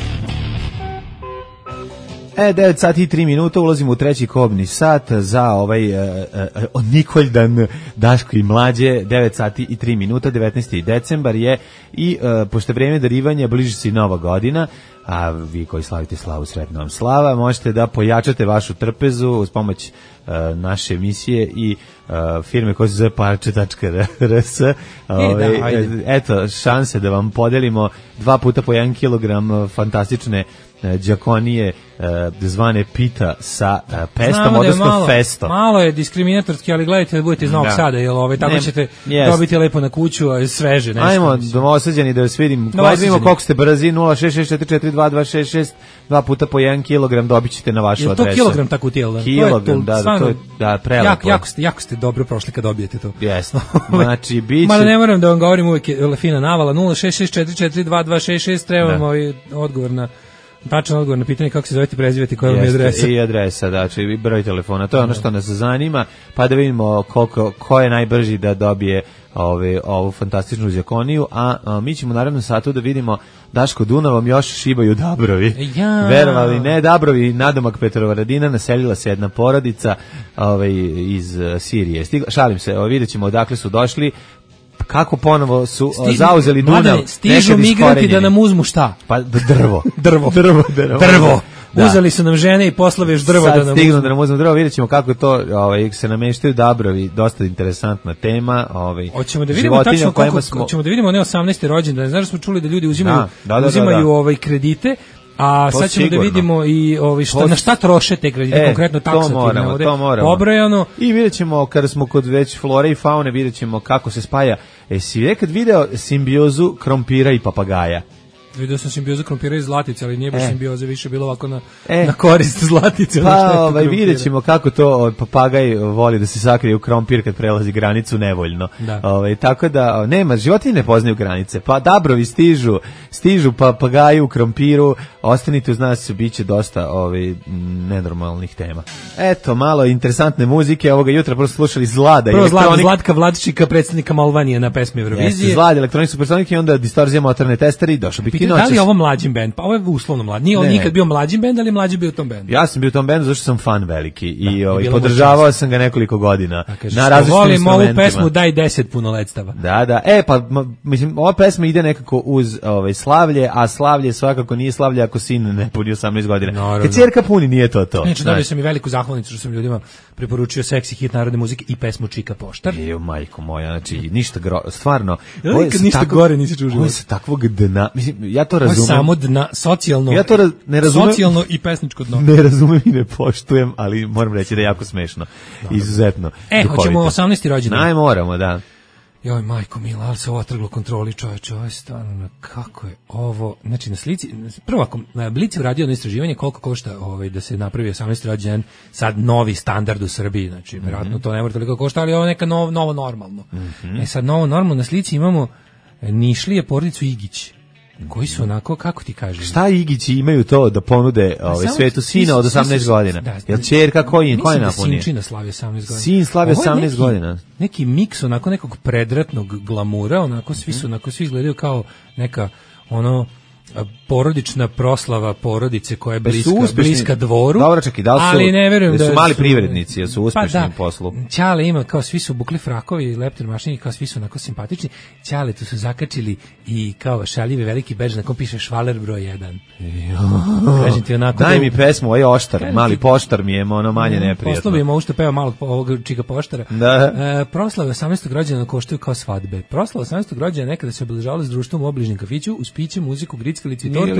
E, devet sati i tri minuta, ulazimo u treći kobni sat za ovaj uh, uh, Nikoldan Daško i Mlađe, devet sati i tri minuta, devetnaesti decembar je i uh, pošto vreme darivanja bliži se i Nova godina, a vi koji slavite slavu, sretna vam slava. Možete da pojačate vašu trpezu uz pomoć uh, naše emisije i uh, firme koja se zove parče tačka r s. Ove, eto, šanse da vam podelimo dva puta po jedan kilogram fantastične đakonije zvane pita sa pestom, odnosno malo, festom. Malo je diskriminatorski, ali gledajte da budete iz Novog da. Sada, jel ove, tako ne, ćete jest. dobiti lepo na kuću, a sveže nešto. Ajmo, domosađeni da vas vidim. Ajde vidimo koliko ste brzi, nula šest šest četiri četiri dva dva šest šest, dva puta po jedan kilogram dobit ćete na vašu adresu. Je to kilogram tako tijel? Da? Kilogram, da, da, to je da, prelepo. Jak, jako, ste, jako ste dobro prošli kad dobijete to. Jesno. Znači, bit će... Mada ne moram da vam govorim, uvijek je fina navala, nula šest šest četiri četiri dva dva šest šest, trebamo ovaj odgovor na... Tačan odgovor na pitanje kako se zovete, prezivate, koja vam je adresa. I adresa, znači i broj telefona. To je ono što nas zanima, pa da vidimo koliko, ko je najbrži da dobije ove, ovu fantastičnu đakoniju, a, a mi ćemo naravno satu da vidimo Daško Dunavom još šibaju Dabrovi. Ja. Verovali ne, Dabrovi, nadomak Petrovaradina, naselila se jedna porodica ove, iz Sirije. Stigla, šalim se, o, vidjet ćemo odakle su došli, kako ponovo su Stižu, zauzeli Dunav. Mladene, stižu migranti da nam uzmu šta? Pa drvo. drvo. drvo, drvo. Drvo. Da. Uzeli su nam žene i posle još drvo sad da nam stignu uzmu. da nam uzmu drvo, vidjet ćemo kako to ovaj, se nameštaju Dabrovi, dosta interesantna tema. Ovaj, hoćemo da vidimo tačno koliko, smo... hoćemo da vidimo ne osamnaesti rođendan, znaš da smo čuli da ljudi uzimaju, da, da, da, uzimaju da, da. Ovaj kredite, a to sad ćemo sigurno da vidimo i ovaj šta, na šta troše te kredite, e, konkretno taksativno ovde pobrojano. I vidjet ćemo, kada smo kod već flore i faune, vidjet ćemo kako se spaja. E, si nekad video simbiozu krompira i papagaja? Video sam simbiozu krompira i zlatice, ali nije baš e. simbioza, više bilo ovako na, e. na korist zlatice. Pa, ovaj, vidjet ćemo kako to papagaj voli da se sakrije u krompir kad prelazi granicu nevoljno. Da. Ovaj, tako da, nema, životinje ne poznaju granice. Pa Dabrovi stižu, stižu papagaji u krompiru, ostanite uz nas, bit će dosta ovaj, nenormalnih tema. Eto, malo interesantne muzike, ovoga jutra prosto slušali Zlada. Prvo elektronik... Zlatka Vladčika, predsjednika Malvanije na pesmi Eurovizije. Jeste, Zlad, elektronik supersonik i onda distorzija motorne testere i došao bi da li je ovo mlađim bend? Pa ovo je uslovno mlad. Nije on nikad bio mlađim bend, ali mlađi bio u tom bendu. Ja sam bio u tom bendu zato što sam fan veliki i ovaj, podržavao sam ga nekoliko godina. Kažeš, na različitim instrumentima. Volim ovu pesmu Daj deset punoletstava. Da, da. E, pa mislim, ova pesma ide nekako uz ovaj, slavlje, a slavlje svakako nije slavlje ako sin ne puni osamnaest godina. Kad ćerka puni, nije to to. Neče, dobio sam i veliku zahvalnicu što sam ljudima preporučio seksi hit narodne muzike i pesmu Čika Poštar. Ejo, majko moja, znači ništa gro, stvarno. Ja, ništa tako, gore nisi čuo. Ovo je sa takvog dna, mislim, ja to razumem. Samo dna, socijalno, ja to raz, ne razumem, socijalno i pesničko dno. Ne razumem i ne poštujem, ali moram reći da je jako smešno. Dobro. Izuzetno. E, duhovito. Hoćemo osamnaesti rođendan. Naj, moramo, da. Joj, majko mila, ali se ovo otrglo kontroli, čoveče, ovo je stvarno, kako je ovo, znači na slici, prvo ako na Blicu uradio jedno istraživanje koliko košta ovaj, da se napravi osamnaesti rođendan, sad novi standard u Srbiji, znači, mm -hmm. vjerojatno to ne mora toliko košta, ali ovo je neka nov, novo normalno. Mm -hmm. E sad, novo normalno, na slici imamo Nišlije porodicu Igić, koji su onako, kako ti kažeš? Šta Igići imaju to da ponude ovaj, svetu sina od osamnaest godina? Da, jel ćerka koji, koji napunije? Mislim da Sinčina slavi osamnaest godina. Sin slavi osamnaest godina. Neki miks onako nekog predratnog glamura, onako svi su, onako svi izgledaju kao neka ono porodična proslava porodice koja je bliska, bliska dvoru. Dobro, čekaj, da li su, ali ne verujem da su da mali privrednici, jer su uspešni pa da, u poslu. Ćale ima, kao svi su bukli frakovi, leptir mašini, kao svi su onako simpatični. Ćale tu su zakačili i kao šaljive veliki bedž na kom piše Švaler broj jedan. Kažem ti onako... Daj mi pesmu, ovo je oštar, mali poštar mi je ono manje neprijatno. Poslovimo ovo što peva malo ovog Čika Poštara. Da. E, proslave osamnaestog rođendana koštaju kao svadbe. Proslave osamnaestog rođendana nekada se obeležavale s društvom u obližnjem kafiću, uz piće, muziku, grickalicu i tortu.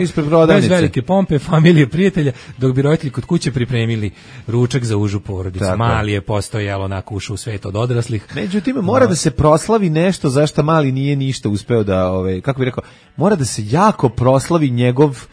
Bez velike pompe, familije, prijatelja, dok bi roditelji kod kuće pripremili ručak za užu porodicu. Tako. Mali je postojalo onako ušao u svet od odraslih. Međutim, mora da se proslavi nešto za što mali nije ništa uspeo da, ove, kako bih rekao, mora da se jako proslavi njegov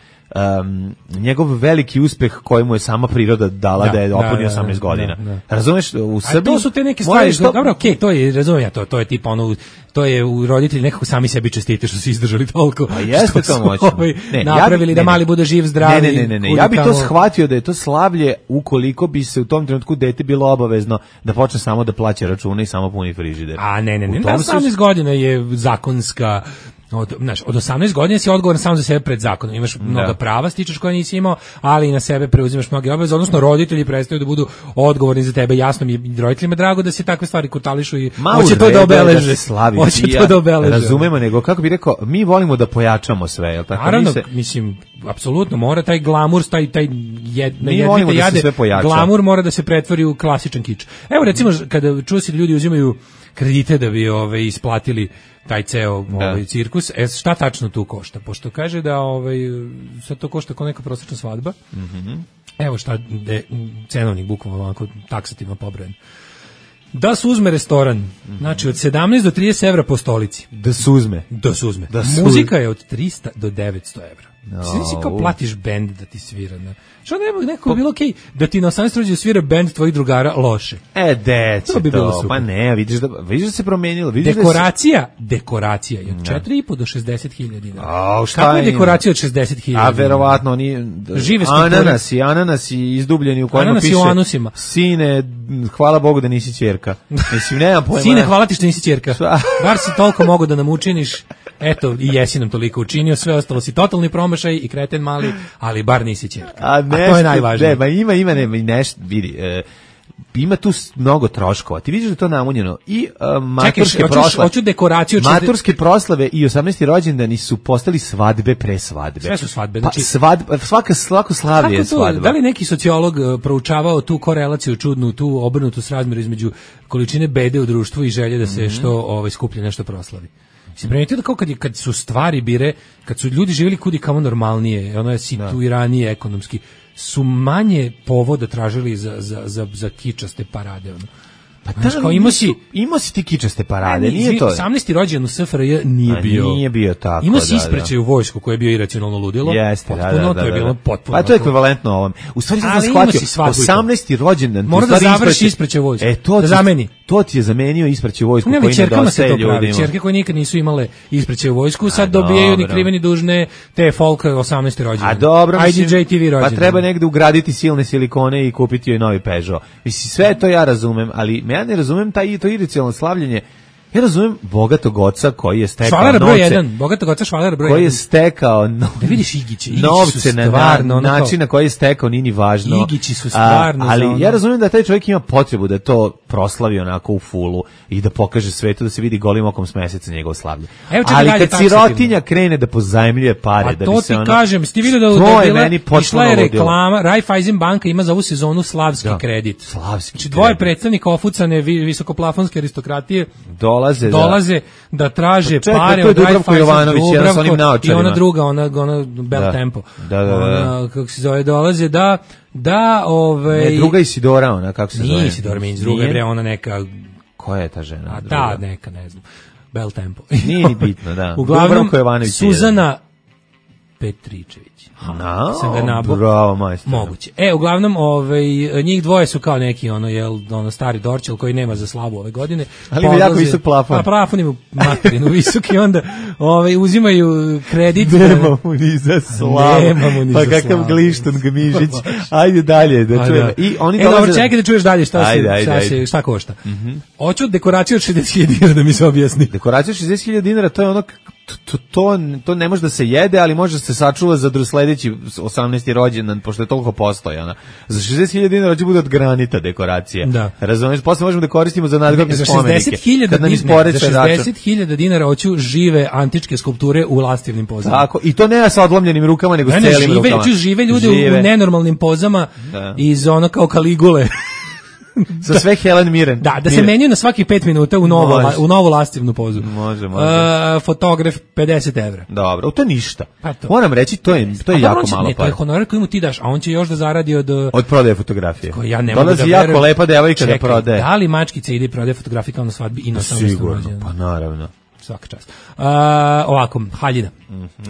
Um, njegov veliki uspeh kojemu je sama priroda dala da, da je opunio osamnaest godina. Da, da. Razumeš, u Srbiji... to su te neke stvari, što... dobro, okej, okay, to je, razumijem ja to, to je tipa ono, to je u roditelji nekako sami sebi čestite što su izdržali toliko. A jeste to moćno. Ovaj ne, napravili ja, da mali bude živ, zdrav. Ne, ne, ne, ne, ne. Ja bih to shvatio da je to slavlje ukoliko bi se u tom trenutku dete bilo obavezno da počne samo da plaća račune i samo puni frižider. A ne, ne, ne, ne, osamnaest godina je zakonska Od, znaš, od osamnaest godina si odgovoran samo za sebe pred zakonom. Imaš Da. mnoga prava, stičeš koje nisi imao, ali i na sebe preuzimaš mnoge obaveze, odnosno roditelji prestaju da budu odgovorni za tebe. Jasno mi je i roditeljima drago da se takve stvari kutališu i Ma, hoće u to da redu je obeleže. se slavi. Hoće I to da obeleže. Razumemo, nego kako bi rekao, mi volimo da pojačamo sve, jel tako? Naravno, Mi se- mislim, apsolutno mora taj glamur, taj taj jed, Mi volimo da se sve pojača. glamur mora da se pretvori u klasičan kič. Evo recimo kada čuo si da ljudi uzimaju kredite da bi ove isplatili taj ceo ovaj cirkus, e, šta tačno tu košta? Pošto kaže da ovaj sad to košta kao neka prosječna svadba. Mhm. Evo šta de, cenovnik bukvalno ovako taksativno pobrojen. Da se uzme restoran, znači od sedamnaest do trideset evra po stolici. Da se uzme. Da se uzme. Da se Muzika je od trista do devetsto evra. No, Znači si kao u. platiš bend da ti svira. Ne? Što nema neko bi bilo okej da ti na osamnaesti rođendan svira bend tvojih drugara loše. E, deće To bi bilo to, super. pa ne, vidiš da, vidiš da se promenilo. Vidiš Dekoracija, dekoracija je od četiri i po do šezdeset hiljada dinara. A, šta Kako je ima? dekoracija od šezdeset hiljada? A verovatno oni Žive strukture. ananasi, ananasi izdubljeni u kojima Ananasi piše u anusima. Sine, hvala Bogu da nisi ćerka. Mislim, nemam pojma. Sine, hvala ti što nisi ćerka. Bar si toliko mogu da nam učiniš. Eto, i jesi nam toliko učinio, sve ostalo si totalni promašaj i kreten mali, ali bar nisi ćerka. A, A nešto, to je najvažnije. Ne, ma ima, ima, nema, i nešto, vidi, e, ima tu s- mnogo troškova. Ti vidiš da je to namunjeno i uh, maturske hoćeš- proslave. hoću dekoraciju od Maturske proslave i osamnaesti rođendani su postali svadbe pre svadbe. Sve su svadbe, Pa, znači- svadba, svaka, svako slavlje je Kako to, svadba. da li neki sociolog uh, proučavao tu korelaciju čudnu, tu obrnutu srazmjeru između količine bede u društvu i želje da se Mhm. što ovaj, skuplje nešto proslavi? Mislim, primetio da kao kad, je, kad su stvari bire, kad su ljudi živjeli kudi kamo normalnije, ono je situiranije ekonomski, su manje povoda tražili za, za, za, za kičaste parade. Ono. Pa Znaš, kao imao si, imao si ti kičaste parade, Ne, nije izvini, to? osamnaesti rođendan u S F R J nije A, bio. nije bio tako, Imao si da, isprećaj da. u vojsku koje je bio iracionalno ludilo. Jeste, da, potpuno, da, da, to je da, bilo da. potpuno. Pa to je ekvivalentno ovom. U stvari sam Ali imao shvatio, si svadbu i to. osamnaesti rođendan. ti Mora u da stvari završi ispraćaj- ispraćaj u vojsku. E, to Da ti, zameni. To ti je zamenio ispraćaj u vojsku Ne, koji ali čerkama se nedostaje to pravi. ljudima. Čerke koje nikad nisu imale isprećaj u vojsku, sad A, dobijaju ni dobro. krive ni dužne te folk osamnaesti rođendan. A dobro, I D J T V mislim, rođendan. pa treba negde ugraditi silne silikone i kupiti joj novi Peugeot. Mislim, sve to ja razumem, ali ja ne razumem taj, to iracionalno slavljenje. Ja razumem bogatog oca koji je stekao Švalara broj novce, jedan, bogatog oca Švalara broj koji je jedan. stekao no, Da vidiš Igiće, Igići novce su na stvarno, na, ono kao- način na koji je stekao nije ni važno. Igići su stvarno A, ali za ono- ja razumem da taj čovjek ima potrebu da to proslavi onako u fulu i da pokaže svetu da se vidi golim okom s meseca njegov slavlje. Evo čekaj Ali dalje kad taksativno. sirotinja krene da pozajmljuje pare A da to bi se ti ono, kažem, sti vidio da, to da je je bila, meni potpuno išla je ludilo. reklama, Raiffeisen banka ima za ovu sezonu slavski Da. kredit. Slavski Znači dvoje kredit. predstavnika ofucane vi- visokoplafonske aristokratije dolaze, da. dolaze da traže Pa čekaj, pare to je od Dubravko Raiffeisen, Jovanović, jedan sa onim Dubravko naočarima. i ona druga, ona, ona Bell Da. Tempo. Da, da, da. Ona, kako se zove, dolaze da, da, ove... Ne, druga Isidora, ona, kako se zove? Nije Isidora Minić, druga je Nije? bre, ona neka, Koja je ta žena? a druga? da, neka, ne znam, Bell Tempo. Nije ni bitno, da. Uglavnom, Dubravko Jovanović je Suzana Petričević. Ha, No, sam ga nabo. bravo, majstor. Moguće. E, uglavnom, ovaj, njih dvoje su kao neki, ono, jel, ono, stari Dorčel koji nema za slavu ove godine. Ali ima Pa jako odlaze- visok plafon. Pa plafon ima materinu visok i onda ovaj, uzimaju kredit. Nema mu ni za slavu. Nema mu ni pa za kakav slavu. glišton Gmižić. Ajde dalje, da Pa čujemo. da. I oni e, dolaze... dobro, čekaj da čuješ dalje šta, Ajde, se, ajde, šta, ajde. se, šta košta. Hoću dekoraciju od šezdeset hiljada dinara da mi se objasni. Dekoracija šezdeset hiljada dinara, to je ono, to, to, to ne može da se jede, ali može da se sačuva za dru sledeći osamnaesti rođendan, pošto je toliko postojana. Za šezdeset hiljada dinara će bude od granita dekoracija. Da. Razumeš, posle možemo da koristimo za nadgrobne Za spomenike. šezdeset hiljada Kad nam dinara, isporeče za račun. šezdeset hiljada dinara hoću žive antičke skulpture u lastivnim pozama. Tako, i to ne sa odlomljenim rukama, nego Ne, s ne, celim žive, rukama. hoću žive ljude u- Žive. u nenormalnim pozama Da. iz ono kao Kaligule. Za sve Helen Mirren. Da, da se Mirren. menjaju na svakih pet minuta u novu, Može. u novu lastivnu pozu. Može, može. Uh, fotograf pedeset evra. Dobro, to je ništa. Pa to. Moram reći, to je, to je A dobro, jako on će- malo ne, to je para. honorar koji mu ti daš, a on će još da zaradi od... Od prodaje fotografije. Koji ja ne mogu Dolazi da jako verujem. lepa devojka da Čekaj, prodaje. Da li mačkica ide i prodaje fotografije kao na svadbi i na osamnaestom Sigurno, rođendanu? pa naravno. Svaka čast. Uh, ovako, haljina.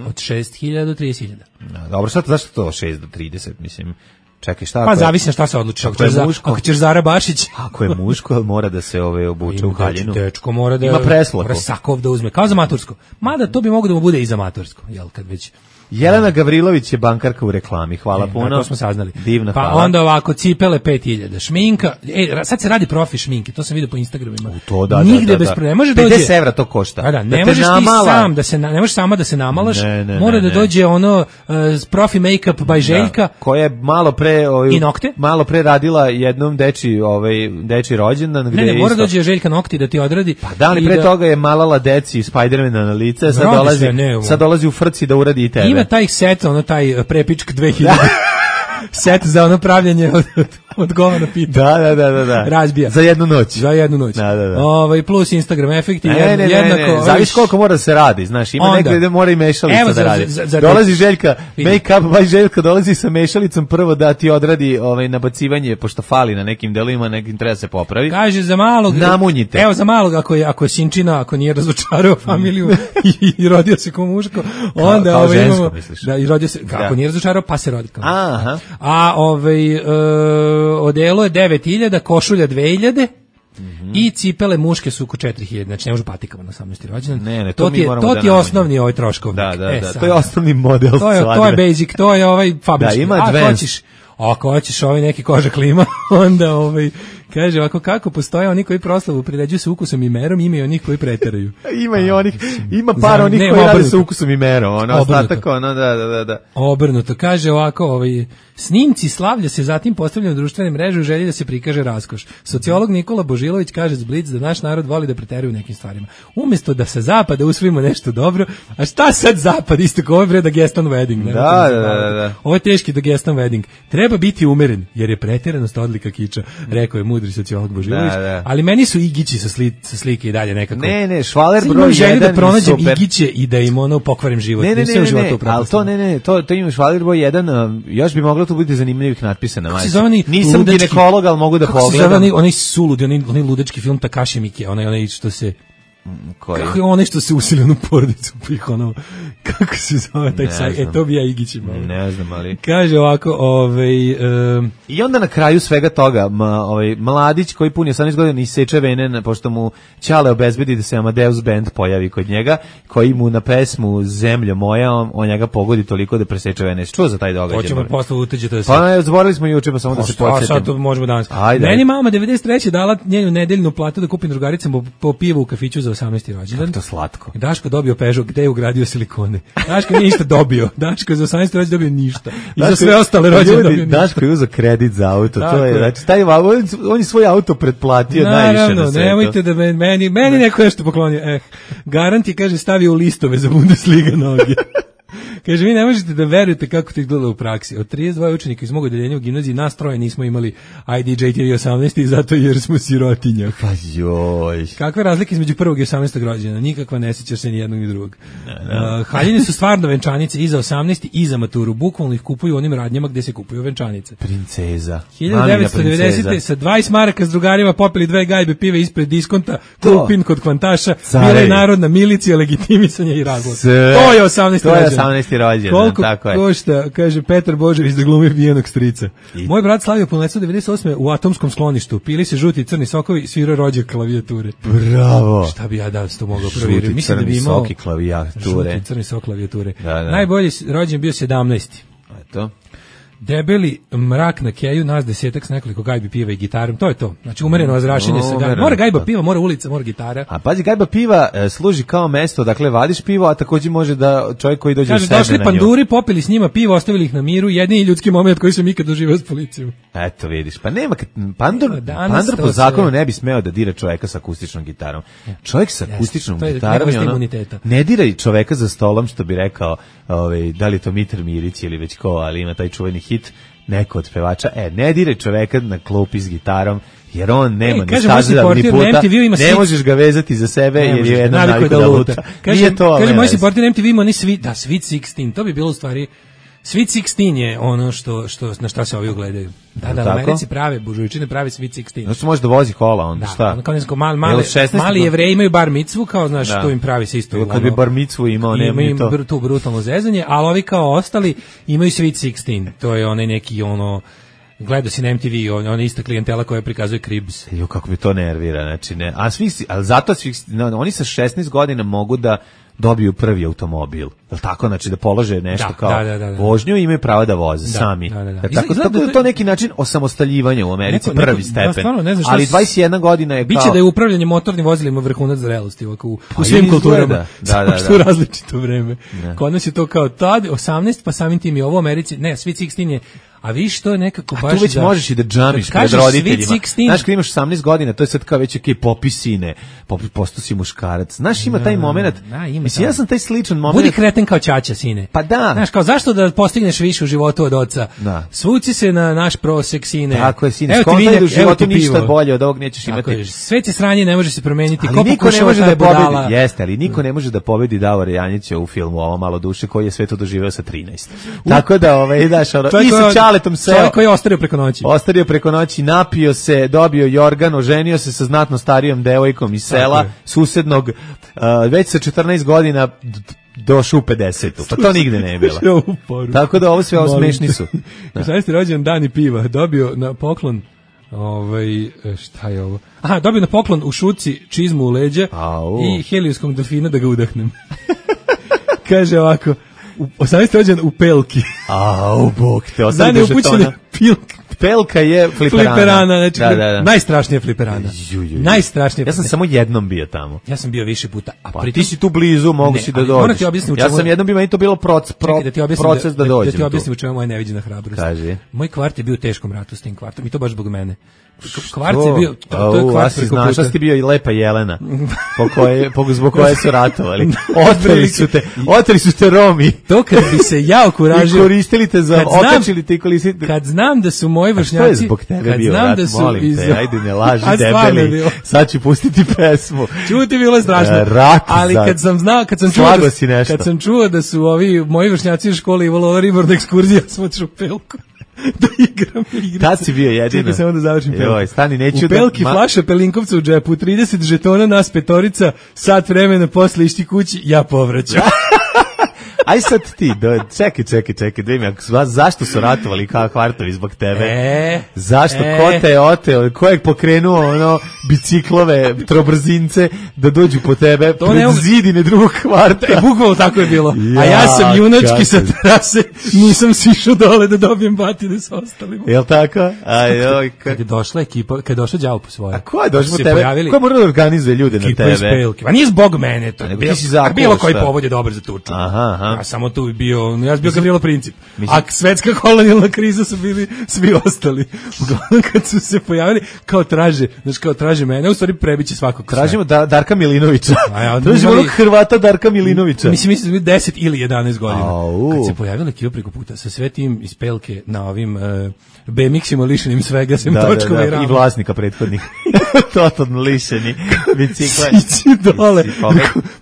Od šest hiljada do trideset hiljada. Da, dobro, sad zašto to šest do trideset, mislim? Čekaj, šta? Pa ako je- zavisi na šta se odlučiš. Ako Ako je ćeš za, muško? ako ćeš Zara Bašić, Ako je muško, ali mora da se ove obuče u haljinu. dečko mora da Ima preslaku. mora sakov da uzme, kao za matursko. Mada to bi moglo da mu bude i za matursko, jel kad već. Jelena Gavrilović je bankarka u reklami, hvala E, puno. To smo saznali. Divna, pa hvala. onda ovako, cipele pet hiljada, šminka, e, ra- sad se radi profi šminke, to sam vidio po Instagramima. U to, da, Nigde da, da, bez da. problema. Ne može dođe. pedeset evra to košta. Da, da, ne Da te možeš ti namala. sam da se na- ne možeš sama da se namalaš. Ne, ne, mora ne, da ne. dođe ono uh, profi make-up by Željka. Da, koja je malo pre ovaj, I nokte? malo pre radila jednom deči ovaj deči rođendan gde Ne, ne, je mora isto- dođe Željka nokti da ti odradi. Pa da li i pre toga je malala deci Spidermana na lice, sad Radi dolazi se, ne, sad dolazi u frci da uradi i tebe. Ima taj set, ono taj uh, prepičk dve hiljade. Set za ono pravljanje od, od, od govana pita. Da, da, da, da, da. Razbija. Za jednu noć. Za jednu noć. Da, da, da. Ovaj, plus Instagram efekti. Ne, jed- ne, ne, jednako, ne, ne. ovaj, Zavisi koliko mora da se radi, znaš, ima Onda. negde gde mora i mešalica Evo, da za- radi. za- za- dolazi Željka, Vidi. make up by Željka, dolazi sa mešalicom prvo da ti odradi ovaj nabacivanje, pošto fali na nekim delovima, nekim treba se popravi. Kaže za malog. Namunjite. Evo za malog ako je ako je sinčina, ako nije razočarao familiju i, i rodio se kao muško, onda kao ovaj žensko, imamo misliš? da i rodio se kako Da. nije razočarao pa se rodi kao. Aha. A ovaj e, odelo je devet hiljada, košulja dve hiljade. I cipele muške su oko četiri hiljade, znači ne može patikama na osamnaesti rođendan. Ne, ne, to to mi ti je, moramo to da ti je nađemo. osnovni ovaj troškovnik. Da, da, E, da. sad. To je osnovni model. To je, to je svadbe. basic, to je ovaj fabrički. Da, ima A, ako advanced. hoćeš, ako hoćeš ovaj neki koža klima, onda ovaj, kaže ovako kako postoje oni koji proslavu priređuju sa ukusom i merom, ima i onih koji preteraju. Ima i onih, ima par Za- onih ne, koji rade obrnuto. sa ukusom i merom, ono, Obrnuto. ostatak, ono, da, da, da, da. Obrnuto, kaže ovako, ovaj, snimci slavlja se zatim postavljaju na društvene mreže u želji da se prikaže raskoš. Sociolog Nikola Božilović kaže z Blic da naš narod voli da preteruje u nekim stvarima. Umjesto da sa zapada usvojimo nešto dobro, a šta sad zapad, isto kao ovo je bre Dagestan wedding. nemojte Da, me da, zabavati. da, da. Ovo je teški Dagestan wedding. Treba biti umeren, jer je pretjeranost odlika kiča, rekao je mudri sociolog Božilović. Da, da. Ali meni su igići sa, sli, sa slike i dalje nekako. Ne, ne, švaler Sad broj imam želju jedan da je pronađem super. igiće i da im ono pokvarim život. Ne, ne, Nisam ne, u ne, životu ne, ali upropastio. to ne, ne, to, to ima švaler broj jedan, um, još bi moglo to biti zanimljivih natpisa na Kako se majici. zove onaj Nisam ludački- ginekolog, ali mogu da kako se zove pogledam. onaj, onaj suludi, onaj, onaj ludački film Takashi Miike, onaj, onaj što se... Koji? Kako je onaj što se usili u porodicu, pih ono, kako se zove taj Ne saj, znam. e to bi ja igići malo. Ne znam, ali... Kaže ovako, ovaj... Um, I onda na kraju svega toga, ma, ovaj, mladić koji puni osamnaest godina iseče vene, na- pošto mu Ćale obezbedi da se Amadeus Band pojavi kod njega, koji mu na pesmu Zemlja moja, on, on njega pogodi toliko da preseče vene. Jesi čuo za taj događaj? hoćemo Bori? posle uteđete da se... Pa ne, zaboravili smo juče, pa samo da se A šta, sad podsjetim. to možemo danas. Ajde, Meni ajde. mama devedeset treće dala njenu nedeljnu platu da kupim drugaricama po, po pivu u kafiću za osamnaesti rođendan. To slatko. Daško dobio Peugeot, gde je ugradio silikone. Daško nije ništa dobio. Daško je za osamnaesti rođendan dobio ništa. I za Daško- sve ostale rođendane ljudi, dobio ništa. Daško je uzeo kredit za auto, Tako to je, je. znači, taj, on, on je svoj auto pretplatio najviše na Naravno, svetu. nemojte da me- meni, meni neko nešto poklonio. Eh, garant je, kaže, stavio u listove za Bundesliga noge. Kaže, vi ne možete da verujete kako to izgleda u praksi. Od trideset dva učenika iz mog odeljenja u gimnaziji nas troje nismo imali I D J T V osamnaest i zato jer smo sirotinja. Pa joj. Kakve razlike između prvog i osamnaestog rođena? Nikakva, ne sjećaš se ni jednog ni drugog. Uh, haljine su stvarno venčanice i za osamnaesti i za maturu. Bukvalno ih kupuju u onim radnjama gde se kupuju venčanice. Princeza. hiljadu devetsto devedesete. sa dvadeset maraka s drugarima popili dve gajbe pive ispred diskonta, To. Kupin kod Kvantaša, Carevi. bila je narodna milicija, legitimisanje i razlog. Sve. To je osamnaesti To je rođendan. osamnaesti rođendan, Koliko tako je. košta, kaže Petar Božević da glumi pijenog strica. Moj brat slavio punoletstvo devedeset osme u atomskom skloništu. Pili se žuti i crni sokovi, svirao rođak klavijature. Bravo. Šta bi ja da to mogao Žuti, provjeriti? Mislim da bi crni imao soki klavijature. Žuti crni sok klavijature. Da, da. Najbolji rođen bio sedamnaesti. Eto. Debeli mrak na keju, nas desetak s nekoliko gajbi piva i gitarom, to je to. Znači umereno razrašenje sa gajba. Umereno. Mora gajba piva, mora ulica, mora gitara. A pazi, gajba piva e, služi kao mesto, dakle vadiš pivo, a takođe može da čovjek koji dođe Kaže, sedne došli na nju. panduri, popili s njima pivo, ostavili ih na miru, jedini ljudski moment koji sam ikad doživio s policijom. Eto vidiš, pa nema, kad- pandur, A danas pandur to po sve- zakonu ne bi smeo da dira čoveka sa akustičnom gitarom. Čovjek sa akustičnom to je gitarom neka vrsta je ono, imuniteta. ne diraj čoveka za stolom, što bi rekao, ovaj, da li je to Mitar Mirić ili već ko, ali ima taj čuveni hit, neko od pevača, e, ne diraj čoveka na klupi s gitarom, jer on nema E, ni kaže, moj staze da ni supporter na puta, M T V ima ne svi- možeš ga vezati za sebe, Ne jer možeš, je jedna navikao naviku je da luta. Kaže, Nije to, ali kaže ne moj veze. supporter na M T V ima ni svi, da, Sweet šesnaest, to bi bilo u stvari Sweet šesnaest je ono što, što, na šta se ovi ugledaju. Da, da, u Tako? Americi prave, buržujčine pravi Sweet šesnaest. Znači može da vozi kola, onda Da, šta? ono kao nesko mal, Jel male, od šesnaest mali jevreji imaju bar micvu, kao znaš, Da. to im pravi se isto. Ili kad bi ono, bar micvu imao, nema imaju ni im to. br- tu brutalno zezanje, ali ovi kao ostali imaju Sweet šesnaest. To je onaj neki ono gledao si na M T V, on, on ista klijentela koja prikazuje Cribs. Jo, kako bi to nervira, znači ne. A svi, ali zato svi, no, oni sa šesnaest godina mogu da dobiju prvi automobil. Je li tako? Znači da polože nešto da, kao da, da, da, da. vožnju i imaju pravo da voze da, sami. Da, da, da. Tako, tako da je to neki način osamostaljivanja u Americi, neko, prvi neko, stepen. Da, ne znam, ali dvadeset jedna godina je kao... Biće da je upravljanje motornim vozilima vrhunac zrelosti ovako, u, u svim kulturama. Da, da, što u različito vreme. Da. Kod nas je to kao tad, osamnaest, pa samim tim je ovo u Americi, ne, Sweet šesnaest je, a vi što je nekako baš... A tu već da, možeš i da džamiš pred roditeljima. Znaš, kad imaš osamnaest godina, to je sad kao već okej, popis sine, posto si muškarac. Znaš, ima taj moment, da, ima mislim, ja sam taj sličan moment... Budi kreten kao ćaća, sine. Pa da. Znaš, kao zašto da postigneš više u životu od oca? Da. Svuci se na naš prosek, sine. Tako je, sine, skontaj da u životu ništa bolje od ovog nećeš imati. Je, sve će sranje, ne može se promeniti. Ali ko niko ne može da pobedi, jeste, ali niko ne može da pobedi Davora Janjića u filmu Ovo malo duše, koji je sve to doživeo sa trinaest. Tako da, ovaj, daš, ono, i sa Čaletom seo. Koji je ostario preko noći. Ostario preko noći, napio se, dobio jorgan, oženio se sa znatno starijom devojkom iz sela, susednog, uh, već sa četrnaest godina došao u pedesetu. Pa to nigde ne je bilo. Tako da ovo sve ovo smešni su. Sada ste rođen dan i piva, dobio na poklon ovaj, šta je ovo? Aha, dobio na poklon u šuci čizmu u leđa Au. i helijuskom delfina da ga udahnem. Kaže ovako, osamnaesti rođen u Pelki. Au, bog te, osamnaesti upućene Pelka. Pelka je fliperana. Fliperana, znači da, da, da. najstrašnija fliperana. Ju, ju, ju. Najstrašnija. Ja sam samo jednom bio tamo. Ja sam bio više puta. A pa, ti si tu blizu, mogu ne, si da dođeš. Ja sam jednom bio, meni to bilo proc, pro, Čekaj, da proces da, da dođem. Da ti objasnim u čemu je moja neviđena hrabrost. Kaži. Moj kvart je bio u teškom ratu s tim kvartom i to baš zbog mene. Kvart je bio, to, to je kvart preko puta. Znaš, ti bio i Lepa Jelena, po koje, po, zbog koje su ratovali. Oteli su te, oteli su te Romi. To kad bi se ja okuražio. I koristili te za, okačili te i koristili. Kad znam da su moji vršnjaci, kad znam rat, da su molim iz... te, ajde ne laži debeli, sad ću pustiti pesmu. Čuti, bilo je strašno. Rat, ali kad sam znao, kad sam čuo da, kad sam čuo da su ovi moji vršnjaci u školi imali ribornu ekskurziju, ja sam otišao u Pelku. Da igram igrice. Tad si bio jedino. Čekaj samo da završim Pelku. Joj, stani, neću u Pelki da... flaša Pelinkovca u džepu, trideset žetona, nas petorica, sat vremena posle išti kući, ja povraćam. Aj sad ti, do, čekaj, čekaj, čekaj, da im, zašto su ratovali kao kvartovi zbog tebe? E, zašto, e. ko te je oteo, ko je pokrenuo ono, biciklove, trobrzince, da dođu po tebe to pred ne... zidine drugog kvarta? E, bukvalno tako je bilo. Ja, a ja sam junački sa terase, nisam sišao dole da dobijem batine sa ostalima. Jel tako? Aj, oj, ka... Kad je došla ekipa, kad je došao đavo po svoje. A ko je došao po tebe? Pojavili... Ko mora da organizuje ljude ekipa na tebe? Ekipa iz Pelke. A nije zbog mene to. Bilo, bilo koji povod je dobar za tuču. Aha, aha. Ja samo tu bio, ja sam bio Gavrilo Princip. Mislim, a svetska kolonijalna kriza su bili svi ostali. Uglavnom kad su se pojavili, kao traže, znači kao traže mene, u stvari prebiće svakog. Tražimo da, Darka Milinovića. A ja, tražimo onog Hrvata Darka Milinovića. Mislim, mislim da su deset ili jedanaest godina. Au. Kad se pojavila ekipa preko puta sa sve tim iz Pelke na ovim uh, B M X-ima lišenim svega, sem da, točkova da, da, i rama. I vlasnika prethodnih. Totalno lišeni bicikla. Sići dole.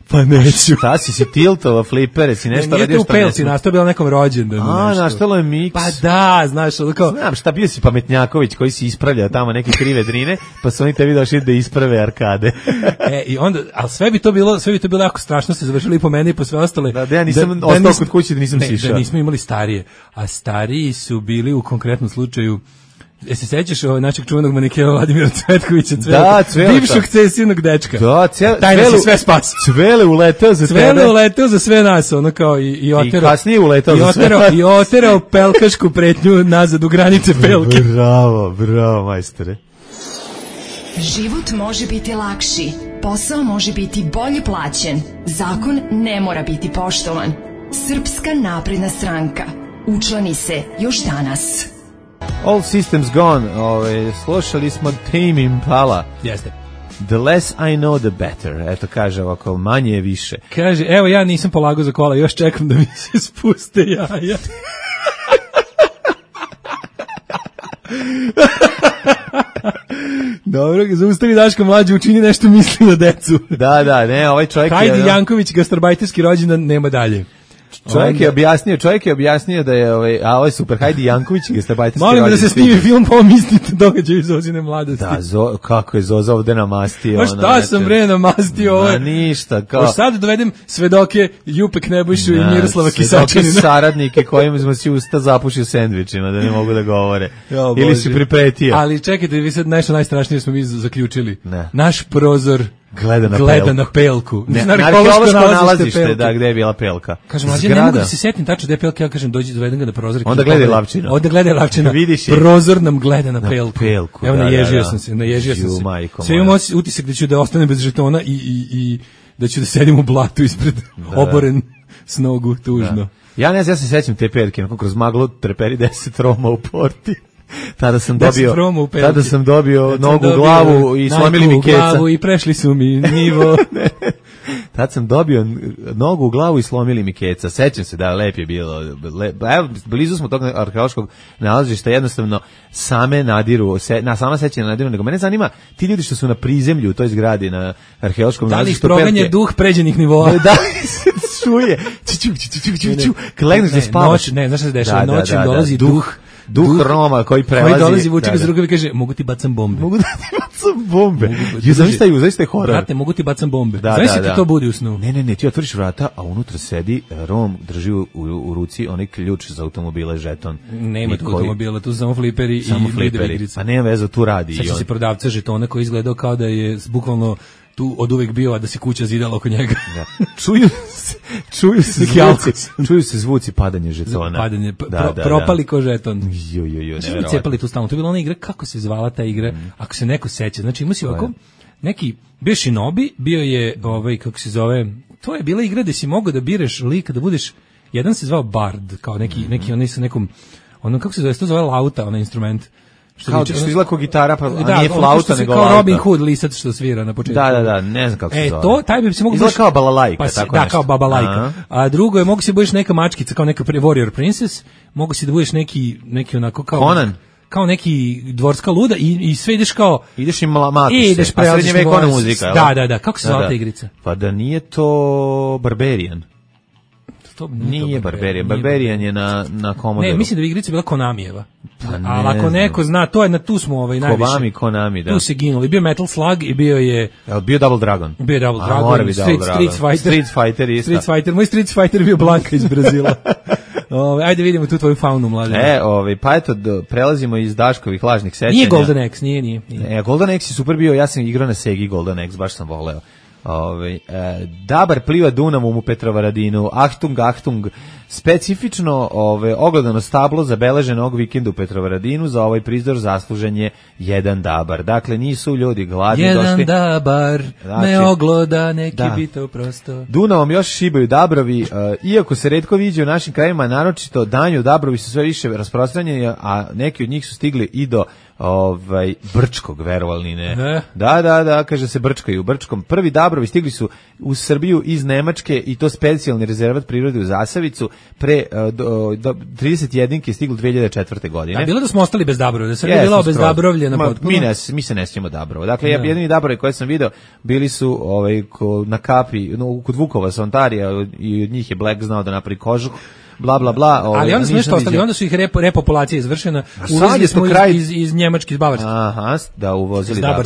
Pa neću. Šta si, si tiltova, flipere, si nešto ne, radio što ne znam. Nastao bila nekom rođendanu. A, nastalo je miks. Pa da, znaš, ono kao... Znam, šta bio si Pametnjaković koji si ispravljao tamo neke krive drine, pa su oni tebi došli da isprave arkade. E, i onda, ali sve bi to bilo, sve bi to bilo jako strašno, se završili i po meni i po sve ostale. Da, da ja nisam da, ostao da nisam, kod kuće da nisam ne, sišao. Da nismo imali starije, a stariji su bili u konkretnom slučaju. E se sećaš ovog našeg čuvenog manikena Vladimira Cvetkovića, Cvelka, da, Cvelka. Bivšeg cesivnog dečka. Da, Cvelka. Taj nas je sve spas. Cvele uleteo za Cvele tebe. Cvele uleteo za sve nas, ono kao i, i oterao. I kasnije uleteo za sve nas. I oterao pelkašku pretnju nazad u granice Pelke. Bravo, bravo, majstore. Život može biti lakši, posao može biti bolje plaćen, zakon ne mora biti poštovan. Srpska napredna stranka. Učlani se još danas. All Systems Gone, ove, slušali smo Tame Impala. Jeste. The less I know, the better. Eto, kaže ovako, manje je više. Kaže, evo ja nisam polagao za kola, još čekam da mi se spuste jaja. Dobro, zaustavi Daška Mlađe, učini nešto, misli na decu. Da, da, ne, ovaj čovjek Hajdi je... Janković, gastarbajterski rođendan, nema dalje. Čovjek je objasnio, čovjek je objasnio da je ovaj, a ovaj super, Hajdi Janković, gastarbajterski. Molim da se snimi film po ovom istinite događaju iz Zozine mladosti. Da, zo, kako je Zoza ovde namastio. Ma šta sam bre namastio ovo? Ma ništa, kao. Hoš sad dovedem svedoke Jupek Nebojšu i Miroslava Kisačanina. Saradnike kojima smo si usta zapušio sendvičima, da ne mogu da govore. Jo, ili si pripretio. Ali čekajte, vi sad nešto najstrašnije smo mi zaključili. Ne. Naš prozor gleda na gleda pelku. Na pelku. Ne, na arheološko nalazište, da, gde je bila pelka. Kažem, mlađe, ne mogu da se setim tačno gde je pelka, ja kažem, dođi, dovedem ga na prozor. Onda gledaj Lavčina. Onda gledaj Lavčina. Prozor nam gleda na pelku. Na pelku, evo, da, naježio da, sam se, naježio sam se. Majko sve imam utisak da ću da ostanem bez žetona i, i, i da ću da sedim u blatu ispred da, oboren s nogu, tužno. Da. Ja ne znam, ja se sećam te pelke, onako kroz maglu treperi deset Roma u porti. Tada sam dobio, tada sam dobio tad nogu u glavu i slomili mi keca. Glavu i prešli su mi nivo. Tad sam dobio nogu u glavu i slomili mi keca. Sećam se da lep je bilo. Lep, evo, blizu smo tog arheološkog nalazišta, jednostavno same nadiru, se, na sama sećanja nadiru, nego mene zanima ti ljudi što su na prizemlju u toj zgradi na arheološkom nalazištu. Da li ih proganje duh pređenih nivoa? Da, se čuje. Kad legneš da spavaš. Ne, znaš šta se dešava, noćem dolazi duh. Duh, duh Roma koji prelazi. Koji dolazi vuči ga za rukav i kaže, mogu ti bacam bombe. Mogu da ti bacam bombe. Ju, zaista je, zaista je horor. Brate, mogu ti bacam bombe. Da, Znaš da, ti da. to budi u snu. Ne, ne, ne, ti otvoriš vrata, a unutra sedi Rom, drži u, u, u ruci onaj ključ za automobile, žeton. Nema tu koji... automobila, tu su samo fliperi samo i fliperi. igrice. A nema veze, tu radi. Seća se prodavca žetona koji izgledao kao da je bukvalno tu od uvek bio, a da se kuća zidala oko njega. Da. Čuju se, čuju se zvuci, čuju se zvuci padanje žetona. Padanje, da, pro, da, propali da. Ko žeton. Jo, jo, jo, ne cepali tu stalno. To je bila ona igra, kako se zvala ta igra, mm. ako se neko seća. Znači, ima si ovako, neki, bio Shinobi, bio je, ovaj, kako se zove, to je bila igra gde si mogao da bireš lika, da budeš, jedan se zvao Bard, kao neki, mm. neki onaj sa nekom, ono, kako se zove, to zove lauta, onaj instrument. Što kao što izgleda kao gitara, pa da, nije flauta nego kao lauta. Robin Hood lisac što svira na početku. Da, da, da, ne znam kako se e, zove. E, to, taj bi se mogu... Izgleda kao balalajka, pa, tako da, nešto. Da, kao babalajka. A drugo je, mogu si da budeš neka mačkica, kao neka Warrior Princess, mogu si da budeš neki, neki onako kao... Conan. Kao neki dvorska luda i, i sve ideš kao... Ideš i matu se, ideš a srednjevekovna muzika. Da, da, da, kako se zvala da, ta igrica? Pa da nije to Barbarian. To nije, nije Barbarian. Barbarian je na na Commodoru. Ne, mislim da bi igrica bila Konamijeva. Pa ali ako neko zna, to je na tu smo ovaj najviše. Konami, Konami, da. Tu se ginuli. Bio Metal Slug i bio je Jel bio Double Dragon? Bio je Double A, Dragon. Mora biti Street, Double Street Dragon. Fighter. Street Fighter isto. Street Fighter. Moj Street Fighter je bio Blanka iz Brazila. Ove, ajde vidimo tu tvoju faunu, mladen. E, ovaj, pa eto, do, prelazimo iz Daškovih lažnih sećanja. Nije Golden Axe, nije, nije. nije. E, Golden Axe je super bio, ja sam igrao na Segi Golden Axe, baš sam voleo. Ove, e, Dabar pliva Dunavom u Petrovaradinu, Achtung, Achtung, specifično ove, ogledano stablo zabeleženo ovog vikenda u Petrovaradinu, za ovaj prizor zaslužen je jedan Dabar. Dakle, nisu ljudi gladni jedan došli. Jedan Dabar, znači, ne ogloda, neki da. Bito prosto. Dunavom još šibaju Dabrovi, e, iako se retko viđe u našim krajima, naročito danju Dabrovi su sve više rasprostranjeni, a neki od njih su stigli i do ovaj Brčkog, verovali ne. ne. Da, da, da, kaže se Brčkaju. Brčkom. Prvi Dabrovi stigli su u Srbiju iz Nemačke i to specijalni rezervat prirode u Zasavicu pre do, do trideset jedinke stiglo dve hiljade četvrte. godine. A bilo da smo ostali bez Dabrova, da se yes, bila bez Dabrovlja na potpuno. Mi ne, mi se ne sjećamo Dabrova. Dakle, ja jedini Dabrovi koje sam video bili su ovaj na kapi, no, kod Vukova sa Ontarija i od njih je Black znao da napravi kožuh. Bla bla bla. Ovaj, ali onda smo nešto ostali, onda su ih repo, repopulacija izvršena. Uvozili smo kraj... iz, iz, iz Njemačke, iz Bavarske. Aha, da uvozili Dabre.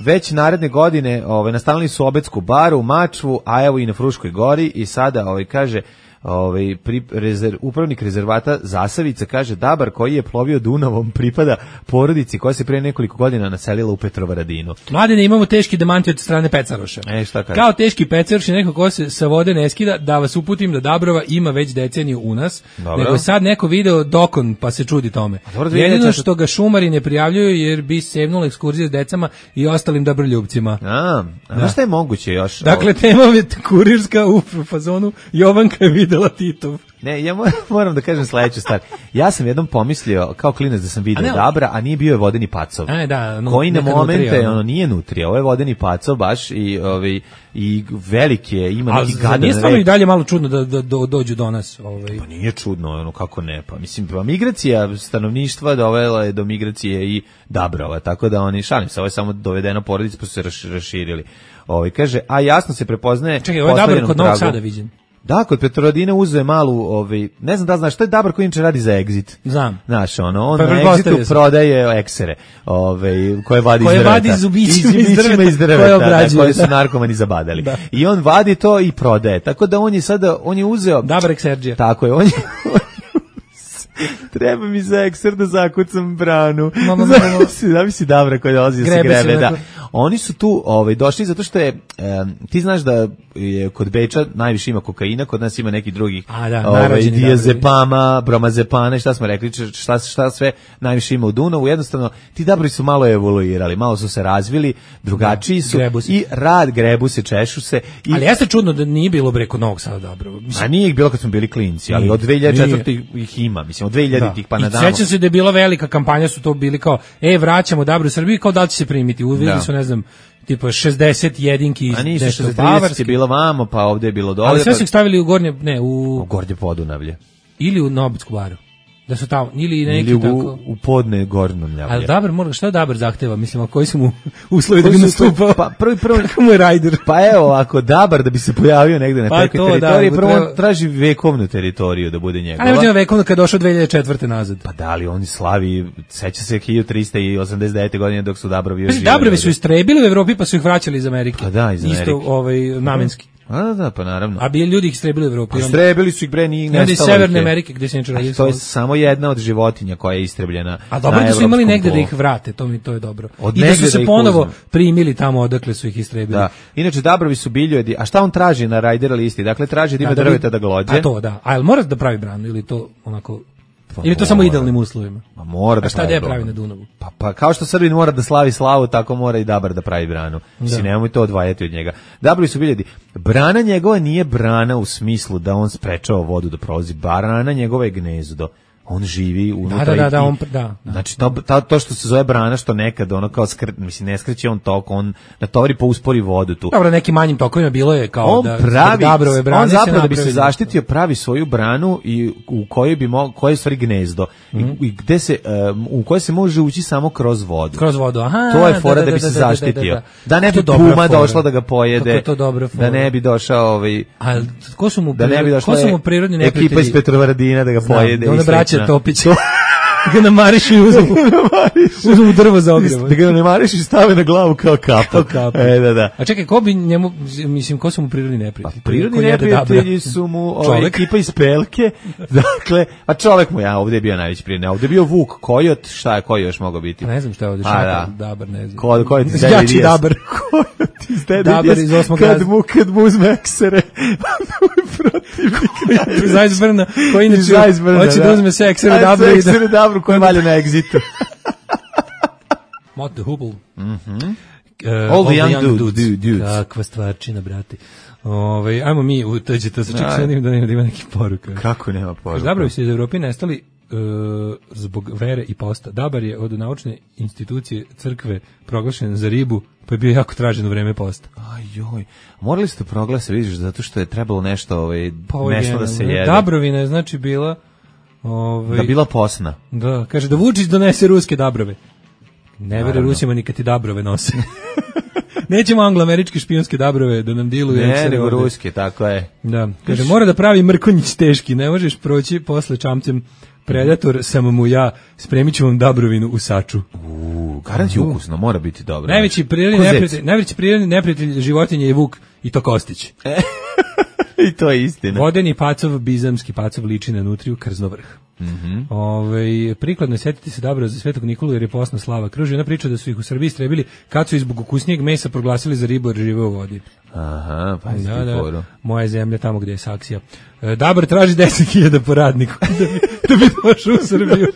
Već naredne godine ovaj, nastavili su Obetsku baru, Mačvu, a evo i na Fruškoj gori i sada ovaj, kaže... Ovaj pri, rezerv, upravnik rezervata Zasavica kaže Dabar koji je plovio Dunavom pripada porodici koja se pre nekoliko godina naselila u Petrovaradinu. Mladene, imamo teški demanti od strane Pecaroša. E, šta kaže? Kao teški Pecaroš je neko ko se sa vode ne skida, da vas uputim da Dabrova ima već deceniju u nas. Dobro. Nego je sad neko video dokon pa se čudi tome. Jedino što ga šumari ne prijavljuju jer bi sevnula ekskurzija s decama i ostalim dobroljubcima. A, a da. Šta je moguće još? Dakle, tema je kurirska u fazonu Jovanka je videla Titov. Ne, ja moram da kažem sledeću stvar. Ja sam jednom pomislio kao klinac da sam video a Dabra, a nije bio je vodeni pacov. A, da, no, koji na momente nutrija, ono nije nutrija, ovo je vodeni pacov baš i ovaj i veliki je, ima neki gadan. Nije stvarno i dalje malo čudno da, da, da dođu do nas, ovaj. Pa nije čudno, ono kako ne, pa mislim pa migracija stanovništva dovela je do migracije i Dabrova, tako da oni šalim se, ovo je samo dovedeno porodica pa su se raširili. Ovaj kaže, a jasno se prepoznaje. Čekaj, ovo je Dabro kod Novog Sada viđen. Da, kod Petrovaradina uzeo malu, ovaj, ne znam da znaš, što je Dabar koji inače radi za Exit. Znam. Znaš, ono, on Pa na pretpostavio Exitu sam. prodaje eksere, ovaj, koje vadi Koje iz drveta. vadi zubićima Iz- iz zubićima drveta, iz drveta, koje da, obrađuje, koje su da. narkomani zabadali. Da. I on vadi to i prodaje. Tako da on je sada, on je uzeo... Dabar Exerđija. Tako je, on je... Treba mi za ekser da zakucam branu. Ma, ma, ma, ma. Zamisli, zamisli Dabra koji dolazi da se Grebe se grebe, da. onako. Oni su tu ovaj, došli zato što je, em, ti znaš da je kod Beča najviše ima kokaina, kod nas ima neki drugih A, da, ovaj, narađeni diazepama, bromazepana, šta smo rekli, č- šta, šta sve najviše ima u Dunavu. Jednostavno, ti Dabri su malo evoluirali, malo su se razvili, drugačiji su grebu se. i rad, grebu se, češu se. I, Ali jeste čudno da nije bilo bre kod Novog Sada dobro. a nije ih bilo kad smo bili klinci, ali Nije, od dve hiljade četvrte nije. ih ima, mislim, od dve hiljade Da. pa I nadamo. sećam se da je bila velika kampanja, su to bili kao, e, vraćamo Dabru u Srbiju, kao da li će se primiti. Uveli Da. su, ne znam, tipa šezdeset jedinki iz A nisu nešto šezdeset bavarske. je bilo vamo, pa ovde je bilo dole. Ali sve pa- su ih stavili u gornje, ne, u, u Gornje Podunavlje. ili u Nobitsku baru. Da su tamo, ili neki Ili u, tako. u podne Gornjavlje. Ali Dabar mora, šta Dabar zahteva? Mislim, a koji su mu uslovi da Koji bi su nastupao? Pa prvi prvo Kako mu je rajder? Pa evo, ako Dabar da bi se pojavio negde na Pa takvoj to, da, teritoriji, mu prvo treba- on traži vekovnu teritoriju da bude A njegova. ne uđe vekovno kad je došao dve hiljade četvrte nazad. Pa da li oni slavi, seća se hiljadu trista osamdeset devete godine dok su Dabrovi još Znači, živeli Dabrovi su ovde. istrebili u Evropi pa su ih vraćali iz Amerike. Pa da, iz Isto Amerike. ovaj, namenski. A da, da, pa naravno. A bi ljudi ih istrebili u Evropi. Pa Onda- istrebili su ih bre, nije onda iz nestalo. Severne ih je. Amerike gde se inače A radili. to je samo jedna od životinja koja je istrebljena. A dobro na da su imali evropskom negde da tlu. ih vrate, to mi to je dobro. Od I da negde su se da ih ponovo uzmu. primili tamo odakle su ih istrebili. Da. Inače Dabrovi su biljojedi. A šta on traži na Rajder listi? Dakle traži da ima Da, da bi- drveta da glođe. A to da. A jel mora da pravi branu ili to onako Pa ili to samo mora. idealnim uslovima? Ma mora da A šta da je branu. pravi na Dunavu? Pa, pa kao što Srbin mora da slavi slavu, tako mora i Dabar da pravi branu. Mislim, Da. nemoj to odvajati od njega. Dabrovi su biljedi. Brana njegova nije brana u smislu da on sprečava vodu da prolazi. Brana njegova je gnezdo. On živi unutra. Da, da, da, i- on pr- da, da. Znači, to, to, to što se zove brana, što nekad ono kao skr, mislim, ne skreće on tok, on natovari pa uspori vodu tu. Dobro, nekim manjim tokovima bilo je kao On da pravi, Dabrove brane on zapravo da bi se napravi- zaštitio pravi svoju branu i u kojoj bi mo, koje je u stvari gnezdo Mhm. i, i gde se um, u koje se može ući samo kroz vodu. Kroz vodu, aha. To je da, fora da, da, bi da, se da, da, zaštitio. da, Da, da. ne To je bi dobra puma fora. došla da ga pojede. Kako je to dobra fora. Da ne bi došao ovaj A ko su mu da ne bi došla ko su mu prirodni neprijatelji? ekipa iz Petrovaradina da ga Znam, pojede. da onda i braća slično. Topić. ga namarišu i uzmu, uzmu mu drvo za ogrev. Da ga ne mariš i stave na glavu kao kapu. Kao kapu. E, da, da. A čekaj, ko bi njemu, mislim, ko su mu prirodni neprijatelji? Prirodni Ko jede neprijatelji Dabra? su mu ovaj, Čovek. ekipa iz Pelke. Dakle, a čovek mu, ja, ovdje je bio najveći prijatelj. Ovdje je bio Vuk, Kojot, šta je Koji još mogao biti? Ne znam šta je ovdje, A, šakal, da. Dabar, ne znam. Ko, Kojot iz Jači Dede Dias. Dabar. Kojot iz Dede Dabar Dias. iz osmog Kad razreda. mu, kad mu uzme eksere, protivnik. Zajzbrna, koji inače Zajzbrna, hoće da uzme se eksere A, Dabra i da... Eksere Dabru koji valja na egzitu. Mott the Hubble. Mhm. Uh, All the young dudes. dudes. dudes. Kakva stvarčina, brati. Ove, ajmo mi u to će to se čak Aj. sad da nema da ima neki poruka. Kako nema poruka? Dabrovi su iz Evrope nestali uh, zbog vere i posta. Dabar je od naučne institucije crkve proglašen za ribu, pa je bio jako tražen u vreme posta. Aj joj. Morali ste proglase, vidiš, zato što je trebalo nešto, ovaj, Pa ovo je nešto da se genijalno. jede. Dabrovina je znači bila ovaj, Da bila posna. Da, kaže da Vučić donese ruske dabrove. Ne vere Naravno. Rusima ni kad ti dabrove nose. Nećemo anglo-američke špijunske dabrove da nam diluju. Ne, eksere nego ovde. ruske, tako je. Da, kaže, mora da pravi mrkonjić teški, ne možeš proći posle čamcem predator, sam mu ja, spremit ću vam dabrovinu u saču. U, garant je ukusno, mora biti dobro. Najveći prirodni Ko zec. neprijatelj, najveći prirodni neprijatelj životinje je vuk i to Kostić. I to je istina. Vodeni pacov, bizamski pacov liči na nutriju krznovrh. Mhm. Ovaj prikladno je setiti se Dabra za Svetog Nikolu jer je posna slava. Kruži jedna priča da su ih u Srbiji istrebili kad su ih zbog ukusnijeg mesa proglasili za ribu jer žive u vodi. Aha, pa Da, da, da, moja zemlja tamo gdje je saksija. E, Dabar traži deset hiljada po radniku da bi, da bi došao u Srbiju.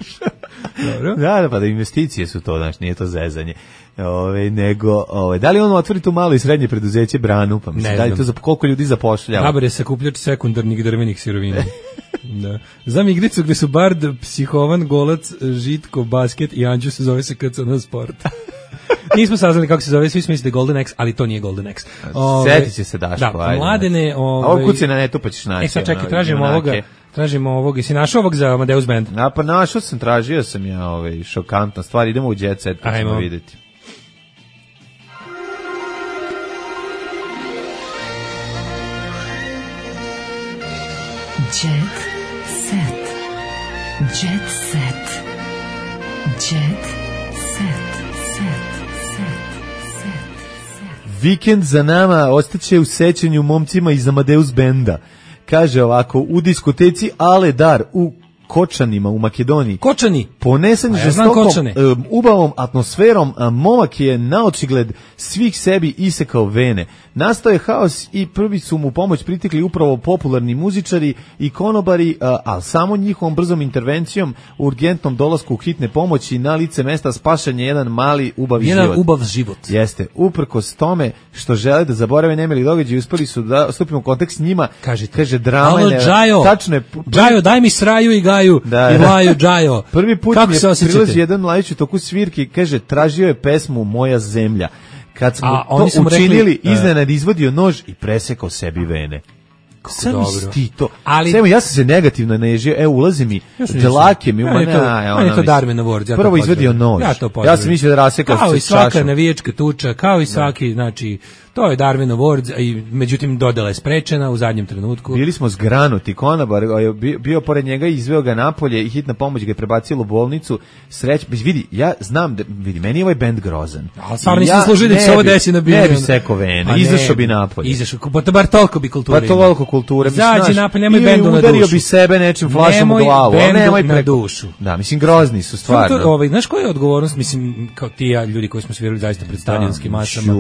Dobro. Da, da, pa da investicije su to, znači nije to zezanje. Ove, nego, ove, da li on otvori tu malo i srednje preduzeće branu, pa mislim, Ne da li znam. to za koliko ljudi zapošljava? Dabar je sakupljač sekundarnih drvenih sirovina. Da. Znam igricu gdje su Bard, Psihovan, Golac, Žitko, Basket i Anđu se zove se K C N Sport. Nismo saznali kako se zove, svi smo mislili da je Golden X, ali to nije Golden X. Ove, Sjetit će se Daško, Da, ajde. mladene... A Ove, ovo kuci na netu pa ćeš naći. E sad čekaj, ono, tražimo junake. ovoga, tražimo ovog, jesi našao ovog za Amadeus Band? A pa našao sam, tražio sam ja ovaj, šokantna stvar, idemo u Jet Set pa ćemo Ajmo. vidjeti. Jet set. Jet set. Jet set. Set. Set. Vikend za nama ostaće u sećanju momcima iz Amadeus benda. Kaže ovako, u diskoteci Ale Dar u Kočanima u Makedoniji. Kočani. Ponesen ja žestokom um, ubavom atmosferom, a momak je na očigled svih sebi isekao vene. Nastao je haos i prvi su mu pomoć pritekli upravo popularni muzičari i konobari, a, a samo njihovom brzom intervencijom, urgentnom dolasku hitne pomoći na lice mesta spašan je jedan mali ubav jedan život. ubav život. Jeste. Uprkos tome što žele da zaborave nemili događaj, uspeli su da stupimo u kontakt s njima. Kažite. Kaže drama. Alo, ne, Džajo. Tačno je. Džajo, daj mi sraju i gaju. Da, i laju, Džajo. Prvi put kako mi se je osjećate? Jedan mladić u toku svirki, kaže, tražio je pesmu Moja zemlja. Kad smo a, to učinili, rekli, iznenad izvadio nož i presekao sebi vene. Sam ti to. Ali Samo ja sam se negativno nežio. Evo ulazi mi dlake mi uma na, ona to Darwin Award. Ja prvo izvadio nož. Ja, to ja sam mislio da rasekao kao sa i svaka čašom. Navijačka tuča, kao i svaki, znači to je Darwin Award, i međutim dodala je sprečena u zadnjem trenutku. Bili smo zgranuti, konobar je bio, bio pored njega i izveo ga napolje i hitna pomoć ga je prebacila u bolnicu. Sreć, vidi, ja znam da vidi, meni je ovaj bend grozan. Ali stvarno nisam služio da će se ovo desi na bilo. Ne bi seko vene, izašao bi napolje. Izašao, pa bar toliko bi kulture. Pa toliko kulture. Zađi napolje, nemoj bendu na dušu. Udario bi sebe nečim flašom u glavu, nemoj bendu nemoj na preko. dušu. Da, mislim, grozni su stvarno. To, ovaj, znaš koja je odgovornost, mislim, kao ti ja, ljudi koji smo svirali zaista pred stadionskim masama,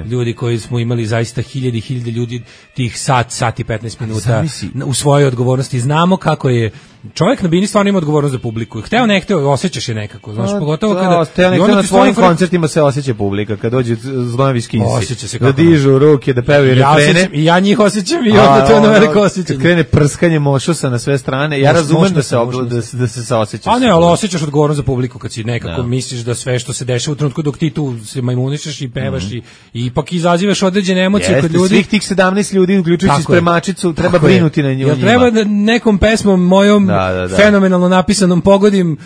ljudi koji smo imali zaista hiljade i hiljade ljudi tih sat, sat i petnaest minuta u svojoj odgovornosti. Znamo kako je čovjek na bini stvarno ima odgovornost za publiku. Hteo ne hteo, osjećaš je nekako. Znaš, A, pogotovo da, kada... Hteo ne hteo na svojim fr... koncertima se osjeća publika, kad dođe Zlonovi Skinsi. Da dižu ruke, da pevaju ja refrene. Osjećam, I ja njih osjećam i onda to je ono veliko osjećanje. Kad krene prskanje mošusa na sve strane, ja razumem da se, da, se, da se saosjećaš. A ne, ali osjećaš odgovornost za publiku kad si nekako da. misliš da sve što se dešava u trenutku dok ti tu se majmunišeš i pevaš mm. i, i ipak izazivaš određene emocije Jeste, kod ljudi. Svih tih sedamnaest ljudi, uključujući spremačicu, treba brinuti na nju. Jel treba da nekom pesmom mojom da, da, da. fenomenalno napisanom pogodim,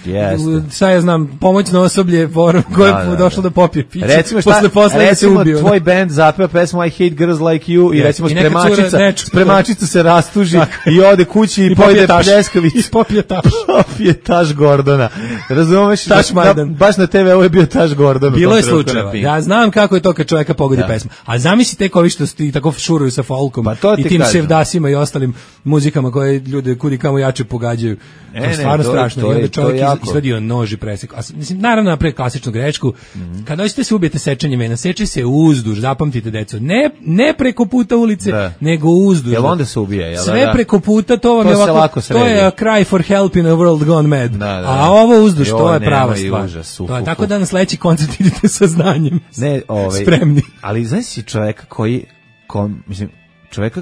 sad ja znam, pomoćno osoblje koje je došlo da popije piće. Recimo šta, recimo tvoj band zapeva pesmu I Hate Girls Like You i recimo spremačica, spremačica se rastuži i ode kući i pojede pljeskavicu. I popije taš. Popije taš Gordona. Razumeš? Taš Majdan. Baš na te ve ovo je bio taš Gordona. Bilo je slučajeva. Ja znam kako je to kad čovjeka pogodi pesma. A zamisli tek ovi što ti tako šuruju sa folkom i tim sevdasima i ostalim muzikama koje ljude kudi kamo jače pogađaju. E, to je stvarno to, strašno. To je, I onda čovjek izvadio nož i presekao. Mislim, naravno napravio klasičnu grešku. Mm-hmm. Kada hoćete se ubijete sečenjem vena, seče se uzduž, zapamtite deco. Ne, ne preko puta ulice, da. nego uzduž. Jel onda se ubije? Jel Sve da? preko puta, to vam to je ovako, to je a cry for help in a world gone mad. Da, da, a ovo uzduž, jo, to je prava stvar. Užas, to je, tako da na sledeći koncert idete sa znanjem. Ne, ovaj, spremni. Ali znaš si čovjeka koji, ko, mislim, čovjeka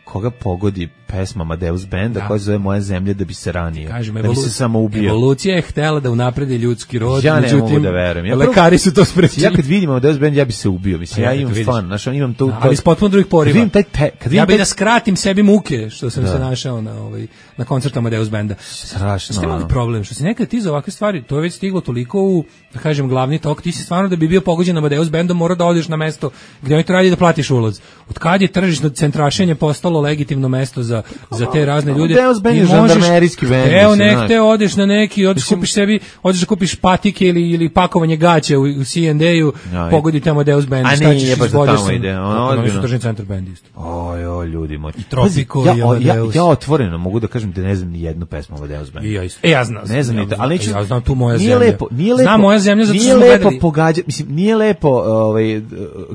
koga pogodi pesma Amadeus benda da. koja se zove Moja zemlja da bi se ranio, Kažem, da bi se samo ubio. Evolucija je htela da unapredi ljudski rod, ja međutim, ne mogu da verujem. Ja lekari su to sprečili. Ja kad vidim Amadeus bend, ja bi se ubio. Mislim, ja, ja imam stvarno, znaš, imam to... Da, ali s potpuno drugih poriva. Kad taj te, kad ja bih taj... da skratim sebi muke, što sam da. se našao na, ovaj, na koncertu Amadeus benda. Strašno. Ste imali problem, što si nekad ti za ovakve stvari, to je već stiglo toliko u, da kažem, glavni tok, ti si stvarno da bi bio pogođen Amadeus bendom, mora da odeš na mesto gdje oni to radi da platiš ulaz. Od kad je tržišno centrašenje postalo legitimno mesto za, za te razne ljude. Amadeus bend je žandarmerijski bend. Evo nek te odeš na neki, odeš kupiš sebi, odeš da kupiš patike ili, ili pakovanje gaća u, u C and A-u, pogodi tamo Amadeus bend. A nije, nije baš da tamo ide. Ono je tržni centar bend isto. Oj, oj, ljudi moji. I Tropico ja, i Amadeus. Ja, ja otvoreno mogu da kažem da ne znam ni jednu pesmu Amadeus benda. I ja isto. E, ja znam. Ne znam ni to, ali neću... Ja znam tu Moja nije zemlja. Lepo, nije lepo, znam Moja zemlja zato što smo gledali. Nije lepo pogađati, mislim, nije lepo ovaj,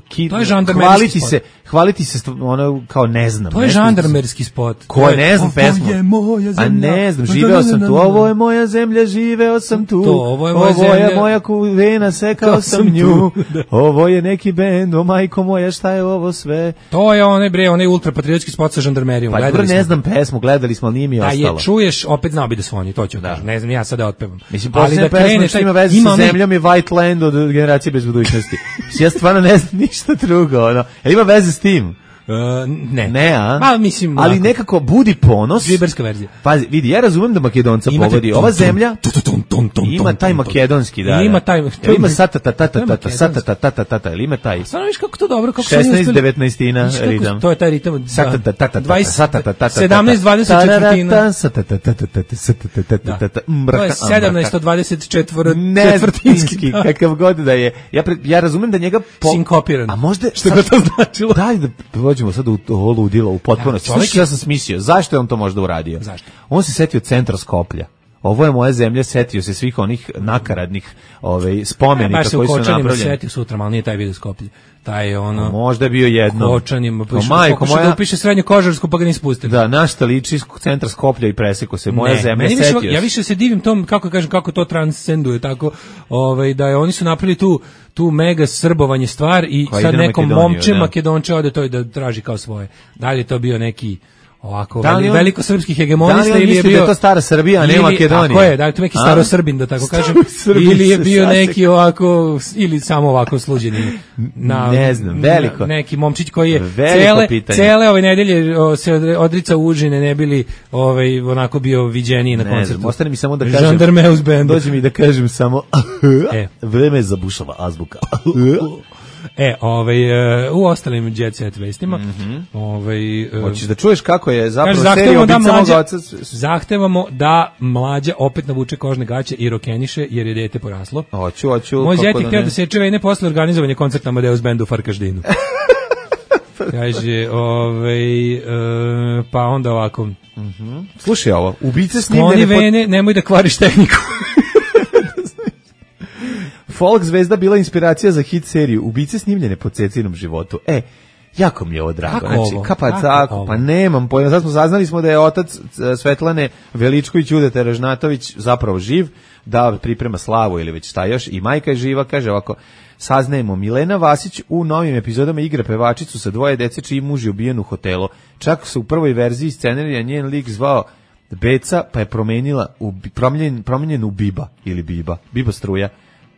ki, to je hvaliti se, hvaliti se ono kao ne znam. To je žandarmerski spot. Ko ne znam pesmu? Ovo je moja zemlja. A ne znam, živeo sam tu, ovo je moja zemlja, živeo sam tu. To, ovo je moja ovo zemlja. Je moja kuvena, sekao sam nju. Ovo je neki bend, o majko moja, šta je ovo sve? To je onaj bre, onaj ultrapatriotski spot sa žandarmerijom. Pa dobro, ne znam pesmu, gledali smo, ali nije mi ostalo. Da je čuješ, opet znao bi da su oni, to ću kažem. Ne znam, ja sad da otpevam. Mislim, ali da pesma što ima veze sa zemljom je White Land od Generacije bez budućnosti. Ja stvarno ne znam ništa drugo, ono. Jel ima veze s tim? Uh, ne. Ne, a? Ma, mislim, ali ovako. nekako budi ponos. Džiberska verzija. Pazi, vidi, ja razumem da Makedonca Imate povodi. tum, Ova tum, zemlja tum, tum, tum, tum, ima taj tum, tum. makedonski, da. Ima da. taj- Jel ima satata tata tata satata tata tata ili ima taj Stvarno viš kako to dobro, kako su oni šesnaest uspeli- devetnaestina Viš kako- ritam. To je taj ritam. da. Satata tata dvadeset satata tata sedamnaest dvadeset četvrtina. satata tata tata satata tata tata To je sedamnaest dvadeset četvrtinski. Neznanski, kakav god da je. Ja, pre, ja razumem da njega... Po... Sinkopiran. A možda... Što god to značilo. Daj da prođemo sad u ovo ludilo, u potpunosti. Da, Slušaj, čovjek- ja sam smislio. Zašto je on to možda uradio? Zašto? On se setio centra Skoplja. Ovo je moja zemlja, setio se svih onih nakaradnih ovaj, spomenika Baš se u koji su Kočanima napravljeni. setio sutra, ali nije taj video Skoplje. Taj je ono... Možda je bio jedno. Kočanima, pa O, išao majko pokušao moja- da upiše srednju kožarsku, pa ga nisu pustili. Da, naš šta liči iz centra Skoplja i preseko se. Moja Ne, zemlja, meni više- setio ja se. više se divim tom, kako kažem, kako to transcenduje, tako, ovaj, da je oni su napravili tu tu mega srbovanje stvar i Koja sad ide na nekom Makedoniju, momče da. Makedonče ode to i da traži kao svoje. Da li je to bio neki ovako Da li veli, on- veliko srpski da li hegemonista on ili je misli da bio je to stara Srbija, a ne ili- Makedonija? Tako je, da li je to neki A? staro Srbin, da tako kažem, Staro Srbin ili je se bio sasek. neki ovako ili samo ovako sluđeni na Ne znam, veliko. na- neki momčić koji je Veliko cele pitanje. cele ove nedelje o, se odre- odrica užine, ne bili ovaj onako bio viđeniji na Ne koncertu. znam, ostane mi samo da kažem. Žandarmeus band. Dođe mi da kažem samo E. vreme za bušava azbuka. E, ovaj, e, u ostalim Jet Set vestima, ovaj, e, Hoćeš da čuješ kako je zapravo kaže, serija zahtevamo da, Ubica moga mlađa, oca? zahtevamo da mlađa opet navuče kožne gaće i rokeniše, jer je dete poraslo. Hoću, hoću. Moj kako zet je da htio ne. da seče vene posle organizovanja koncerta Amadeus Bandu u Farkaždinu. Kaže, ovaj, e, pa onda ovako, Slušaj ovo, ubice skloni snimljene pod... vene, nemoj da kvariš tehniku. Folk zvezda bila inspiracija za hit seriju Ubice snimljene po Cecinom životu. E, jako mi je ovo drago. Kako Znači, ovo? kapa Kako tako, ovo? pa nemam pojma. Sad smo saznali smo da je otac e, Svetlane Veličković Udeta Ražnatović zapravo živ, da priprema slavu ili već šta još, i majka je živa, kaže ovako, saznajemo, Milena Vasić u novim epizodama igra pevačicu sa dvoje dece čiji muž je ubijen u hotelu. Čak su u prvoj verziji scenarija njen lik zvao Beca, pa je promenila u, promenjen, promenjen u Biba ili Biba, Biba struja.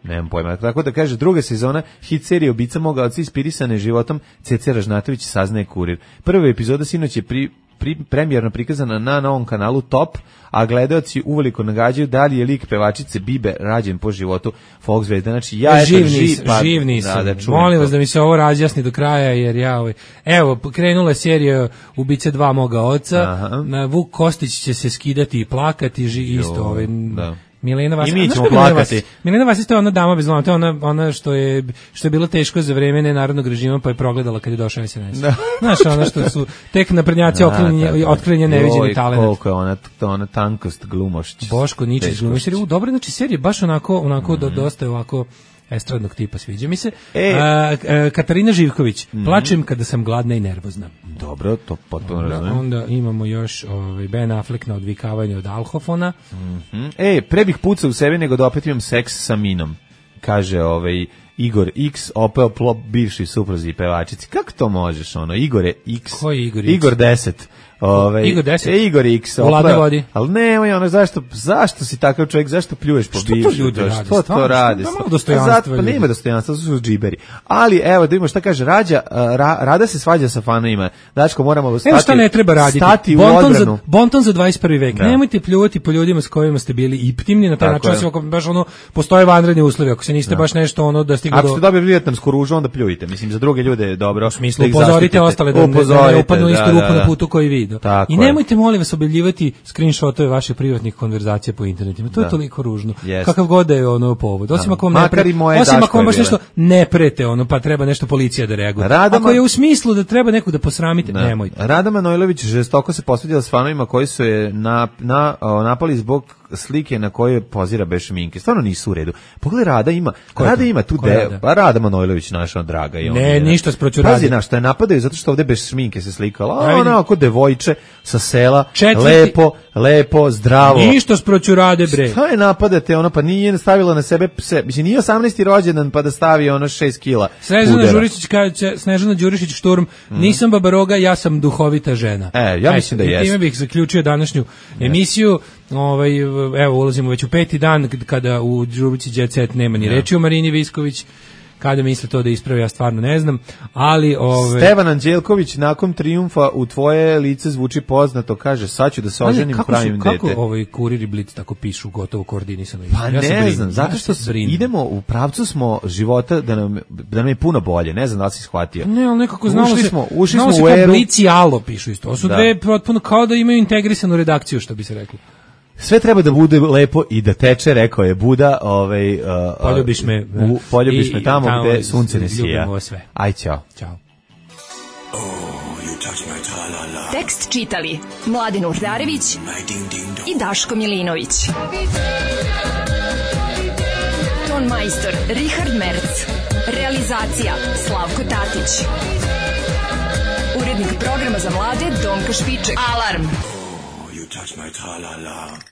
Nemam pojma. Tako da kaže, druga sezona hit serije Ubica moga oca inspirisane životom Cece Ražnatović saznaje kurir. Prva epizoda sinoć je pri, pri, premijerno prikazana na novom kanalu Top, a gledaoci uveliko nagađaju da li je lik pevačice Bibe rađen po životu folk zvezda. Znači, ja eto, živ živ, nisam, pa, živ nisam. Da, da čujem Molim to. vas da mi se ovo razjasni do kraja, jer ja ovaj... Evo, krenula je serija Ubice dva moga oca, Aha. na Vuk Kostić će se skidati i plakati, ži, isto ovaj... da. Milena Vasić. I mi A znaš ćemo ko je Milena plakati. Vasić? Milena Vasić to je ona dama bez loma, to je ona, ona što je što je bilo teško za vreme nenarodnog režima, pa je progledala kad je došao es en es. Da. Znaš, ona što su tek naprednjaci otklinje, otklinje neviđeni Joj, talent. koliko je ona, ona tankost glumošć. Boško Ničić Teško. glumišter. U dobro, znači serija baš onako onako do, dosta je ovako estradnog tipa, sviđa mi se. E. A, a, Katarina Živković, plačem kada sam gladna i nervozna. Dobro, to potpuno Onda, razumem. onda imamo još ovaj, Ben Affleck na odvikavanje od alhofona. Mhm. E, pre bih pucao u sebe nego da opet imam seks sa Minom, kaže ovaj Igor X, opeo plop bivši supruzi i pevačici. Kako to možeš, ono, Igore X? Ko je Igor X? Igor deset. Ovaj, Igor deset? E, Igor X. U ladnoj opleo- vodi. Ali nemoj, ono, zašto, zašto si takav čovjek, zašto pljuješ po Što to bivšem? ljudi rade, Što to stvarno, radi? što- da malo Pa dostojanstva zato, pa ljudi. nema dostojanstva, to su džiberi. Ali, evo, da vidimo šta kaže Rađa, a, ra, Rada se svađa sa fanovima. Dačko, moramo stati, Evo šta ne treba raditi. stati u Bonton odbranu. za, bonton za dvadeset prvi vek. Da. Nemojte pljuvati po ljudima s kojima ste bili intimni na taj Tako način, je. osim ako baš ono, postoje vanredni uslovi, ako se niste baš nešto ono da stigli Ako do... ste dobili vijetnamsku ružu, onda pljujte. Mislim, za druge ljude je dobro. U smislu, da ih upozorite zaštitite. ostale da, ne- da ne Upozorite, upadnu u istu da, rupu da, na da. putu koji vi. Da. Tako I je. nemojte, molim vas, objavljivati screenshotove vaših privatnih konverzacija po internetima. To je Da. toliko ružno. Jest. Kakav god da je ono povod. Osim Da. ako vam ne Makar pre... i moje Osim ako Daškove vam baš bile. nešto ne prete, ono, pa treba nešto policija da reaguje. Radama- Ako je u smislu da treba nekog da posramite, Da. nemojte. Rada Manojlović žestoko se posvetila s fanovima koji su je na, na, o, napali zbog slike na kojoj pozira bez šminke. Stvarno nisu u redu. Pogledaj, Rada ima, Ko je Rada to? ima tu Ko je de, Rada? pa Rada Manojlović naša draga. I ona Ne, je, ništa sproću Pazi, Rade. na što je napadaju zato što ovde bez šminke se slikala. Ja A vidim. ona ako devojče sa sela, Četvrti- lepo, lepo, zdravo. Ništa sproću Rade, bre. Šta je napadate, ona pa nije stavila na sebe pse, mislim nije osamnaesti rođendan pa da stavi ono šest kila. Snežana pudera. Đurišić kaže, Snežana Đurišić Šturm, nisam babaroga, ja sam duhovita žena. E, ja mislim da i jeste. time bih zaključio današnju emisiju. Ovaj, evo, ulazimo već u peti dan k- kada u rubrici Jet Set nema ni reči o Marini Visković. kada misle to da ispravi, ja stvarno ne znam, ali ove Stevan Anđelković nakon trijumfa u tvoje lice zvuči poznato, kaže sad ću da se oženim, pravim dete. Kako ovaj Kurir i Blic tako pišu gotovo koordinisano? Pa ja ne brin, znam, zato što ja idemo u pravcu smo života da nam, da nam je puno bolje, ne znam da li si shvatio. Ne, ali nekako znalo ušli se, smo, ušli znalo smo se u eru. Blic i Alo pišu isto, to su da. dve potpuno kao da imaju integrisanu redakciju, što bi se reklo. Sve treba da bude lepo i da teče, rekao je Buda, ovaj uh, poljubiš me, u, poljubiš i, me tamo, tamo gde sunce ne sija. Sve. Aj, ćao. Ćao. Oh, you touch my tra-la-la. Tekst čitali Mladen Urdarević i Daško Milinović. Ton majstor Richard Merc. Realizacija Slavko Tatić. Urednik programa za mlade Donka Špiček. Alarm! You touch my tra-la-la.